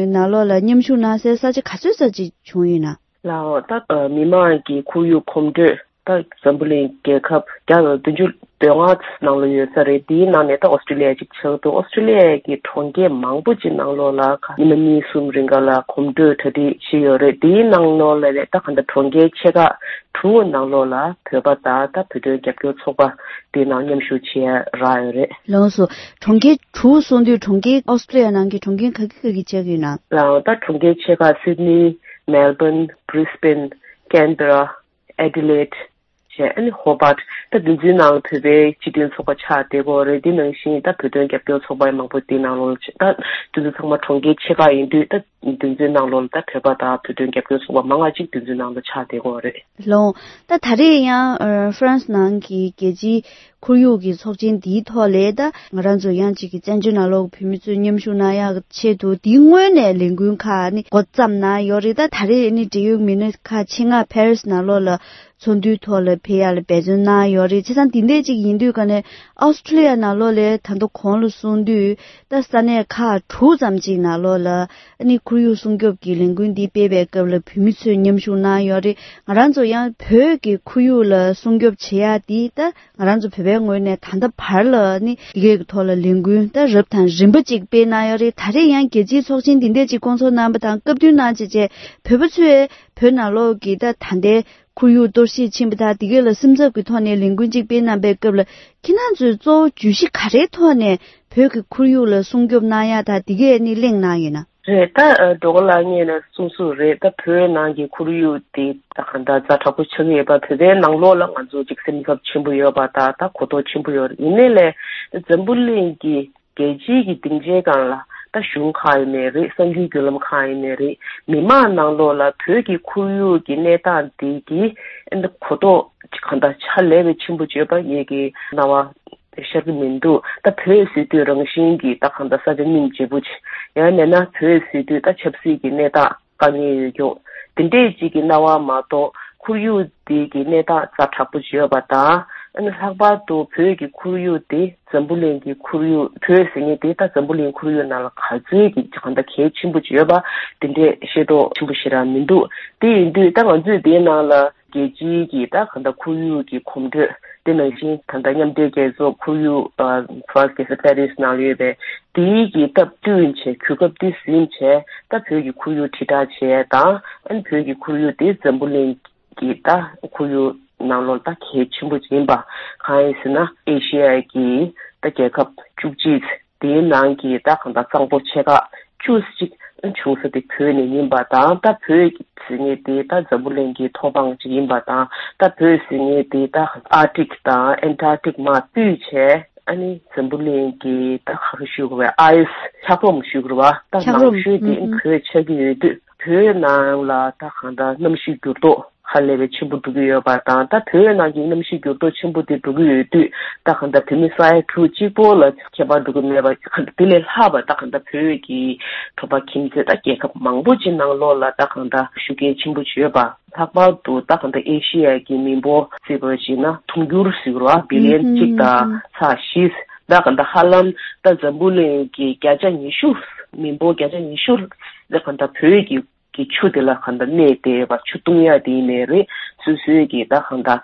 ནང་ལོགས་ལ་མཉམ་ཞུགས་གནང་སའི་ས་ཆ་ག་ཚོད་ཙམ་ཅིག་བྱུང་ཡོད་ན། ལའོ། ད་མི་མང་གི་ཁོར་ཡུག་གོམ་བགྲོད་ད་འཛམ་བུ་གླིང་རྒྱལ་ཁབ་བརྒྱ་དང་བདུན་ཅུ་དོན་ལྔ་ནང་ལ་ཡོད་ས་རེད། དེའི་ནང་ནས་ད་ཨོ་སི་ཀྲུ་ལི་ཡ་གཅིག་ཆགས་འདུག་ཨོ་སི་ཀྲུ་ལི་ཡ་གི་གྲོང་ཁྱེར་མང་པོ་ཅིག་ནང་ལོགས་ལ་ཉི་མ་གཉིས་གསུམ་རིང་ག་ལ་གོམ་བགྲོད་གྲ་སྒྲིག་བྱས་ཡོད་རེད། དེའི་ནང་ལོགས་ལ་ནས་ད་ག་འདྲ་གྲོང་ཁྱེར་ཆེ་ཁག་དྲུག་ནང་ལོགས་ལ་བོད་པ་དང་ད་བོད་དོན་རྒྱབ་སྐྱོར་ཚོགས་པ་དེའི་ནང་མཉམ་ཞུགས་བྱས་རག་ཡོད་རེད། ལགས་སོ། གྲོང་ཁྱེར་དྲུག་གསུངས་དུས་གྲོང་ཁྱེར་ཨོ་སི་ཀྲུ་ལི་ཡ་ནང་གི་གྲོང་ཁྱེར་ག་གི་ག་གི་ཆགས་ཀྱི་ཡོད་ན། ལའོ། ད་གྲོང་ཁྱེར་ཆེ་ཁག་སིད་ནི། མེལ་བྷོན། བྷི་རིས་བྷེན། ཀན་བྷེ་ར། ཨེ་ཌི་ལེ་ཌི་བྱས། ཨ་ནི་ཧོ་བྷར་ཊི། ད་དེ་ཚོའི་ནང་བོད་པའི་སྤྱི་མཐུན་ཚོགས་པ་ཆགས་བསྡད་ཀྱི་ཡོད་རེད། དེ་ནང་བཞིན་ད་བོད་དོན་རྒྱབ་སྐྱོར་ཚོགས་པ་མང་པོ་དེའི་ནང་ལོགས་ལ་ཆགས། ད་དེ་ཚོ་ཚང་མ་གྲོང་ཁྱེར་ཆེ་ཁག་ཡིན་དུས། ད་དེ་ཚོའི་ནང་ལོགས་ལ་ད་བོད་པ་དང་བོད་དོན་རྒྱབ་སྐྱོར་ཚོགས་པ་མང་བ་ཅིག་དེ་ཚོའི་ནང་ལ་ཆགས་བསྡད་ཀྱི་ཡོད་རེད། ལགས་འོང་། ད་ད་རེས་ཡང་ཧྥ་རན་སི་ནང་གི་རྒྱལ་སྤྱིའི་ཁོར་ཡུག་གི་ཚོགས་ཆེན་འདིའི་ཐོག་ལ་ད་ང་རང་ཚོ་ཡང་གཅིག་གི་བཙན་བྱོལ་ནང་ལོགས་བོད་མི་ཚོས་མཉམ་ཞུགས་གནང་ཡག་ཆེད་དུ་འདིའི་སྔོན་ནས་ལས་འགུལ་ཁག་ནི་འགོ་བརྩམས་གནང་ཡོད་རེད། ད་ད་རེས་ནི་འབྲེལ་ཡོད་མི་སྣ་ཁག་ཆེད་མངགས་ཕ་རི་སི་ནང་ལོགས་ལ་ཚོགས་འདུའི་ཐོག་ལ་ཕེབས་ཡག་ལ་འབད་བརྩོན་གནང་ཡོད་རེད། བྱས་ཙང་འདི་འདྲས་ཅིག་ཡིན་དུས་ཀ་ནས་ཨོ་སི་ཀྲུ་ལི་ཡ་ནང་ལོགས་ལ་ད་དུང་གོང་ལ་གསུངས་དུས། ད་ས་གནས་ཁག་དྲུག་ཙམ་ཅིག་ནང་ལོགས་ལ་ཨ་ནི་ཁོར་ཡུག་སྲུང་སྐྱོབ་ཀྱི་ལས་འགུལ་འདི་སྤེལ་བའི་སྐབས་ལ་བོད་མི་ཚོས་མཉམ་ཞུགས་གནང་ཡོད་རེད། ང་རང་ཚོ་ཡང་བོད་ཀྱི་ཁོར་ཡུག་ལ་སྲུང་སྐྱོབ་བྱེད་ཡག་འདི་ད་ང་རང་ཚོ་བོད་པའི་ངོས་ནས་ད་ལྟ་བར་ལ་ནི་འདི་གའི་ཐོག་ལ་ལས་འགུལ་ད་རབ་དང་རིམ་པ་ཅིག་སྤེལ་གནང་ཡོད་རེད། ད་རེས་ཡང་རྒྱལ་སྤྱིའི་ཚོགས་ཆེན་འདི་འདྲས་ཅིག་བསྐོང་ཚོགས་གནང་བ་དང་སྐབས་བསྟུན་གནང་བྱས་བྱས། བོད་པ་ཚོས་བོད་ནང་ལོགས་ཀྱི་ད་ད་ལྟའི་ཁོར་ཡུག་གཏོར་བཤིག་ཕྱིན་པ་དང་འདི་གའི་ལ་སེམས་འཚབ་ཀྱི་ཐོག་ནས་ལས་འགུལ་ཅིག་སྤེལ་གནང་པའི་སྐབས་ལ་ཁྱེད་རང་ཚོས་གཙོ་བོ་བརྗོད་གཞི་ག་རེའི་ཐོག་ནས་བོད་ཀྱི་ཁོར་ཡུག་ལ་སྲུང་སྐྱོབ་གནང་ཡག་དང་འདི་གའི་ནི་གླེང་གནང་ཡོད་ན། རེད། ད་སྒྲོལ་དཀར་ལགས་ངས་ནས་གསུངས་གསུངས་རེད། ད་བོད་ནང་གི་ཁོར་ཡུག་དེ་ད་གང་ལྟར་ཛ་དྲག་པོ་ཆགས་ཀྱི་ཡོད་པ། བོད་པའི་ནང་ལོགས་ལ་ང་ཚོ་ཅིག་སེམས་འཚབ་ཆེན་པོ་ཡོད་པ་དང་ད་གོ་རྟོགས་ཆེན་པོ་ཡོད་རེད། ཡིན་ནའི་ལས་འཛམ་བུ་གླིང་གི་རྒྱལ་སྤྱིའི་གི་སྡིངས་ཆའི་སྒང་ལ་ད་གཞུང་ཁག་ཡིན་ནའི་རེད། གསར་འགྱུར་བརྒྱུད་ལམ་ཁག་ཡིན་ནའི་རེད། མི་མང་ནང་ལོགས་ལ་བོད་ཀྱི་ཁོར་ཡུག་གི་གནས་སྟངས་དེ་གི་གོ་རྟོགས་གང་ལྟར་ཕྱག་ལས་པའི་ཆེན་པོ་བྱས་པ་ངེད་ཀྱི་རྣ་བ་ཤར་གྱི་མི་འདུག་ད་བོད་ཟེར་དུས་རང་བཞིན་གྱི་ད་གང་ལྟར་ས་ཆ་སྙིང་རྗེ་པོ་ཅིག་ཡང་མིན་ན་བོད་ཟེར་དུས་ད་ཆབ་སྲིད་ཀྱི་གནས་སྟངས་དཀའ་ངལ་ཡོད་ཀྱོག་དེ་འདྲས་ཅིག་གི་སྣང་བ་མ་གཏོགས་ཁོར་ཡུག་དེ་གི་གནས་སྟངས་ཛ་དྲག་པོ་ཅིག་ཡོད་པ་དང་། ཨ་ནི་ལྷག་པར་དུ་བོད་ཀྱི་ཁོར་ཡུག་དེ་འཛམ་བུ་གླིང་གི་ཁོར་ཡུག་བོད་ཟེར་མཁན་དེ་ད་འཛམ་བུ་གླིང་ཁོར་ཡུག་ནང་ལ་ག་ཚོད་ཀྱི་གང་ལྟར་གལ་ཆེན་པོ་ཅིག་ཡོད་པ་དེ་འདྲས་ཤེས་རྟོགས་ཆེན་པོ་ཞེ་དྲག་མི་འདུག་དེ་ཡིན་དུས་ད་ང་ཚོས་དེའི་ནང་ལ་རྒྱལ་སྤྱིའི་གི་ད་གང་ལྟར་ཁོར་ཡུག་གི་གོམ་བགྲོད་དེ་ནང་བཞིན་ད་ལྟ་མཉམ་འབྲེལ་རྒྱལ་ཚོགས་ཁོར་ཡུག་ཨ་ཧྥ་རན་སི་རྒྱལ་ས་པེ་རི་སི་ནང་ལ་ཡོད་པའི་དེའི་གི་སྟབས་བསྟུན་བྱས་གོ་སྐབས་དེ་ཟིན་བྱས་ད་བོད་ཀྱི་ཁོར་ཡུག་དྲིལ་བསྒྲགས་བྱས་དང་ཨ་ནི་བོད་ཀྱི་ཁོར་ཡུག་དེ་འཛམ་བུ་གླིང་གི་ད་ཁོར་ཡུག་ ནང་ལོགས་ད་གལ་ཆེན་པོ་ཡིན་པ། གང་ཡིན་ཟེར་ན་ཨེ་ཤི་ཡ་གི་ད་རྒྱལ་ཁབ་བཅུ་གཅིག་དེའི་ནང་གི་ད་གང་ལྟར་གཙང་པོ་ཆེ་ཁག་བཅུ་གཅིག་བྱུང་ས་དེ་བོད་ནས་ཡིན་པ་དང་། ད་བོད་ཀྱི་ཟེར་མཁན་དེ་ད་འཛམ་བུ་གླིང་གི་མཐོ་སྒང་ཅིག་ཡིན་པ་དང་། ད་བོད་ཟེར་མཁན་དེ་ད་ཨར་ཀ་ཊིག་དང་ཨན་ཊར་ཀ་ཊིག་མར་བཏུས་བྱས། ཨ་ནི་འཛམ་བུ་གླིང་གི་ད་ག་རེ་ཞུ་དགོས་པའི་ཨའི་སི་འཁྱགས་རོམ་ཞུ་དགོས་རེད་བ། ད་འཁྱགས་རོམ་ནང་ཤོས་དེ་ཨུ་ཨུ། བོད་ཆགས་ཀྱི་ཡོད་དུས། བོད་ནང་ལ་ད་གང་ལྟར་གནམ་གཤིས་འགྱུར་ལྡོག་ཧ་ལས་པའི་ཆེན་པོ་འགྲོ་གི་ཡོད་པ་དང་། ད་བོད་ནང་གི་གནམ་གཤིས་འགྱུར་ལྡོག་ཆེན་པོ་དེ་འགྲོ་གི་ཡོད་དུས། ད་གང་ལྟར་བོད་མི་ས་ཡ་དྲུག་གཅིག་པོ་ལ་ཁྱད་པར་འགྲོ་གི་མེད་པ། གང་ལྟར་དེ་ལས་ལྷག་པ་ད་གང་ལྟར་བོད་ཀྱི་གྲོང་པ་ཁྱིམ་མཚེས་ད་རྒྱལ་ཁབ་མང་པོ་ཅིག་ནང་ལོགས་ལ་ད་གང་ལྟར་ཤུགས་རྐྱེན་ཆེན་པོ་ཅིག་ཡོད་པ། ལྷག་པར་དུ་ད་གང་ལྟར་ཨེ་ཤི་ཡ་གི་མི་འབོར་བརྩིས་པ་ཞིག་ན་དུང་ཕྱུར་ཟེར་བ་བི་ལི་ཡན་གཅིག་དང་ཚེག་བཞི། ད་གང་ལྟར་ཧ་ལམ་ད་འཛམ་བུ་གླིང་གི་བརྒྱ་ཆ་ཉི་ཤུ། མི་འབོར་བརྒྱ་ཆ་ཉི་ཤུ་ད་གང་ལྟར་བོད་ཀྱི་གི་ཆུ་དེ་ལ་གང་ལྟར་གནས་བསྡད་པ། ཆུ་བཏུང་ཡ་དེ་ཡིན་ནའི་རེད། སོ་སོའི་གི་ད་གང་ལྟར་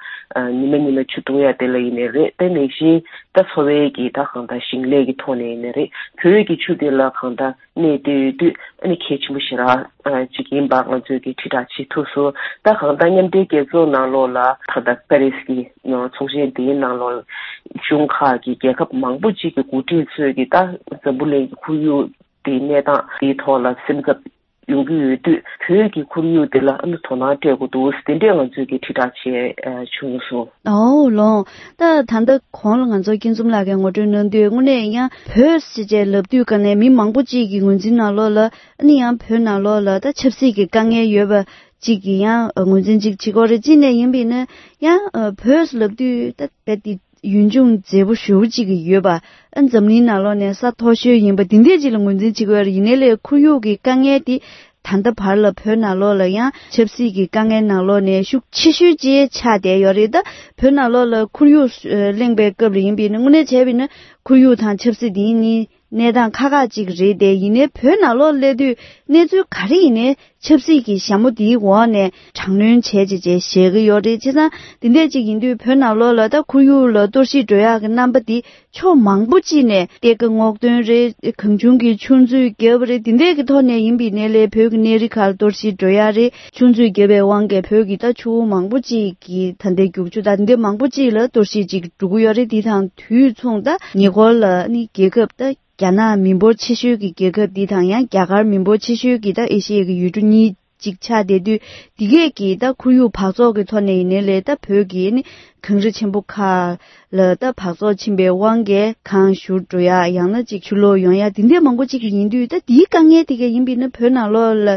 ཉི་མ་ཉི་མ་ཆུ་བཏུང་ཡ་དེ་ལ་ཡིན་ནའི་རེད། དེ་ནང་བཞིན་ད་འཚོ་བའི་གི་ད་གང་ལྟར་ཞིང་ལས་ཀྱི་ཐོག་ནས་ཡིན་ནའི་རེད། བོད་ཀྱི་ཆུ་དེ་ལ་གང་ལྟར་གནས་བསྡད་ཡོད་དུས། ཨ་ནི་གལ་ཆེན་པོ་ཞེ་དྲག་ཅིག་ཡིན་པ་ང་ཚོས་ཀྱི་དྲིལ་བསྒྲགས་བྱེད་ཐུབ་སོང་། ད་གང་ལྟར་མཉམ་འབྲེལ་རྒྱལ་ཚོགས་ནང་ལོགས་ལ་ད་ལྟ་པེ་རི་སི་གི་ཚོགས་ཆེན་དེའི་ནང་ལོགས་གཞུང་ཁག་གི་རྒྱལ་ཁབ་མང་པོ་ཅིག་གི་འགོ་ཁྲིད་ཚོས་ཀྱི་ད་འཛམ་བུ་གླིང་གི་ཁོར་ཡུག་དེའི་གནས་སྟངས་དེའི་ཐོག་ལ་སེམས་འཚབ་ཡོང་གི་ཡོད་དུས། བོད་ཀྱི་ཁོར་ཡུག་དེ་ལ་ཨ་ནི་དོ་སྣང་སྤྲད་དགོས་འདུག། དེ་འདྲས་ང་ཚོས་ཀྱི་དྲིལ་བསྒྲགས་བྱས་བྱུང་སོང་། ཨོ་ལོང་། ད་ད་ལྟ་གོང་ལ་ང་ཚོ་སྐྱིད་འཛོམས་ལགས་ཀྱིས་ངོ་སྤྲོད་གནང་དུས། དངོས་གནས་ཡང་བོད་ཟེར་བྱས་ལབ་དུས་ཀ་ནས་མི་མང་པོ་ཅིག་གི་ངོས་འཛིན་ནང་ལོགས་ལ། ཨ་ནི་ཡང་བོད་ནང་ལོགས་ལ་ད་ཆབ་སྲིད་ཀྱི་དཀའ་ངལ་ཡོད་པ་ཅིག་གི་ཡང་ངོས་འཛིན་ཅིག་བྱེད་ཀྱི་ཡོད་རེད། གཅིག་ནས་ཡིན་པ་ཡིན་ན་ཡང་བོད་ལབ་དུས་ད་རྦད་དེ་ཡུལ་ལྗོངས་མཛེས་པོ་ཞེ་པོ་ཅིག་ཡོད་པ། ཨ་འཛམ་གླིང་ནང་ལོགས་ནས་ས་མཐོ་ཤོས་ཡིན་པ་འདི་འདྲས་ཅིག་ལ་ངོས་འཛིན་བྱེད་ཀྱི་ཡོད་རེད། ཡིན་ནའི་ལས་ཁོར་ཡུག་གི་དཀའ་ངལ་དེ་ད་ལྟ་བར་ལ་བོད་ནང་ལོགས་ལ་ཡང་ཆབ་སྲིད་ཀྱི་དཀའ་ངལ་ནང་ལོགས་ནས་ཤུགས་ཆེ་ཤོས་ཅིག་ཆགས་བསྡད་ཡོད་རེད། ད་བོད་ནང་ལོགས་ལ་ཁོར་ཡུག་གླེང་པའི་སྐབས་ལ་ཡིན་པ་ཡིན་ན། དངོས་གནས་བྱས་པ་ཡིན་ན་ཁོར་ཡུག་དང་ཆབ་སྲིད་འདི་གཉིས་གནས་སྟངས་ཁག་ཁག་ཅིག་རེད་དེ། ཡིན་ནའི་བོད་ནང་ལོགས་སླེབས་དུས་གནས་ཚུལ་ག་རེ་ཡིན་ནའི་ཆབ་སྲིད་ཀྱི་ཞྭ་མོ་འདིའི་འོག་ནས་དྲག་གནོན་བྱས་བྱས་བྱས་བཞག་གི་ཡོད་རེད། བྱས་ཙང་འདི་འདྲས་ཅིག་ཡིན་དུས་བོད་ནང་ལོགས་ལ་ད་ཁོར་ཡུག་ལ་གཏོར་བཤིག་འགྲོ་ཡག་གི་རྣམ་པ་འདི་ཕྱོགས་མང་པོ་ཅིག་ནས་གཏེར་ཁ་སྔོག་འདོན་རེད། གང་བྱུང་གི་ཆུ་མཛོད་བརྒྱབ་པ་རེད། འདི་འདྲས་ཀྱི་ཐོག་ནས་ཡིན་པ་ཡིན་ནའི་ལས་བོད་ཀྱི་གནས་རི་ཁག་ལ་གཏོར་བཤིག་འགྲོ་ཡག་རེད། ཆུ་མཛོད་བརྒྱབ་པའི་དབང་གིས་བོད་ཀྱི་ད་ཆུ་བོ་མང་པོ་ཅིག་གི་ད་ལྟའི་རྒྱུག་ཆུ་དང་འདི་མང་པོ་ཅིག་ལ་གཏོར་བཤིག་ཅིག་འགྲོ་གི་ཡོད་རེད། འདི་དང་དུས་མཚུངས་ད་ཉེ་འཁོར་ལ་ནི་རྒྱལ་ཁབ་ད་རྒྱ་ནག་མི་འབོར་ཆེ་ཤོས་ཀྱི་རྒྱལ་ཁབ་འདི་དང་། ཡང་རྒྱ་གར་མི་འབོར་ཆེ་ཤོས་ཀྱི་ད་ཨེ་ཤི་ཡའི་གི་ཡུལ་གྲུ་གཉིས་ཅིག་ཆགས་བསྡད་དུས། འདི་གས་ཀྱི་ད་ཁོར་ཡུག་འབག་བཙོག་གི་ཐོག་ནས་ཡིན་ནའི་ལས་ད་བོད་ཀྱི་ནི་གངས་རི་ཆེན་པོ་ཁག་ལ་ད་འབག་བཙོག་ཕྱིན་པའི་དབང་གིས་གངས་བཞུར་འགྲོ་ཡག། ཡང་ན་ཅིག་ཆུ་ལོག་ཡོང་ཡག། འདི་འདྲས་མང་པོ་ཅིག་ཡིན་དུས། ད་འདིའི་དཀའ་ངལ་དེ་གས་ཡིན་པ་ཡིན་ན་བོད་ནང་ལོགས་ལ་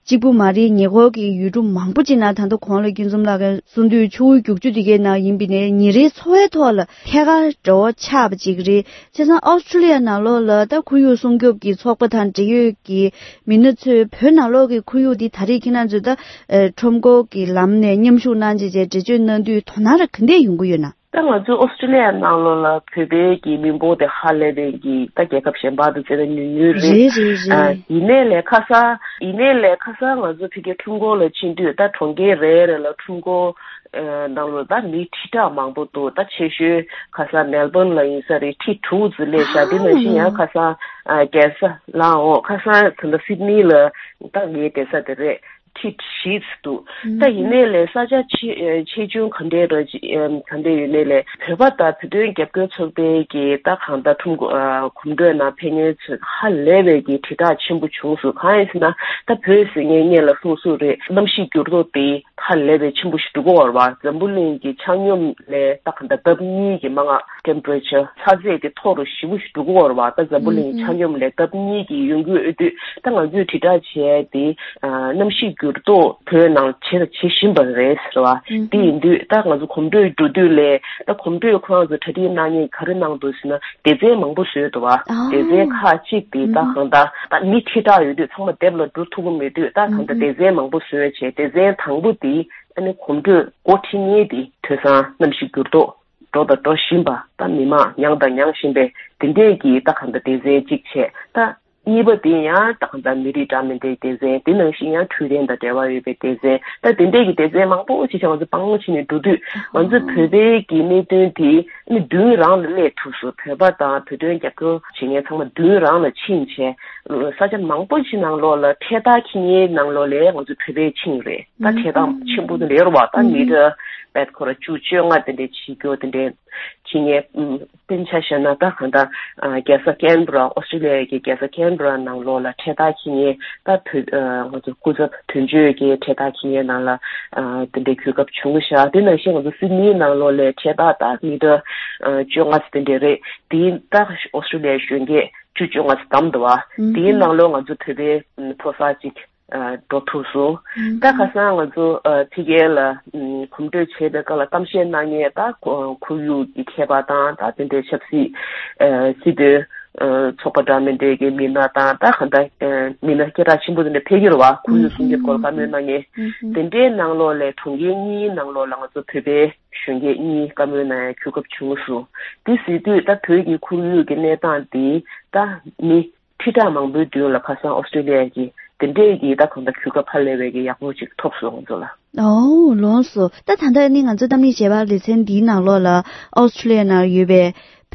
གཅིག་པུ་མ་རེད། ཉེ་འཁོར་གྱི་ཡུལ་གྲུ་མང་པོ་ཅིག་ནང་། ད་ལྟ་གོང་ལ་སྐྱིད་འཛོམས་ལགས་ཀྱིས་གསུངས་དུས་ཆུ་བོའི་རྒྱུག་ཆུ་དེ་གའི་ནང་ཡིན་པ་ཡིན་ནའི་ཉིན་རེའི་འཚོ་བའི་ཐོག་ལ་ཐད་ཀར་འབྲེལ་བ་ཆགས་པ་ཅིག་རེད། བྱས་ཙང་ཨོ་སི་ཀྲུ་ལི་ཡ་ནང་ལོགས་ལ་ད་ཁོར་ཡུག་སྲུང་སྐྱོབ་ཀྱི་ཚོགས་པ་དང་འབྲེལ་ཡོད་ཀྱི་མི་སྣ་ཚོས་བོད་ནང་ལོགས་ཀྱི་ཁོར་ཡུག་འདི་ད་རེས་ཁྱེད་རང་ཚོས་ད་ཁྲོམ་སྐོར་གྱི་ལམ་ནས་མཉམ་ཞུགས་གནང་བྱས་བྱས་འགྲེལ་བརྗོད་གནང་དུས་དོ་སྣང་ར་ག་འདྲས་ཡོང་གི་ཡོད་ན། ད་ང་ཚོའི་ཨོ་སི་ཀྲུ་ལི་ཡ་ནང་ལོགས་ལ་བོད་པའི་གི་མི་འབོར་དེ་ཧ་ལས་པའི་གི་ད་རྒྱལ་ཁབ་གཞན་པ་དང་བཙལ་ན་ཉུང་ཉུང་རེད། རེད་རེད་རེད། ཨ་ཡིན་ནའི་ལས་ཁ་སང་། ཡིན་ནའི་ལས་ཁ་སང་ང་ཚོ་ཕ་གིའི་ཁྲོམ་སྐོར་ལ་ཕྱིན་དུས། ད་གྲོང་ཁྱེར་རེ་རེ་ལ་ཁྲོམ་སྐོར་ཨ་ནང་ལོགས་ད་མི་ཁྲི་ཕྲག་མང་པོ་འདུག། ད་ཆེ་ཤོས་ཁ་སང་མེལ་བོན་ལ་ཡིན་ས་རེད། ཁྲི་དྲུག་ཙམ་སླེབས་ཤག། དེ་ནང་བཞིན་ཡང་ཁ་སང་ཨ་རྒྱལ་ས་ལ་འོང་། ཁ་སང་ད་ལྟ་སིད་ནི་ལ་ད་ངའི་བསྡད་ས་དེ་རེད། ཁྲི་བཞི་ཙམ་འདུག། ད་ཡིན་ནའི་ལས་ས་ཆ་ཆེ་ཆེ་ཆུང་ག་འདྲའི་ར་ག་འདྲའི་ཡོད་ནའི་ལས་བོད་པ་དང་བོད་དོན་རྒྱབ་སྐྱོར་ཚོགས་པའི་གི་ད་གང་ལྟར་ཁྲོམ་སྐོར་གོམ་བགྲོད་ནང་ཕེབས་མཁན་ཚོས་ཧ་ལས་པའི་གི་དྲིལ་བསྒྲགས་ཆེན་པོ་བྱུང་སོང་། གང་ཡིན་ཟེར་ན་ད་བོད་ཟེར་མཁན་སྔོན་ལ་གསུངས་གསུངས་རེད། གནམ་གཤིས་འགྱུར་ལྡོག་དེ་ཧ་ལས་པའི་ཆེན་པོ་ཞིག་འགྲོ་གི་ཡོད་རེད་བ། འཛམ་བུ་གླིང་གི་ཆ་སྙོམས་ལས་ད་གང་ལྟར་ལྡབ་གཉིས་ཀྱི་མང་ང་ཊེམ་པེ་རེ་ཅར་ཚ་ཚད་དེ་མཐོ་རུ་ཞེ་པོ་ཞིག་འགྲོ་གི་ཡོད་རེད་བ། ད་འཛམ་བུ་གླིང་གི་ཆ་སྙོམས་ལས་ལྡབ་གཉིས་ཀྱི་ཡོང་གི་ཡོད་དུས། ད་ང་ཚོས་དྲིལ་བསྒྲགས་བྱས་ཏེ། ཨ་གནམ་གཤིས་འགྱུར་ལྡོག་བོད་ནང་བྱེད་དང་བྱེད་བཞིན་པ་རེད་ཟེར་བ། ཨུ་དེ་ཡིན་དུས་ད་ང་ཚོ་གོམ་བགྲོད་འགྲོ་དུས་ལས། ད་གོམ་བགྲོད་ཁོ་རང་ཚོ་གྲ་སྒྲིག་གནང་མཁན་ག་རེ་གནང་འདུག་ཟེར་ན། སྡེ་ཚན་མང་པོ་བཟོས་འདུག་བ། ཨ་སྡེ་ཚན་ཁག་ཅིག་དེ་ད་ཨུ་གང་ལྟར་ད་མི་ཁྲི་ཕྲག་ཡོད་དུས་ཚང་མ་སྡེབ་ལ་འགྲོ་ཐུབ་ཀྱི་མེད་དུས། ད་གང་ལྟར་ཨུ་སྡེ་ཚན་མང་པོ་བཟོས་བྱས། སྡེ་ཚན་དང་པོ་དེ་ཨ་ནི་གོམ་བགྲོད་འགོ་ཁྲིད་མཁན་དེ་དེང་སང་གནམ་གཤིས་འགྱུར་ལྡོག་འགྲོ་དང་འགྲོ་བཞིན་པ། ད་མི་མང་མྱངས་དང་མྱངས་བཞིན་པའི་དེ་འདྲས་ཀྱི་ད་གང་ལྟར་སྡེ་ཚན་གཅིག་བྱས། ད་གཉིས་པ་དེ་ཡང་ད་གང་ལྟར་མི་རིགས་འདྲ་མིན་འདྲའི་སྡེ་ཚན། དེ་ནང་བཞིན་ཡང་འཕྲོད་བསྟེན་དང་འབྲེལ་བ་ཡོད་པའི་སྡེ་ཚན། ད་དེ་འདྲས་ཀྱི་སྡེ་ཚན་མང་པོ་ཅིག་བྱས། ང་ཚོ་སྤང་བླང་བྱས་ནས་འགྲོ་དུས། ང་ཚོ་བོད་པའི་གི་གནད་དོན་དེ་ནི་མདུན་རང་ལ་སླེབས་ཐུབ་སོང་། བོད་པ་དང་བོད་དོན་རྒྱབ་སྐྱོར་བྱེད་མཁན་ཚང་མ་མདུན་རང་ལ་ཕྱིན་བྱས། ས་ཆ་མང་པོ་ཅིག་ནང་ལོགས་ལ་འཕྲེད་དར་འཁྱེར་མཁན་ནང་ལོགས་ལ་ང་ཚོ་བོད་པའི་ཕྱིན་རེད། ད་འཕྲེད་དར་ཆེན་པོ་དེ་རེད་བ། ད་མི་ཊར་ པད་ཁོ་ར་བཅུ་བཅོ་ལྔ་དེ་འདྲའི་བྱེད་རྒྱུ་དེ་འདྲའི་བྱེད་མཁན། ཨམ། དཔེར་ན་ཆ་བཞག་ན་ད་གང་ལྟར། ཨ། རྒྱལ་ས་ཀན་བྷ་ར། ཨོ་སི་ཀྲི་ལི་ཡ་གི་རྒྱལ་ས་ཀན་བྷ་ར་ནང་ལོགས་ལ་འཕྲེད་ཐག་འཁྱེར་མཁན་ད་བོད། ཨ། ང་ཚོ་སྐུ་ཚབ་དོན་གཅོད་ཀྱི་འཕྲེད་ཐག་འཁྱེར་མཁན་ནང་ལ། ཨ། དེ་འདྲའི་གོ་སྐབས་བྱུང་ཤག་དེ་ནང་བཞིན་ང་ཚོ་སིད་ནི་ནང་ལོགས་ལ་འཕྲེད་ཐག་ད་མི་ཊར། ཨ། བཅོ་ལྔ་ཙམ་དེ་འདྲ་རེད། དེ་ད་ཨོ་སི་ཀྲི་ལི་ཡའི་གཞོན་སྐྱེས་བཅུ་བཅོ་ལྔ་ཙམ་བདམས་འདུག་བ། ཨུམ། དེའི་ནང་ལོགས་ང་ཚོ་བོད་པའི་མཐོ་གསར་ཅིག་ཨ། འགྲོ་ཐུབ་སོང་། ཨུམ། ད་ཁ་སང་ང་ཚོ། ཨ། ཕ་གི་ལ། ཨམ། གོམ་བགྲོད་བྱེད་པའི་སྐབས་ལ་གཏམ་བཤད་གནང་མཁན་ད་ཁོར་ཡུག་གི་མཁས་པ་དང་། ད་དེ་འདྲའི་ཆབ་སྲིད། ཨ། སྲིད་དོན། ཨ། ཚོགས་པ་འདྲ་མི་འདྲའི་གི་མི་སྣ་དང་། ད་གང་ལྟར། ཨ། མི་སྣ་སྐད་གྲགས་ཆེན་པོ་དེ་འདྲ་ཕེབས་ཀྱི་རེད་བ། ཁོར་ཡུག་སྲུང་སྐྱོབ་སྐོར་བཀའ་མོལ་གནང་མཁན། ཨུམ། དེ་འདྲའི་ནང་ལོགས་ལ་གྲོང་ཁྱེར་གཉིས་ནང་ལོགས་ལ་ང་ཚོ་བོད་པའི་གཞོན་སྐྱེས་གཉིས་བཀའ་མོལ་གནང་ཡ་གོ་སྐབས་བྱུང་སོང་། དེ་ཟེར་དུས་ད་བོད་ཀྱི་ཁོར་ཡུག་གི་གནས་སྟངས་དེ་ད་མི་ཁྲི་ཕྲག་མང་པོའི་མདུན་ལ་ཁ་སང་ཨོ་སི་ཀྲི་ལི་ཡ་གི་དེ་འདྲས་ཀྱི་ད་གང་ལྟར་གོ་སྐབས་ཧ་ལས་པའི་གི་ཡག་པོ་ཅིག་ཐོབ་སོང་ང་ཚོ་ལ། ཨོ། ལགས་སོ། ད་ད་ལྟ་ནི་ང་ཚོ་གཏམ་གླེང་ཞལ་པར་ལེ་ཚན་འདིའི་ནང་ལོགས་ལ་ཨོ་སི་ཀྲི་ལི་ཡ་ནང་ཡོད་པའི་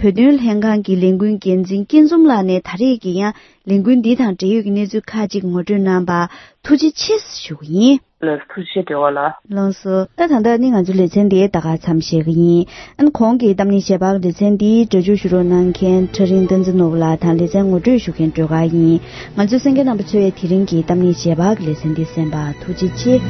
བོད་དོན་ལྷན་ཁང་གི་ལས་འགུལ་འགན་འཛིན་སྐྱིད་འཛོམས་ལགས་ནས་ད་རེས་ཀྱི་ཡང་ལས་འགུལ་འདི་དང་འབྲེལ་ཡོད་ཀྱི་གནས་ཚུལ་ཁག་ཅིག་ངོ་སྤྲོད་གནང་བར་ཐུགས་རྗེ་ཆེ་ཞུ་གི་ཡིན། ལགས། ཐུགས་རྗེ་ཆེ་འབྲེལ་བ་ལགས། ལགས་སོ། ད་ད་ལྟ་ནི་ང་ཚོའི་ལེ་ཚན་འདི་ད་ག་མཚམས་བཞག་གི་ཡིན། ཨ་ནི་གོང་གི་གཏམ་གླེང་ཞལ་པར་ལེ་ཚན་འདི་སྒྲ་སྒྱུར་ཞུ་རོགས་གནང་མཁན་ཁྲ་རིང་བསྟན་འཛིན་ནོར་བུ་ལགས་དང་ལེ་ཚན་ངོ་སྤྲོད་ཞུ་མཁན་སྒྲོལ་དཀར་ཡིན། ང་ཚོའི་གསན་མཁན་རྣམ་པ་ཚོས་དེ་རིང་གི་གཏམ་གླེང་ཞལ་པར་གྱི་ལེ་ཚན་འདི་གསན་པར་ཐུགས་རྗེ་ཆེ།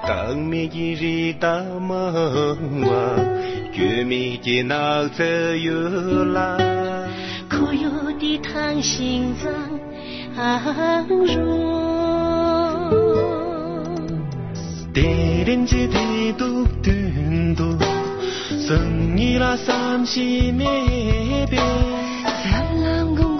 བདག་མེད་ཀྱི་རི་དྭགས་མང་བ། སྐྱོན་མེད་ཀྱི་ནགས་ཚལ་ཡུལ་ལ། ཁོར་ཡུག་འདི་ཐང་ཤིང་གཙང་རུང་། དེ་རིང་གི་བདེ་སྡུག་མདུན་དུ། སང་ཉིན་ལ་བསམ་གཞིག་མེད་པས། ལམ་ལམ་གུང་